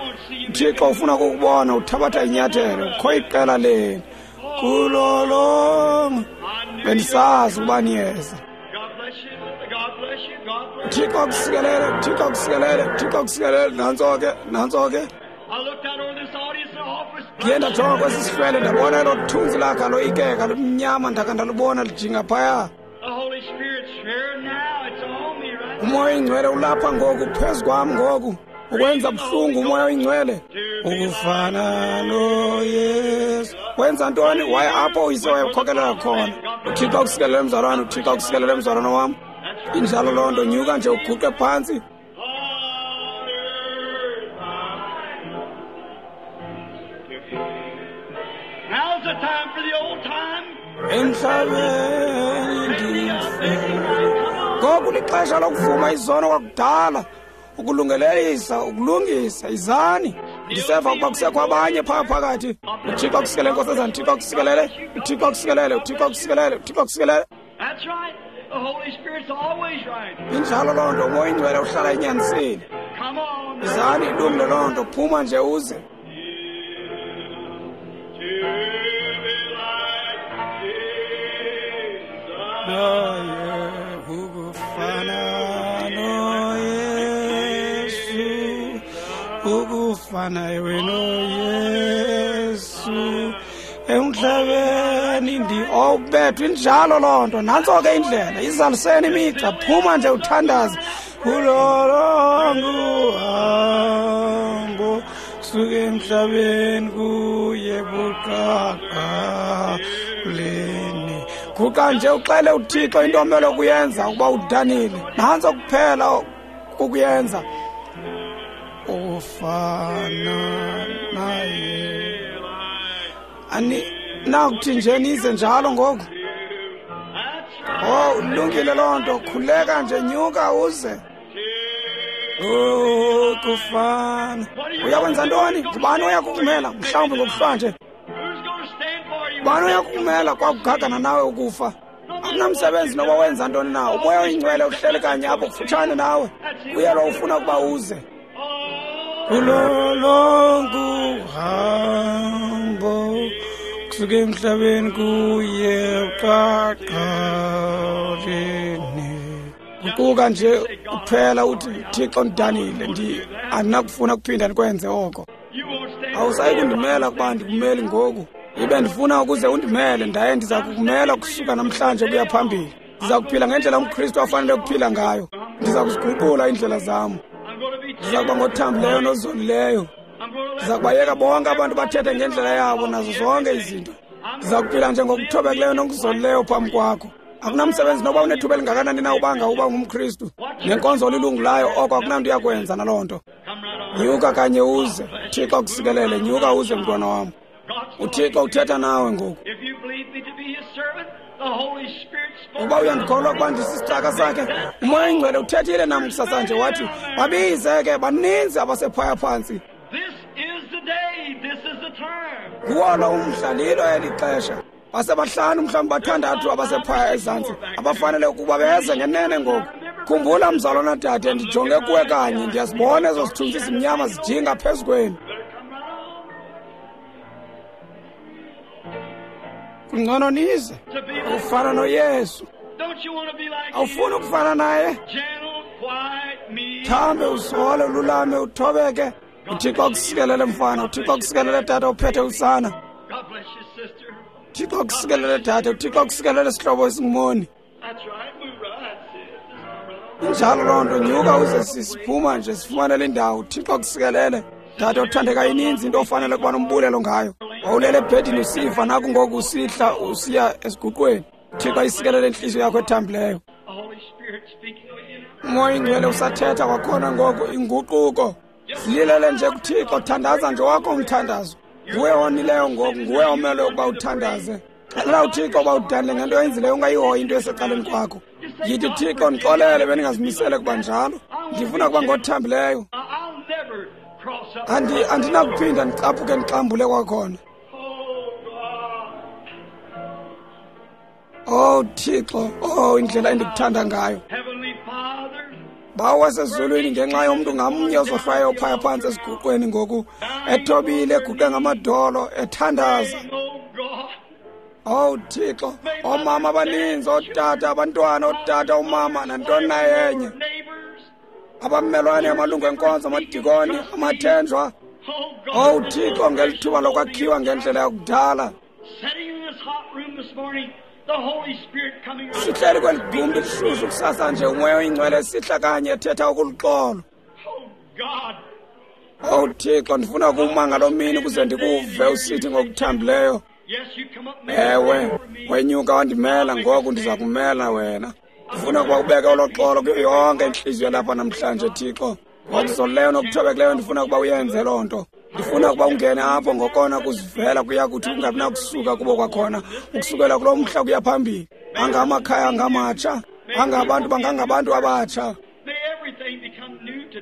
uThixo ufuna ukukubona uthabatha inyathelo. Kukho iqela lenu kulo lonke. Bendisazi ukuba niyeza. uThixo akusikelele, uThixo akusikelele, uThixo akusikelele. Nantso ke, nantso ke. Ndiye ndajonga kwesi sihlwele ndabona elo thunzi lakhe aloyikeka lumnyama, ndakha ndalubona lijinga phaya. uMoya oyiNgcwele ulapha ngoku phezu kwam ngoku, ukwenza buhlungu uMoya oyiNgcwele ukufana noYesu. Wenza ntoni? Waye apho uyise wayekhokelela khona. uThixo akusikelele mzalwane, uThixo akusikelele mzalwane wam. Injalo loo nto, nyuka nje uguqe phantsi. Emhlabeni ndife. Ngoku lixesha lokuvuma izono kwakudala, ukulungelelisa, ukulungisa. Izani. Ndiseva ukuba kusekho abanye phaa phakathi. uThixo akusikelele, Nkosazana. uThixo akusikelele, uThixo akusikelele, uThixo akusikelele, uThixo akusikelele. Injalo loo nto, uMoya oyiNgcwele uhlala enyanisile. Izani, ilungile loo nto, phuma nje uze. Naye ukufana noYesu, ukufana ewe noYesu emhlabeni ndi owubethwa. Injalo loo nto, nantso ke indlela. Izaliseni imigca, phuma nje uthandaze kulo lonke uhambo suke emhlabeni kuye buqaqawulini. Guqa nje uxele uThixo into omele ukuyenza ukuba udanile. Nantso kuphela ukuyenza, ukufana naye. Ani nakuthi nje nize njalo ngoku. Oh, ulungile loo nto, khuleka nje, nyuka uze. Ukufana. Uyakwenza ntoni? Ngubani oya kukumela? Mhlawumbi ngokuhlwa nje. Ngubani oya kukumela kwakugagana nawe ukufa? Akunamsebenzi noba wenza ntoni na. UMoya oyiNgcwele uhleli kanye apho kufutshane nawe. Uye lo ufuna ukuba uze. Kulo lonke uhambo kusuka emhlabeni kuye ebuqaqawulini. Guquka nje kuphela uthi, Thixo ndidanile, ndi andinakufuna kuphinda ndikwenze oko. Awusayi kundimela kuba ndikumeli ngoku. Ibe ndifuna ukuze undimele, ndaye ndiza kukumela kusuka namhlanje kuya phambili. Ndiza kuphila ngendlela umKristu afanele ukuphila ngayo. Ndiza kuziguqula iindlela zam. Ndiza kuba ngothambileyo nozolileyo. Ndiza kubayeka bonke abantu bathethe ngendlela yabo nazo zonke izinto. Ndiza kuphila njengokuthobekileyo nokuzolileyo phambi kwakho. Akunamsebenzi noba unethuba elingakanani na ubanga uba ngumKristu. Nenkonzo olilungu layo oko akunanto yakwenza naloo nto. Nyuka kanye uze. Thixo akusikelele, nyuka uze mntwana wam. UThixo uthetha nawe ngoku. Uba uyandikholwa ukuba ndisisicaka sakhe, uMoya oyiNgcwele uthethile nam kusasa nje wathi, babize ke baninzi abasephaya phantsi. Nguwo lo umhla, lilo eli xesha. Basebahlanu mhlawumbi bathandathu abasephaya ezantsi abafanele ukuba beze ngenene ngoku. Khumbula mzalwana dade, ndijonge kuwe kanye, ndiyazibona ezo zithunzi zimnyama zijinga phezu kwenu. Kungcono nize ufana noYesu. Awufuni ukufana naye? Thambe, uzole, ululame, uthobeke. UThixo akusikelele mfana, uThixo akusikelele tata uphethe usana. uThixo akusikelele tata, uThixo akusikelele sihlobo esingumoni. Injalo loo nto, nyuka uze sisiphuma nje sifumanele indawo. uThixo akusikelele tata othandeka, ininzi into ofanele ukuba nombulelo ngayo. Wawulele ebhedini usifa, naku ngoku usihla usiya esiguqweni. uThixo ayisikelele intliziyo yakho ethambileyo. uMoya oyiNgcwele usathetha kwakhona ngoku, inguquko. Sililele nje kuThixo, thandaza nje wakho umthandazo. Nguwe onileyo ngoku, nguwe omele ukuba uthandaze. Xelela uThixo uba udanile ngento oyenzileyo, ungayihoyi into esecaleni kwakho. Yithi, Thixo, ndixolele, bendingazimisele kuba njalo. Ndifuna kuba ngothambileyo. Andi andinakuphinda ndicaphuke ndixambule kwakhona. Oh Thixo, oh indlela endikuthanda ngayo. Bawo wasezulwini, ngenxa yomntu ngamnye ozohlwayo phaya phantsi esiguqweni ngoku, ethobile, eguqe ngamadolo, ethandaza. Oh Thixo, oomama abaninzi, ootata, abantwana, ootata, oomama, nantoni na yenye. Abamelwane, amalungu enkonzo, amadikoni, amathenjwa. Oh Thixo, ngeli thuba lokwakhiwa ngendlela yakudala. Sihleli kweli gumbi lishushu kusasa nje, uMoya oyiNgcwele sihla kanye ethetha okuluxolo. Oh Thixo, ndifuna ukuma ngaloo mini ukuze ndikuve usithi ngokuthambileyo, ewe, wenyuka wandimela, ngoku ndiza kumela wena. Ndifuna ukuba ubeke olo xolo kuyo yonke intliziyo lapha namhlanje, Thixo. Ngokuzolileyo nokuthobekileyo ndifuna ukuba uyenze loo nto. Ndifuna ukuba ungene apho ngokona kuzivela kuya kuthi ungabi nakusuka kubo kwakhona, ukusukela kulo mhla kuya phambili. Angamakhaya angamatsha, angabantu bangangabantu abatsha.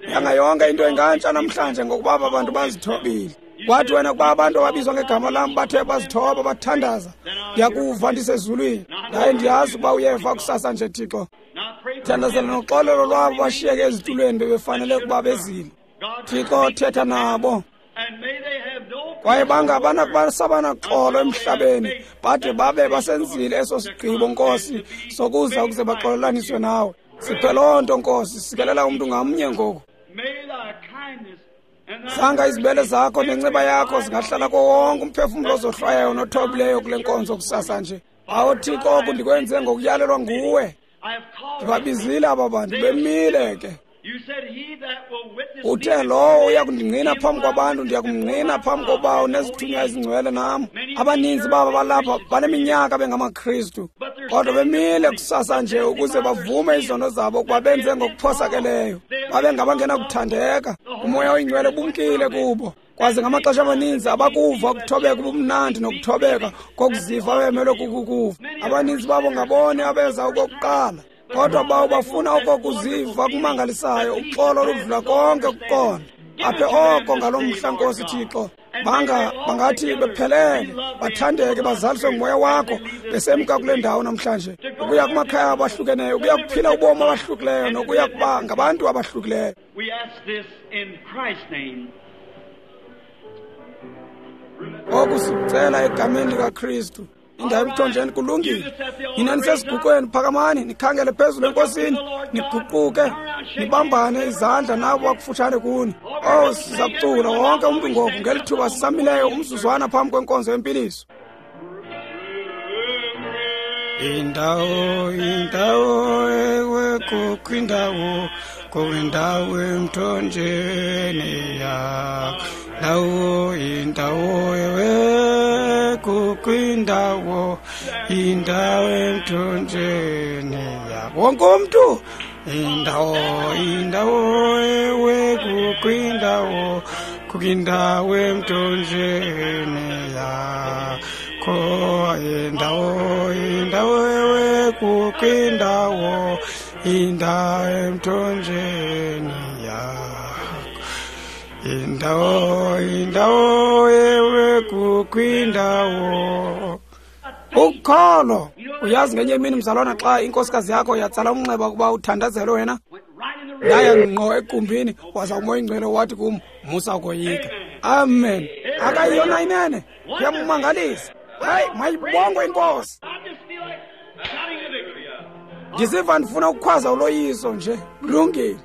Yanga yonke into ingantsha namhlanje ngokuba aba bantu bazithobile. Kwathi wena kuba abantu ababizwa ngegama lam bathe bazithoba bathandaza, ndiyakuva ndisezulwini. Ndaye ndiyazi ukuba uyeva kusasa nje, Thixo. Thandazela noxolelo lwabo bashiyeke ezitulweni bebefanele ukuba bezile. Thixo, thetha nabo. Kwaye bangabanaxolo emhlabeni, bade babe basenzile eso sigqibo, Nkosi, sokuza ukuze baxolelaniswe nawe. Siphe loo nto, Nkosi, sikelela umntu ngamnye ngoku. Sanga izibele zakho nenceba yakho zingahlala kuwo wonke umphefumlo ozohlwayayo nothobileyo kule nkonzo kusasa nje. Awu Thixo, oku ndikwenze ngokuyalelwa nguwe. Ndibabizile aba bantu, bemile ke. Uthe lowo uya kundingqina phambi kwabantu, ndiya kumngqina phambi kobawo nezithunywa ezingcwele nam. Abaninzi babo balapha baneminyaka bengamaKristu, kodwa bemile kusasa nje ukuze bavume izono zabo ukuba benze ngokuphosakeleyo, babe ngabangenakuthandeka. UMoya oyiNgcwele bumkile kubo. Kwaze ngamaxesha amaninzi abakuva ukuthobeka ubumnandi nokuthobeka kokuziva bemelwe kukukuva. Abaninzi babo ngabone abeza okokuqala, kodwa bawo bafuna okokuziva kumangalisayo, uxolo oludlula konke ukuqonda. Aphe oko ngalo mhla, Nkosi Thixo, banga bangathi bephelele, bathandeke, bazaliswe ngumoya wakho, besemka kule ndawo namhlanje, ukuya kumakhaya abahlukeneyo, ukuya kuphila ubomi abahlukileyo, nokuya kuba ngabantu abahlukileyo. Oku sikucela egameni likaKristu. Indawo emthonjeni kulungile. Nina nisesiguqweni, phakamani, nikhangele phezulu eNkosini, niguquke, nibambane izandla nabo bakufutshane kuni. Oh, siza kucula wonke umntu ngoku ngeli thuba sisamileyo umzuzwana phambi kwenkonzo yempiliso. Indawo, indawo, ewe kukho indawo, kukho indawo emthonjeni yakho. Ndawo, indawo, ewe kukho indawo, indawo emthonjeni yakho. Wonke umntu. Indawo, indawo, ewe kukho indawo, kukho indawo emthonjeni yakho. Indawo, indawo, ewe kukho indawo, indawo emthonjeni yakho. Indawo, indawo, ewe kukho indawo. Ukholo. Uyazi ngenye imini mzalwana xa inkosikazi yakho yatsala umnxeba ukuba uthandazelwe wena, ndaya ngqo egumbini waza uMoya oyiNgcwele wathi kum, musa ukoyika. Amen. Akayiyona inene, kuyamangalisa. Hayi, mayibongwe iNkosi. Ndiziva ndifuna ukukhwaza uloyiso nje. Kulungile.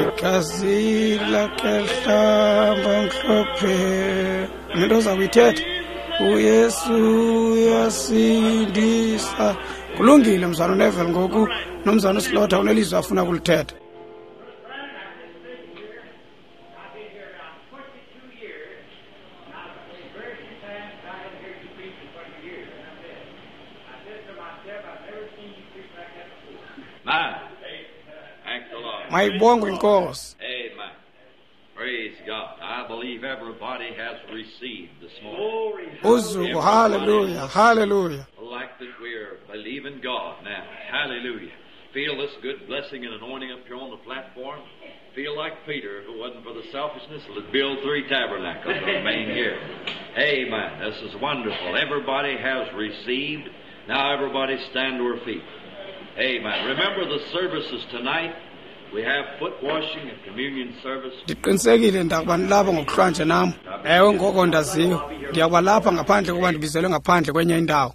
Igazi lakhe lihlamba mhlophe. Into oza kuyithetha, uYesu uyasindisa. Kulungile mzalwana uNeville ngoku nomzalwana uSlaughter unelizwi afuna ukulithetha. Mayibongwe iNkosi. Amen. Praise God. I believe everybody has received this morning. Uzuko, hallelujah, hallelujah. Like that we're believing God now. Hallelujah. Feel this good blessing and anointing up here on the platform. Feel like Peter, if it wasn't for the selfishness, would build three tabernacles and remain here. Amen. This is wonderful. Everybody has received. Now everybody stand to her feet. Amen. Remember the services tonight. We have foot washing and communion service. Ndiqinisekile ndakuba nilapha ngokuhlwanje nam. Ewe, ngoko ndaziyo. Ndiyakuba lapha ngaphandle kuba ndibizelwe ngaphandle kwenye indawo.